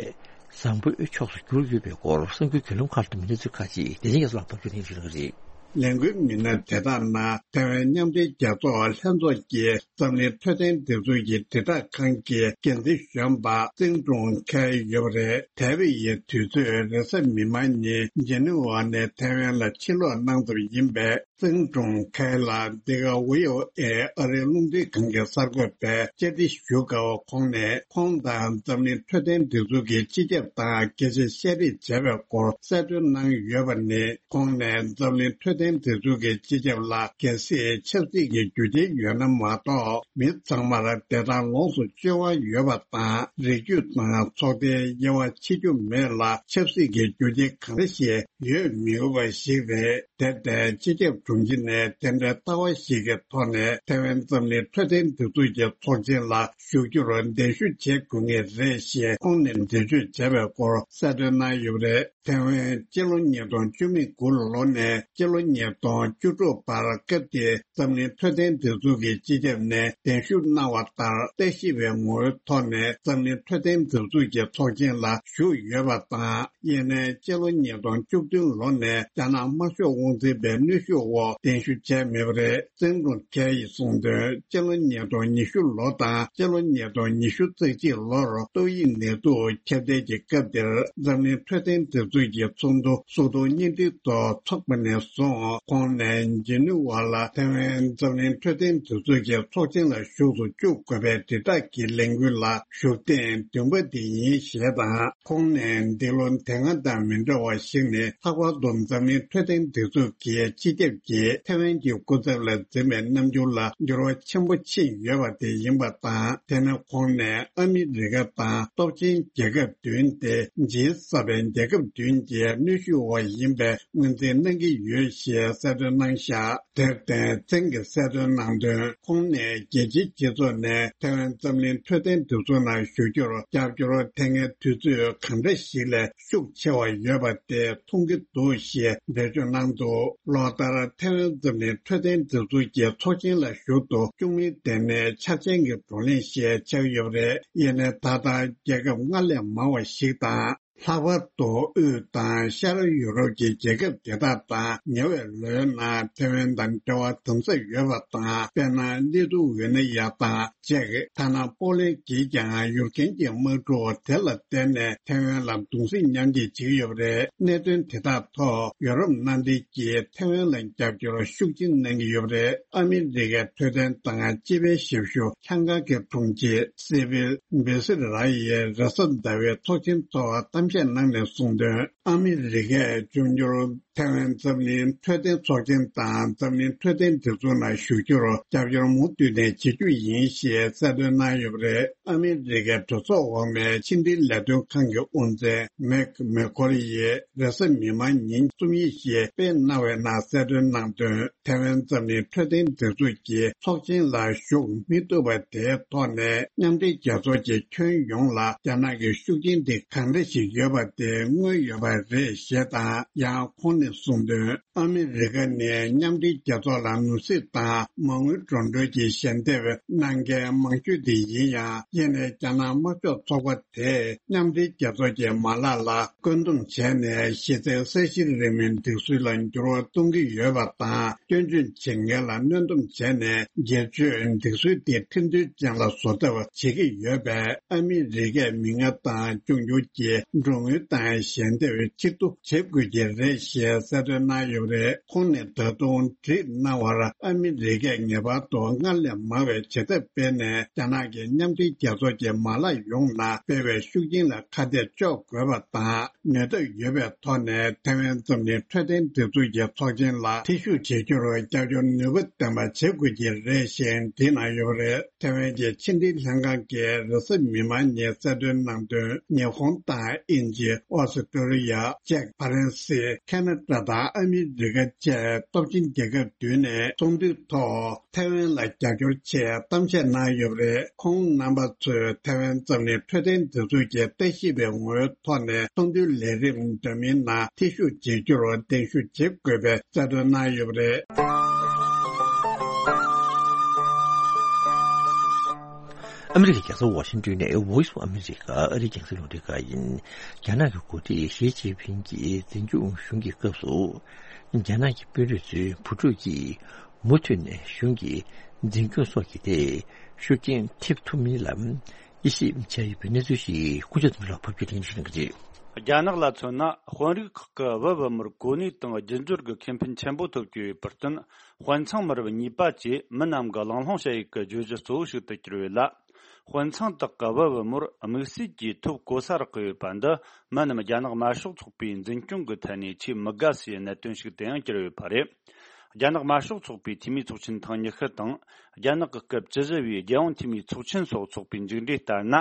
བཟང་པོའི་ཕྱོགས་སུ་གྱུར་ཡོད་པའི་སྐོར་གསར་འགྱུར་བརྒྱུད་ལམ་ཁག་ཏུ་མི་སྣ་ཚོས་ཁ་ཅིག་བདེ་ཆེན་རྒྱ་མཚོ་ལགས་ཕབ་སྒྱུར་གནང་ཞུ་གནང་གི་རེད། ལས་འགུལ་མི་སྣ་དེ་དག་ནང་ཐའེ་ཝན་མཉམ་འབྲེལ་རྒྱལ་ཚོགས་ལྷན་ཚོགས་ཀྱི་འཛམ་གླིང་འཕྲོད་བསྟེན་སྒྲིག་འཛུགས་ཀྱི་དྲིལ་བསྒྲགས་ཁང་གི་འགན་འཛིན་གཞོན་པ་ཙིང་ཀྲུང་ཁའེ་ཡོད་པ་རེད། ཐའེ་ཝན་ཡི་དུས་ཚོད་རེས་གཟའ་མིག་དམར་ཉིན་ཇི་ནི་ཝ་ནས་ཐའེ་ཝན་ལ་ཕྱིར་ལོག་གནང་ཚར་ཡིན་པས། ཙིང་ཀྲུང་ཁའེ་ལ་འདི་ག་ཝི་ཨོ་ཨེ་ཨ་རིའི་རླུང་འཕྲིན་ཁང་གི་གསར་འགོད་པས་བཅར་འདྲི་ཞུ་སྐབས། ཁོང་ནས་ཁོང་དང་འཛམ་གླིང་འཕྲོད་བསྟེན་སྒྲིག་འཛུགས་ཀྱི་སྤྱི་ཁྱབ་དང་སྐད་ཆ་བཤད་རེས་བྱས་པའི་སྐོར་གསལ་སྟོན་གནང་ཡོད་པ་ནི། ཁོང་ནས་འཛམ་གླིང་འཕྲོད་བསྟེན་སྒྲིག་འཛུགས་ཀྱི་སྤྱི་ཁྱབ་ལ་གལ་སྲིད་ཆབ་སྲིད་ཀྱི་རྒྱུ་རྐྱེན་ཡོད་ན་མ་གཏོགས། མི་ཚང་མར་བདེ་ཐང་ལོངས་སུ་སྤྱོད་དབང་ཡོད་པ་དང་། རིགས་རྒྱུད་དང་ཚོགས་སྡེའི་དབྱེ་བ་ཕྱེ་རྒྱུ་མེད་ལ། ཆབ་སྲིད་ཀྱི་རྒྱུ་རྐྱེན་གང་འདྲ་ཞིག་ཡོད་མི་དགོས་པ་ཞིག་རེད། དེར་བརྟེན། སྤྱི་ཁྱབ་དྲུང་ཆེ་ནས་དེ་འདྲའི་ལྟ་བ་ཞིག་གི་ཐོག་ནས་ཐའེ་ཝན་འཛམ་གླིང་འཕྲོད་བསྟེན་སྒྲིག་འཛུགས་ཀྱི་ཚོགས་ཆེན་ལ་ཞུགས་རྒྱུར་གདན་ཞུ་བྱེད་དགོས་ངེས་རེད་ཞེས་ཁོང་ནས་འགྲེལ་བརྗོད་བྱས་པའི་སྐོར་གསལ་སྟོན་གནང་ཡོད་པ་རེད། ཐའེ་ཝན་སྤྱི་ལོ་ཉིས་སྟོང་བཅུ་མེད་དགུ་ལོ་ནས་སྤྱི་ལོ་ཉིས་སྟོང་བཅུ་དྲུག་བར་སྐབས་དེའི་འཛམ་གླིང་འཕྲོད་བསྟེན་སྒྲིག་འཛུགས་ཀྱི་སྤྱི་ཁྱབ་ནས་གདན་ཞུ་གནང་བ་ལྟར། ལྟ་ཞིབ་པའི་ངོ་བོའི་ཐོག་ནས་འཛམ་གླིང་འཕྲོད་བསྟེན་སྒྲིག་འཛུགས་ཀྱི་ཚོགས་ཆེན་ལ་ཞུགས་ཡོད་པ་དང་། ཡིན་ནའི་སྤྱི་ལོ་ཉིས་སྟོང་བཅུ་བདུན་ལོ་ནས་རྒྱ་ནག་དམར་ཤོག་དབང་འཛིན་པའི་གནོན་ཤུགས་འོག་གདན་ཞུ་བྱས་མེད་པ་རེད། ཙིང་ཀྲུང་ཁའེ་ཡིས་གསུངས་དོན། སྤྱི་ལོ་ཉིས་སྟོང་ཉི་ཤུ་ལོ་དང་སྤྱི་ལོ་ཉིས་སྟོང་ཉི་ཤུ་རྩ་གཅིག་ལོར་ཏོག་དབྱིབས་ནད་དུག་ཁྱབ་གདལ་གྱི་སྐབས་དེར་འཛམ་གླིང་འཕྲོད་བསྟེན་སྒྲིག་འཛུགས་ཀྱི་ཚོགས་འདུ་སུ་ཏོ་ཉིན་ཏིག་ཐོག་འཚོགས་པ་ནས་བཟུང་། ཁོང་ནས་ཇི་ནི་ཝ་ལ་ཐའེ་ཝན་འཛམ་གླིང་འཕྲོད་བསྟེན་སྒྲིག་འཛུགས་ཀྱི་ཚོགས་ཆེན་ལ་ཞུགས་སུ་བཅུག་དགོས་པའི་དྲིལ་བསྒྲགས་ཀྱི་ལས་འགུལ་ལ་ཞུགས་ཐེངས་བདུན་པ་དེ་ཡིན་ཞེས་དང་། ཁོང་ནས་འདི་ལོ་དེ་སྔ་དང་མི་འདྲ་བ་ཞིག་ནི། ལྷག་པར་དུ་འཛམ་གླིང་འཕྲོད་བསྟེན་སྒྲིག་འཛུགས་ཀྱི་སྤྱི་ཁྱབ་ཀྱིས་ཐའེ་ཝན་གྱི་སྐུ་ཚབ་ལ་འཛིན་པའི་རྣམ་འགྱུར་ལ་འགྱུར་བ་ཆེན་པོ་ཕྱིན་ཡོད་པ་དེ་ཡིན་པ་དང་། དེ་ནི་ཁོང་ནས་ཨ་མི་རི་ཀ་དང་སྟོབས་ཆེན་རྒྱལ་ཁབ་བདུན་ཏེ། ཇི་སེ་ཝེན་རྒྱལ་ཁབ་བདུན་གྱི་གནོན་ཤུགས་འོག་ཡིན་པའི་ངོས་འཛིན་གནང་གི་ཡོད་ཞེས་གསལ་སྟོན་གནང་བཞག། དེར་བརྟེན། ཙིང་གིས་གསལ་སྟོན་གནང་དོན། ཁོང་ནས་རྒྱལ་སྤྱིའི་སྤྱི་ཚོགས་ནས་ཐའེ་ཝན་འཛམ་གླིང་འཕྲོད་བསྟེན་སྒྲིག་འཛུགས་ནང་ཞུགས་རྒྱུར་རྒྱབ་སྐྱོར་ཐེབས་མཁན་དུས་ཚོད་གང་འདྲ་ཞིག་ལས་ཤུགས་ཆེ་བ་ཡོད་པ་དེ་མཐོང་གི་འདུག་ཞེས་འགྲེལ་བརྗོད་གནང་འདུག། ལོ་ལྟར་ཐའེ་ཝན་འཛམ་གླིང་འཕྲོད་བསྟེན་སྒྲིག་འཛུགས་ཀྱི་ཚོགས་ཆེན་ལ་ཞུགས་དུ་བཅུག་མིན་དེ་ནི་འཆར་ཅན་གྱི་བགྲོ་གླེང་ཞིག་ཆགས་ཡོད་པ་རེད། ཡིན་ནའི་ད་ལྟ་རྒྱལ་ཁབ་སྔར་ལས་མང་བ་ཞིག་དང་། ལྷག་པར་དུ་དབུས་དང་ཤར་ཡུ་རོབ་ཀྱི་རྒྱལ་ཁབ་དེ་དག་དང་ཉེ་བའི་ལོའི་ནང་ཐེ་ཝན་དང་འབྲེལ་བ་དམ་ཟབ་ཡོད་པ་དང་། དཔེར་ན། ལི་ཐུ་ཝེ་ནི་ཡ་དང་ཅེཀ། ཐ་ན་པོ་ལན་གྱིས་ཀྱང་ཡུར་རྒན་གྱི་དམག་འཁྲུག་དེ་ལ་བརྟེན་ནས་ཐེ་ཝན་ལ་གདུང་སེམས་མཉམ་སྐྱེད་བྱེད་ཀྱི་ཡོད་པ་རེད། གནད་དོན་དེ་དག་ཐོག་ཡུ་རོབ་མནའ་འབྲེལ་གྱིས་ཐེ་ཝན་ལ་རྒྱབ་སྐྱོར་ཤུགས་ཆེན་གནང་གི་ཡོད་པ་རེད། ཨ་མི་རི་ཀའི་འཕྲོད་བསྟེན་དང་སྤྱི་པའི་ཞབས་ཞུ་ལྷན་ཁང་གི་དྲུང་ཆེ་སི་བིལ་བི་སི་ར་ཡིས་རེས་གཟའ་ཟླ་བའི་ཚོགས་ཆེན་ཐོག་གཏམ་བཤད་གནང་ནས་གསུངས་དོན། ཨ་མི་རི་ཀས་འབྱུང་འགྱུར་ཐའེ་ཝན་འཛམ་གླིང་འཕྲོད་བསྟེན་ཚོགས་ཆེན་དང་འཛམ་གླིང་འཕྲོད་བསྟེན་སྒྲིག་འཛུགས་ནང་ཞུགས་རྒྱུར་རྒྱབ་སྐྱོར་མུ་མཐུད་ནས་བྱེད་རྒྱུ་ཡིན་ཞེས་གསལ་སྟོན་གནང་ཡོད་པ་རེད། ཨ་མི་རི་ཀའི་གྲོས་ཚོགས་འོག་མའི་ཕྱི་འབྲེལ་ལས་དོན་ཁང་གི་དབུ་འཛིན་མེག་མེ་ཁོར་ཡིས་རེས་གཟའ་མིག་དམར་ཉིན་རྩོམ་ཡིག་ཞིག་སྤེལ་གནང་བའི་ནང་གསལ་སྟོན་གནང་དོན། ཐའེ་ཝན་འཛམ་གླིང་འཕྲོད་བསྟེན་སྒྲིག་འཛུགས་ཀྱི་ཚོགས་ཆེན་ལ་ཞུགས་མི་ཐུབ་པ་དེའི་ཐོག་ནས་མཉམ་འབྲེལ་རྒྱལ་ཚོགས་ཀྱི་ཁྱོན་ཡོངས་ལ་རྒྱ་ནག་གི་ཤུགས་རྐྱེན་དེ་གང་འདྲ་ཞིག་ཡོད་པ་དེ་མངོན་ཡོད་པ་རེད་ཞེས་དང་། ཡང་ཁོང་ནས་གསུངས་དོན། ཨ་མི་རི་ཀ་ནི་མཉམ་འབྲེལ་རྒྱལ་ཚོགས་ལ་ནོར་སྲིད་དང་མ་དངུལ་འགྲོ་གྲོན་གྱི་ཞལ་འདེབས་གནང་མཁན་མང་ཤོས་དེ་ཡིན་ཡང་། ཡིན་ནའི་རྒྱ་ནག་དམར་ཤོག་ཚོགས་པ་དེས་མཉམ་འབྲེལ་རྒྱལ་ཚོགས་ཀྱི་མ་ལག་ལ་བཀོད་འདོམས་བྱས་ནས། གཞི་རྩའི་ས་གཞིར་རེ་མིའི་སྒྲིག་སྲོལ་ལ་འགྱུར་བ་གཏོང་གི་ཡོད་པ་དང་། སྐྱོན་བརྗོད་བྱེད་མཁན་ལ་གནོན་སྡོམ་བྱས་ནས། སྒེར་གཅོད་སྒྲིག་སྲོལ་དེ་ཁྲིམས་མཐུན་ཅན་ལ་བཟོ་ཐབས་བྱེད་ཀྱི་ཡོད་པས། ཨ་མི་རི་ཀས་མི་ངན་དང་འབྱུང་འགྱུར་གྱི་འགྲོ་དངུལ་དང་ཞལ་འདེབས་ཕྱིར་བསྡུ་བྱེད་དགོས་ཀྱི་རེད་ཞེས་གསལ་སྟོན་གནང་ཡོད་པ་རེད། ཁོང་ནས་ད་དུང་བྲིས་གནང་བར། ཨ་མི་རི་ཀས་ངེས་པར་དུ་སྔར་ལས་མང་བའི་བྱེད་ཐབས་སྤེལ་ནས། རྒྱ་ནག་གིས་མཉམ་འབྲེལ་རྒྱལ་ཚོགས་ཀྱི་མ་ལག་ཡོངས་ནང་སྤེལ་བའི་ཤུགས་རྐྱེན་ལ་ཁ་གཏད་གཅོག་དགོས་པ་དང་། ནུས་སྟོབས་ཡོད་པའི་ཐོག་ནས་ཐེ་ཝན་འཛམ་གླིང་འཕྲོད་བསྟེན་སྒྲིག་འཛུགས་ཀྱི་ཚོགས་ཆེན་ལ་ཐེ་ཞུགས་བྱེད་རྒྱུར་རྒྱབ་སྐྱོར་ནུས་པ་ལྡན་པ་བྱེད་དགོས་ཀྱི་རེད་ཞེས་བྲིས་གནང་ཡོད་པ་རེད། ཐེ་ཝན་གྱི་ཕྱི་འབྲེལ་ལྷན་ཁང་གི་རེས་གཟའ་མིག་དམར་ཉིན་གསལ་སྟོན་གནང་དོན། ཉི་ཧོང་དང་དབྱིན་ཇི། ཨོ་སི་ཀྲོ་ལི་ཡ། ཅེཀ་ཧྥ་རན་སི། ཁ་ན་ཌ་དང་ཨ་མི་རི་ཀ་བཅས་སྟོབས་ཆེན་རྒྱལ་ཁབ་བདུན་ནས་ཚོགས་འདུའི་ཐོག་ཐེ་ཝན་ལ་རྒྱབ་སྐྱོར་ཆེད་གཏམ་བཤད་གནང་ཡོད་པ་རེད། ཁོང་རྣམ་པ་ཚོས་ཐེ་ཝན་འཛམ་གླིང་འཕྲོད་བསྟེན་སྒྲིག་འཛུགས་ཀྱི་ལྟ་ཞིབ་པའི་ངོ་བོའི་ཐོག་ནས་ཚོགས་འདུའི་ལས་རིམ་འདྲ་མིན་ནང་ཐེ་ཞུགས་བྱེད་རྒྱུར་གདན་ཞུ་བྱེད་དགོས་པའི་གསལ་སྟོན་གནང་ཡོད་པ་རེད། ཨ་མི་རི་ཀའི་རྒྱལ་ས་ཝ་ཤིང་ཏོན་ནས་Voice of America ཨ་རིའི་རྒྱང་སྲིང་རླུང་འཕྲིན་ཁང་ཡིན། རྒྱ་ནག་གི་འགོ་ཁྲིད་ཞི་ཅིན་ཕིང་གིས་འཛིན་སྐྱོང་གཞུང་གི་སྐབས་སུ། རྒྱ་ནག་གི་དཔོན་རིགས་ཚོའི་བུ་ཕྲུག་གིས་མུ་མཐུད་ནས་གཞུང་གི་འཛིན་སྐྱོང་སོགས་ཀྱི་ཐད་ཤུགས་རྐྱེན་ཐེབས་ཐུབ་མིན་ལ་དབྱེ་ཞིབ་བྱས་ཡོད་པའི་གནས་ཚུལ་ཞིག་སྐུ་ཞབས་ཚོ་ལ་ཕབ་སྒྱུར་ལེན་ཞུ་གནང་གི་རེད། རྒྱ་ནག་ལ་མཚོན་ན། དཔོན་རིགས་ཁག་གི་བུ་བུ་མོར་གོ་གནས་དང་རྒྱུ་འབྱོར་གྱི་ཁེ་ཕན་ཆེན་པོ་ཐོབ་ཀྱི་ཡོད་པར་བརྟེན། དཔོན་ཚང་མི་རབས་གཉིས་པ་བཅས་མི་རྣམས་ཀྱི་གླེང་སློང་བྱ་ཡུལ་གྱི་བརྗོད་གཞི་གཙོ་བོ་ཞིག་ཏུ་གྱུར་ཡོད་ལ། དཔོན་ཚང་དག་གི་བུ་བུ་མོར་དམིགས་བསལ་གྱིས་ཐོབ་གོ་ས་རག་གི་ཡོད་པ་འདི། མི་རྣམས་རྒྱ་ནག་དམར་ཤོག་ཚོགས་པའི་འཛིན་སྐྱོང་གི་ཐད་ནས་ཆེས་མི་དགའ་སའི་གནད་དོན་ཞིག་ཏུ་ཡང་གྱུར་ཡོད་པ་རེད། རྒྱ་ནག་དམར་ཤོག་ཚོགས་པའི་འཐུས་མིའི་ཚོགས་ཆེན་ཐེངས་ཉི་ཤུ་དང་། རྒྱ་ནག་གི་སྐབས་བཅུ་བཞི་བའི་རྒྱལ་ཡོངས་འཐུས་མིའི་ཚོགས་ཆེན་སོགས་ཚོགས་པའི་མཇུག་འབྲས་ལྟར་ན།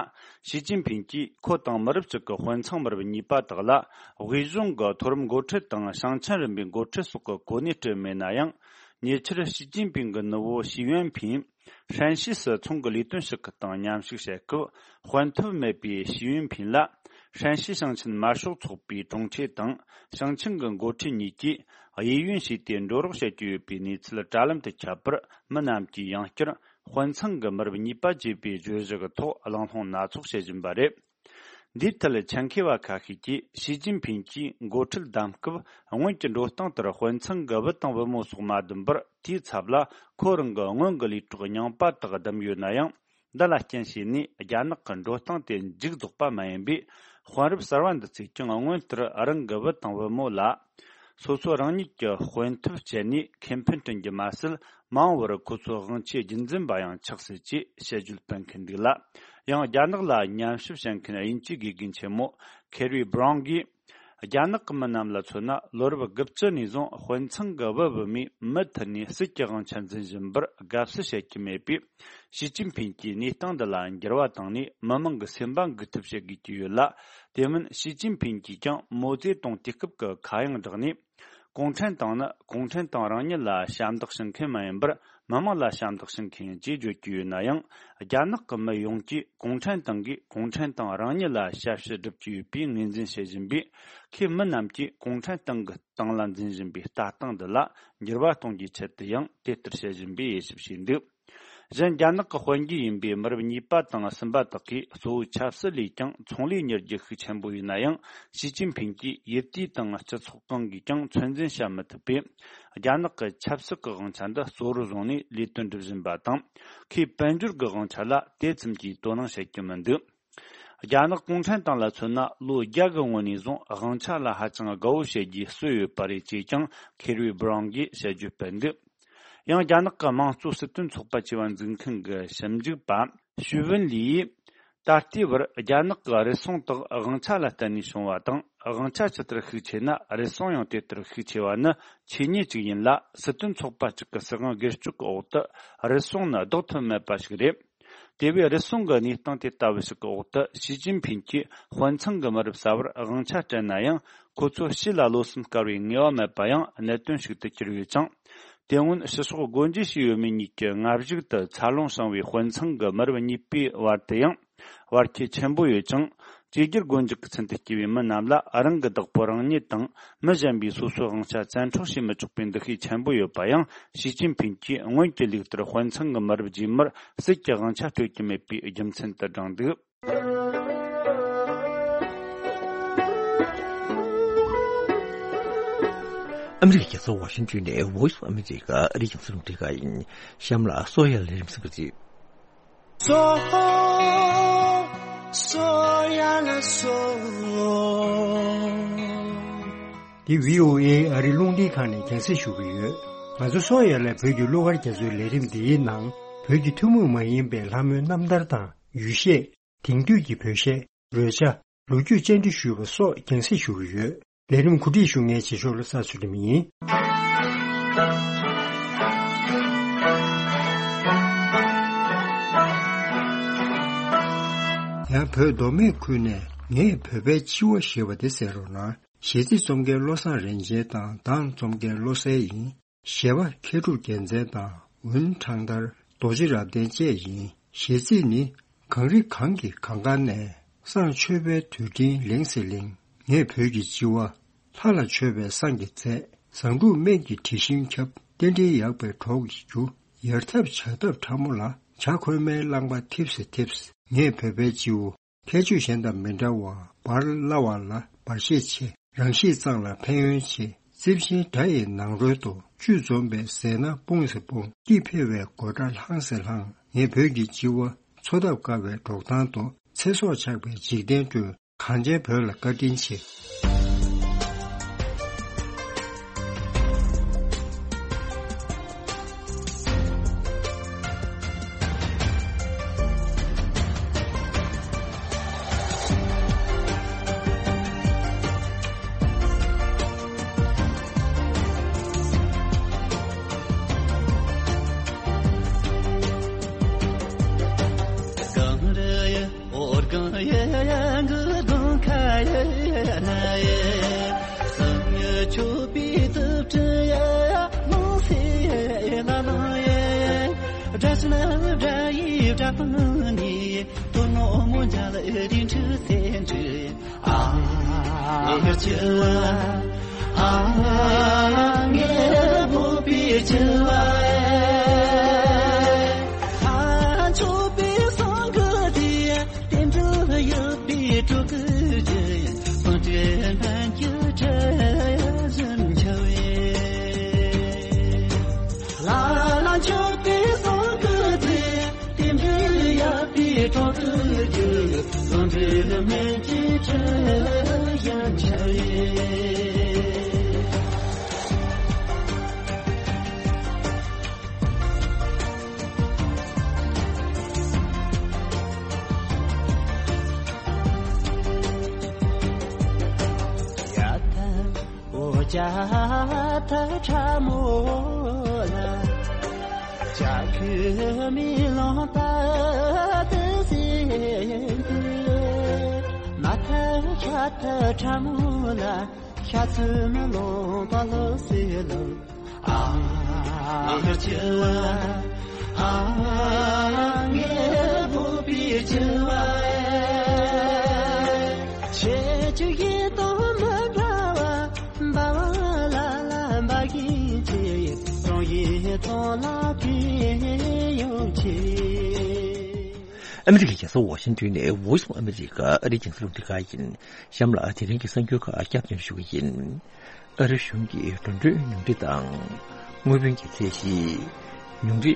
ཞི་ཅིན་ཕིང་གིས་ཁོ་དང་མི་རབས་གཅིག་གི་དཔོན་ཚང་མི་རབས་གཉིས་པ་དག་ལ། དབུས་གཞུང་གི་མཐོ་རིམ་འགོ་ཁྲིད་དང་ཞིང་ཆེན་རིམ་པའི་འགོ་ཁྲིད་སོགས་ཀྱི་གོ་གནས་སྤྲད་མེད་ན་ཡང་། ཉེ་ཆར་ཞི་ཅིན་ཕིང་གི་ནུ་བོ་ཞི་ཡོན་ཕིང་། ཧྲན་ཞི་སི་ཚོང་གི་ལས་དོན་ཞུ་ཁུལ་དང་མཉམ་ཞུགས་བྱེད་སྐབས། དཔོན་ཐོབ་མེད་པའི་ཞི་ཡོན་ཕིང་ལ། ཧྲན་ཞི་ཞིང་ཆེན་དམར་ཤོག་ཚོགས་པའི་དྲུང་ཆེ་དང་། ཞིང་ཆེན་གྱི་འགོ་ཁྲིད་གཉིས་ཀྱིས། གཡས་གཡོན་བྱས་ཏེ་འགྲོ་རོགས་བྱེད་ཀྱི་ཡོད་པའི་གནས་ཚུལ་དྲ་ལམ་དུ་ཁྱབ་པར། མི་རྣམས་ཀྱིས་ཡང་བསྐྱར། དཔོན་ཚང་གི་མི་རབས་གཉིས་པ་ཅེས་པའི་བརྗོད་གཞི་གི་ཐོག་གླེང་སློང་སྣ་ཚོགས་བྱེད་བཞིན་པ་རེད། འདིའི་ཐད་ཆེད་མཁས་པ་ཁ་ཤས་ཀྱིས། ཞི་ཅིན་ཕིང་གིས་འགོ་ཁྲིད་བདམས་སྐབས། སྔོན་གྱི་འགྲོ་སྟངས་ལྟར་དཔོན་ཚང་གི་བུ་དང་བུ་མོ་སོགས་མ་བདམས་པར། དེའི་ཚབ་ལ། ཁོ་རང་གི་སྔོན་གྱི་ལས་གྲོགས་རྙིང་པ་དག་བདམས་ཡོད་ན་ཡང་། འདི་ལ་རྐྱེན་བྱས་ནས། རྒྱ་ནག་གི་འགྲོ་སྟངས་དེ་མཇུག་རྫོགས་པ་མ་ཡིན་པས། དཔོན་རབས་གསར་བ་འདི་ཚོས་ཀྱང་། སྔོན་ལྟར་རང་གི་བུ་དང་བུ་མོ་ལ། སོ་སོ་རང་ཉིད་ཀྱི་དཔོན་ཐོབ་སྤྱད་ནས་ཁེ་ཕན་བསྐྲུན་རྒྱུ་མ་ཟད། མ་འོངས་པར་ཁོ་ཚོའི་དབང་ཆའི་རྒྱུན་འཛིན་པ་ཡང་ཆགས་སྲིད་ཅེས་དཔྱད་བརྗོད་སྤེལ་མཁན་འདུག་ལ། ཡང་རྒྱ་ནག་ལ་ཉམས་ཞིབ་བྱེད་མཁན་དབྱིན་ཇིའི་དགེ་རྒན་ཆེན་མོ་ཁེ་རི་བྷ་རའུན་གྱིས། རྒྱ་ནག་གི་མི་རྣམས་ལ་མཚོན་ན། ལོ་རབས་དགུ་བཅུ་ནས་བཟུང་དཔོན་ཚང་གི་བུ་བུ་མོས་མུ་མཐུད་ནས་སྲིད་ཀྱི་དབང་ཆ་འཛིན་བཞིན་པར་དགའ་བསུ་བྱེད་ཀྱི་མེད་པས། ཞི་ཅིན་ཕིང་གིས་གནས་སྟངས་འདི་ལ་འགྱུར་བ་བཏང་ནས། མི་མང་གི་སེམས་པ་འགུག་ཐབས་བྱེད་དགོས་ཀྱི་ཡོད་ལ། དེ་མིན་ཞི་ཅིན་ཕིང་གིས་ཀྱང་མའོ་ཙེ་ཏུང་དུས་སྐབས་ཀྱི་ཁ་གཡང་བསྒྲགས་ནས། གུང་ཁྲན་ཏང་ནི་གུང་ཁྲན་ཏང་རང་ཉིད་ལ་ཞབས་འདེགས་ཞུ་མཁན་མ་ཡིན་པར། མི་མང་ལ་ཞབས་འདེགས་ཞུ་མཁན་ཡིན་ཅེས་བརྗོད་ཀྱི་ཡོད་ན་ཡང་། རྒྱ་ནག་གི་མི་ཡོངས་ཀྱིས་གུང་ཁྲན་ཏང་གིས་གུང་ཁྲན་ཏང་རང་ཉིད་ལ་ཞབས་ཕྱི་སྒྲུབ་ཀྱི་ཡོད་པའི་ངོས་འཛིན་བྱེད་བཞིན་པས། ཁོས་མི་རྣམས་ཀྱིས་གུང་ཁྲན་ཏང་གི་སྟེང་ལ་འཛིན་བཞིན་པའི་ལྟ་སྟངས་འདི་ལ་འགྱུར་བ་གཏོང་རྒྱུའི་ཆེད་དུ་ཡང་དེ་ལྟར་བྱེད་བཞིན་པའི་དབྱེ་ཞིབ་བྱས་འདུག། གཞན། རྒྱ་ནག་གི་དཔོན་རྒྱུད་ཡིན་པའི་མི་རབས་གཉིས་པ་དང་གསུམ་པ་དག་གིས་གཙོ་བོ་ཆབ་སྲིད་ལས་ཀྱང་ཚོང་ལས་གཉེར་རྒྱུ་ཤུགས་ཆེན་པོ་ཡིན་ན་ཡང་། ཞི་ཅིན་ཕིང་གིས་ཡུལ་དུས་དང་སྤྱི་ཚོགས་གང་གིས་ཀྱང་ཚོད་འཛིན་བྱ་མི་ཐུབ་པས། རྒྱ་ནག་གི་ཆབ་སྲིད་ཀྱི་དབང་ཆ་འདི་གཙོ་བོར་བཟུང་ནས་ལས་དོན་སྒྲུབ་བཞིན་པ་དང་། ཁོས་དཔལ་འབྱོར་གྱི་དབང་ཆ་ལ་དེ་ཙམ་གྱིས་དོ་སྣང་བྱེད་ཀྱི་མི་འདུག། རྒྱ་ནག་གུང་ཁྲན་ཏང་ལ་མཚོན་ན། ལོ་བརྒྱ་གི་སྔོན་ནས་བཟུང་དབང་ཆ་ལ་ཧ་ཅང་དགའ་བོ་བྱེད་རྒྱུའི་སྲོལ་ཡོད་པ་རེད་ཅེས་ཀྱང་ཁེ་རི་བྷ་རའུན་གྱིས་དཔྱད་བརྗོད་སྤེལ་འདུག། ཡང་རྒྱ་ནག་གི་དམངས་གཙོ་སྲིད་དོན་ཚོགས་པ་ཅེས་པ་འཛུགས་མཁན་གྱི་ཞིབ་འཇུག་པ་ཞུ་ཝུན་ལི་ཡིས། ད་ལྟའི་བར་རྒྱ་ནག་གི་རུལ་སུངས་དག་དབང་ཆ་ལ་བརྟེན་ནས་བྱུང་བ་དང་། དབང་ཆ་ཇི་ལྟར་ཤུགས་ཆེ་ན་རུལ་སུངས་ཡང་དེ་ལྟར་ཤུགས་ཆེ་བ་ནི་ཆོས་ཉིད་ཅིག་ཡིན་ལ། སྲིད་དོན་ཚོགས་པ་གཅིག་གི་སྲིད་དབང་སྒེར་གཅོད་ཀྱི་འོག་ཏུ་རུལ་སུངས་ནི་ལྡོག་ཐབས་མེད་པ་ཞིག་རེད། དེ་བས་རུལ་སུངས་ཀྱི་གནས་སྟངས་དེ་ལྟ་བུ་ཞིག་གི་འོག་ཏུ། ཞི་ཅིན་ཕིང་གིས་དཔོན་ཚང་གི་མི་རབས་གསར་བར་དབང་ཆ་སྤྲད་ན་ཡང་། ཁོ་ཚོ་ཕྱི་ལ་བློ་སེམས་དཀར་བའི་ངེས་པ་མེད་པ་ཡང་གནད་དོན་ཞིག་ཏུ་གྱུར་ཡོད་ཅིང་། དེ་སྔོན་ཕྱི་ཕྱོགས་སྒོ་འབྱེད་བྱས་ཡོད་མེད་གཉིས་ཀྱི་སྔ་གཞུག་ཏུ་འཚར་ལོངས་བྱུང་བའི་དཔོན་ཚང་གི་མི་རབས་གཉིས་པའི་བར་དུ་ཡང་བར་ཁྱད་ཆེན་པོ་ཡོད་ཅིང་། བཅོས་བསྒྱུར་སྒོ་འབྱེད་ཀྱི་ཚུལ་དུ་སྐྱེས་པའི་མི་རྣམས་ལ་རང་གི་བདག་པོ་རང་ཉིད་དང་མི་གཞན་པས་སོ་སོའི་དབང་ཆ་བཙན་འཕྲོག་བྱེད་མི་ཆོག་པའི་འདུ་ཤེས་ཆེན་པོ་ཡོད་པ་ཡང་། ཞི་ཅིན་ཕིང་གིས་སྔོན་གྱི་ལུགས་ལྟར་དཔེ་མཚོན་གྱི་མི་རབས་རྗེས་མར་སྲིད་ཀྱི་དབང་ཆ་སྤྲོད་ཀྱི་མེད་པའི་རྒྱུ་མཚན་དུ་བགྲངས་འདུག། ཨ་མི་རི་ཀའི་རྒྱལ་ས་ཝ་ཤིང་ཏོན་ནས་Voice of America ཨ་རིའི་རྒྱང་སྲིང་རླུང་འཕྲིན་ཁང་ཡིན། གཤམ་ལ་སོ་ཡ་ལས་རིམ་གསན་པ་རེད། སོ། སོ་ཡ་ལ་སོ། འདི་བྷི་ཨོ་ཨེ་ཨ་རི་རླུང་འཕྲིན་ཁང་ནས་རྒྱང་སྲིང་ཞུ་གི་ཡོད། ང་ཚོ་སོ་ཡ་ལ་བོད་ཀྱི་གླུ་གར་རྒྱ་མཚོའི་ལས་རིམ་འདིའི་ནང་བོད་ཀྱི་ཐུན་མོང་མ་ཡིན་པའི་ལྷ་མོའི་རྣམ་ཐར་དང་ཡུལ་གཞས། དེང་དུས་ཀྱི་བོད་གཞས། རོལ་ཆ། ལོ་རྒྱུས་བཅར་འདྲི་ཞུས་པ་སོགས་རྒྱང་སྲིང་ཞུ་གི་ཡོད། ལས་རིམ་གོ་སྒྲིག་ཞུ་མཁན་རྗེས་ཕྱོགས་ལ་ས་ཚུལ་ཁྲིམས་ཡིན། ཡང་བོད་མདོ་སྨད་ཁུལ་ནས་ངས་བོད་པའི་སྤྱི་བོ་ཞེས་པ་དེ་གསན་རོགས་གནང་། གཞས་ཚིག་རྩོམ་མཁན་བློ་བཟང་རིན་ཆེན་དང་གདངས་རྩོམ་མཁན་བློ་གསལ་ཡིན། གཞས་པ་མཁས་གྲུབ་རྒྱལ་མཚན་དང་ཝུན་ཁྲང་ཐར། རྡོ་རྗེ་རབ་བརྟན་བཅས་ཡིན། གཞས་ཚིག་ནི། གངས་རི་གངས་ཀྱི་གངས་དཀར་ནས། བསང་མཆོད་པའི་དུད་སྤྲིན་ལེང་སེ་ལེང་། ངས་བོད་ཀྱི་སྤྱི་བོ། ལྷ་ལ་མཆོད་པའི་བསང་གི་རྫས། བཟང་དྲུག་སྨན་གྱི་དྲི་ཞིམ་ཁྱབ། རྟེན་འབྲེལ་ཡག་པའི་གྲོགས་ཀྱིས་རྒྱུ། ཡར་ཐབས་བྱ་ཐབས་ཕྲ་མོ་ལ། བྱ་ཁོལ་མའི་རླངས་པ་འཐིབས་སེ་འཐིབས། ངས་བོད་པའི་སྤྱི་བོ། ཁྱད་ཆོས་གཞན་དང་མི་འདྲ་བར་འབར་སླ་བ་ལ་འབར་ཤས་ཆེ། རང་གཤིས་གཙང་ལ་ཕན་ཡོན་ཆེ། རྩིབས་ཆེན་སྒྲ་ཡི་ནང་རོལ་དུ། བཅུད་འཛོམས་པའི་ཟས་སྣ་སྤུངས་སེ་སྤུངས། སྐྱིད་འཕེལ་བའི་དགོད་སྒྲ་ལྷང་སེ་ལྷང་། ངས་བོད་ཀྱི་སྤྱི་བོ། འཚོ་ཐབས་དཀའ་བའི་འབྲོག་ཐང་དུ། ཚེ་སྲོག་ཆགས་པའི་འཇིག་རྟེན་བསྐྲུན། གངས་ཅན་བོད་ལ་བཀའ་དྲིན་ཆེ། ཨ་མི་རི་ཀའི་རྒྱལ་ས་ཝ་ཤིང་ཏོན་ནས་Voice of America ཨ་རིའི་རྒྱང་སྲིང་རླུང་འཕྲིན་ཁང་ཡིན། གཤམ་ལ་དེ་རིང་གི་གསར་འགྱུར་ཁག་བསྐྱར་དུ་ཞུ་གི་ཡིན། ཨ་རི་གཞུང་གིས་འགྲོ་གྲོན་ཉུང་འཕྲི་དང་། དངུལ་བུན་གྱི་ཚད་གཞི། ཉུང་འཕྲི།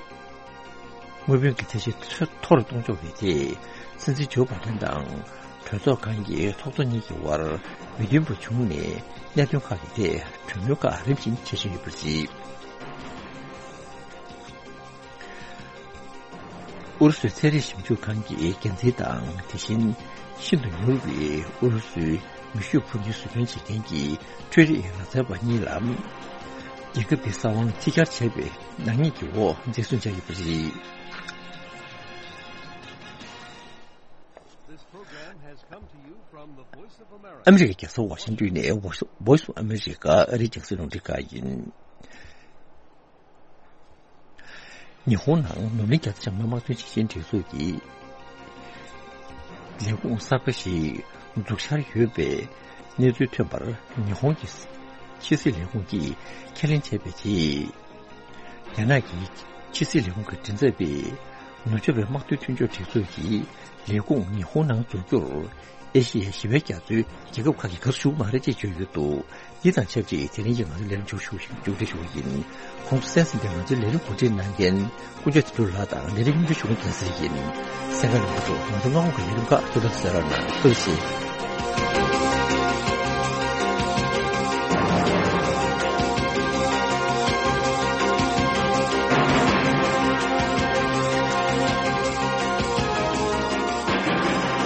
དངུལ་བུན་གྱི་ཚད་གཞི་མཐོ་རུ་གཏོང་ཕྱོགས་ཀྱི་ཐད། སྲིད་འཛིན་ཇོ་བྷ་དན་དང་གྲོས་ཚོགས་ཁང་གི་ཚོགས་གཙོ་གཉིས་ཀྱི་དབར་མི་མཐུན་པ་བྱུང་ནས། གནད་དོན་ཁག་གི་ཐད་གྲོས་མོལ་ཁག་རིམ་བཞིན་བྱེད་བཞིན་ཡོད་པ་རེད། ཨུ་རུ་སུའི་ཚན་རིག་ཞིབ་འཇུག་ཁང་གི་འགན་འཛིན་དང་། དེ་བཞིན་ཤིན་ཏུ་མྱུར་བའི་ཨུ་རུ་སུའི་མེ་ཤུགས་འཕུར་མདེལ་བཟོ་སྐྲུན་བྱེད་མཁན་གྱི་འཕྲུལ་རིག་ལག་རྩལ་པ་གཉིས་ལ། རྒྱལ་ཁབ་དེའི་ས་དབང་ཕྱི་གྱར་བྱས་པའི་ནག་ཉེས་ཀྱི་འོག་འཛིན་བཟུང་བྱས་ཡོད་པ་རེད། This program has come to you from the Voice of America. ཨ་མི་རི་ཀའི་རྒྱལ་ས་ཝ་ཤིང་ཏོན་ནས་Voice of America ཨ་རིའི་རྒྱང་སྲིང་རླུང་འཕྲིན་ཁང་ཡིན། ཉི་ཧོང་ནང་ནོར་གླིང་རྒྱ་མཚོ་བྱང་མའི་དམག་དོན་ཞིང་ཆེན་སྒྲིག་འཛུགས་ཀྱི་ལས་ཁུངས་གསར་པ་ཞིག་ འཛུགས་འཆར་ཡོད་པའི་གནས་ཚུལ་ཐོན་པར། ཉི་ཧོང་གི་ཕྱི་སྲིད་ལས་ཁུངས་ཀྱིས་ཁས་ལེན་བྱས་པའི་རྗེས། རྒྱ་ནག་གི་ཕྱི་སྲིད་ལས་ཁུངས་ཀྱི་མགྲིན་ཚབ་པས། ནུབ་ཕྱོགས་པའི་དམག་དོན་མཐུན་སྦྱོར་སྒྲིག་འཛུགས་ཀྱི་ལས་ཁུངས་ཉི་ཧོང་ནང་འཛུགས་རྒྱུར། ཨེ་ཤི་ཡའི་ཞི་བའི་རྒྱ་མཚོའི་རྒྱལ་ཁབ་ཁག་གིས་དགའ་བསུ་ཞུ་གི་མ་རེད་ཅེས་བརྗོད་ཡོད་འདུག་འདི་དང་ཆབས་ཅིག་དེ་རིང་གི་ང་ཚོའི་ལས་རིམ་མཇུག་ཞུ་ཞིང་མཇུག་སྒྲིལ་ཞུ་བ་ཡིན། གོང་དུ་གསན་ཟིན་པའི་ང་ཚོའི་ལས་རིམ་གོ་སྒྲིག་གནང་མཁན་ཀུན་མཁྱེན་དོན་གྲུབ་ལགས་དང་ལས་རིམ་སྙན་སྒྲོན་ཞུ་མཁན་རྒྱལ་སྲས་ཡིན། གསན་མཁན་རྣམ་པ་ཚོ་ང་ཚོ་སྔ་དགོང་གི་ལས་རིམ་ཁག་ཐུགས་ཐག་གསལ་རོགས་གནང་། ཐུགས་རྗེ་ཆེ།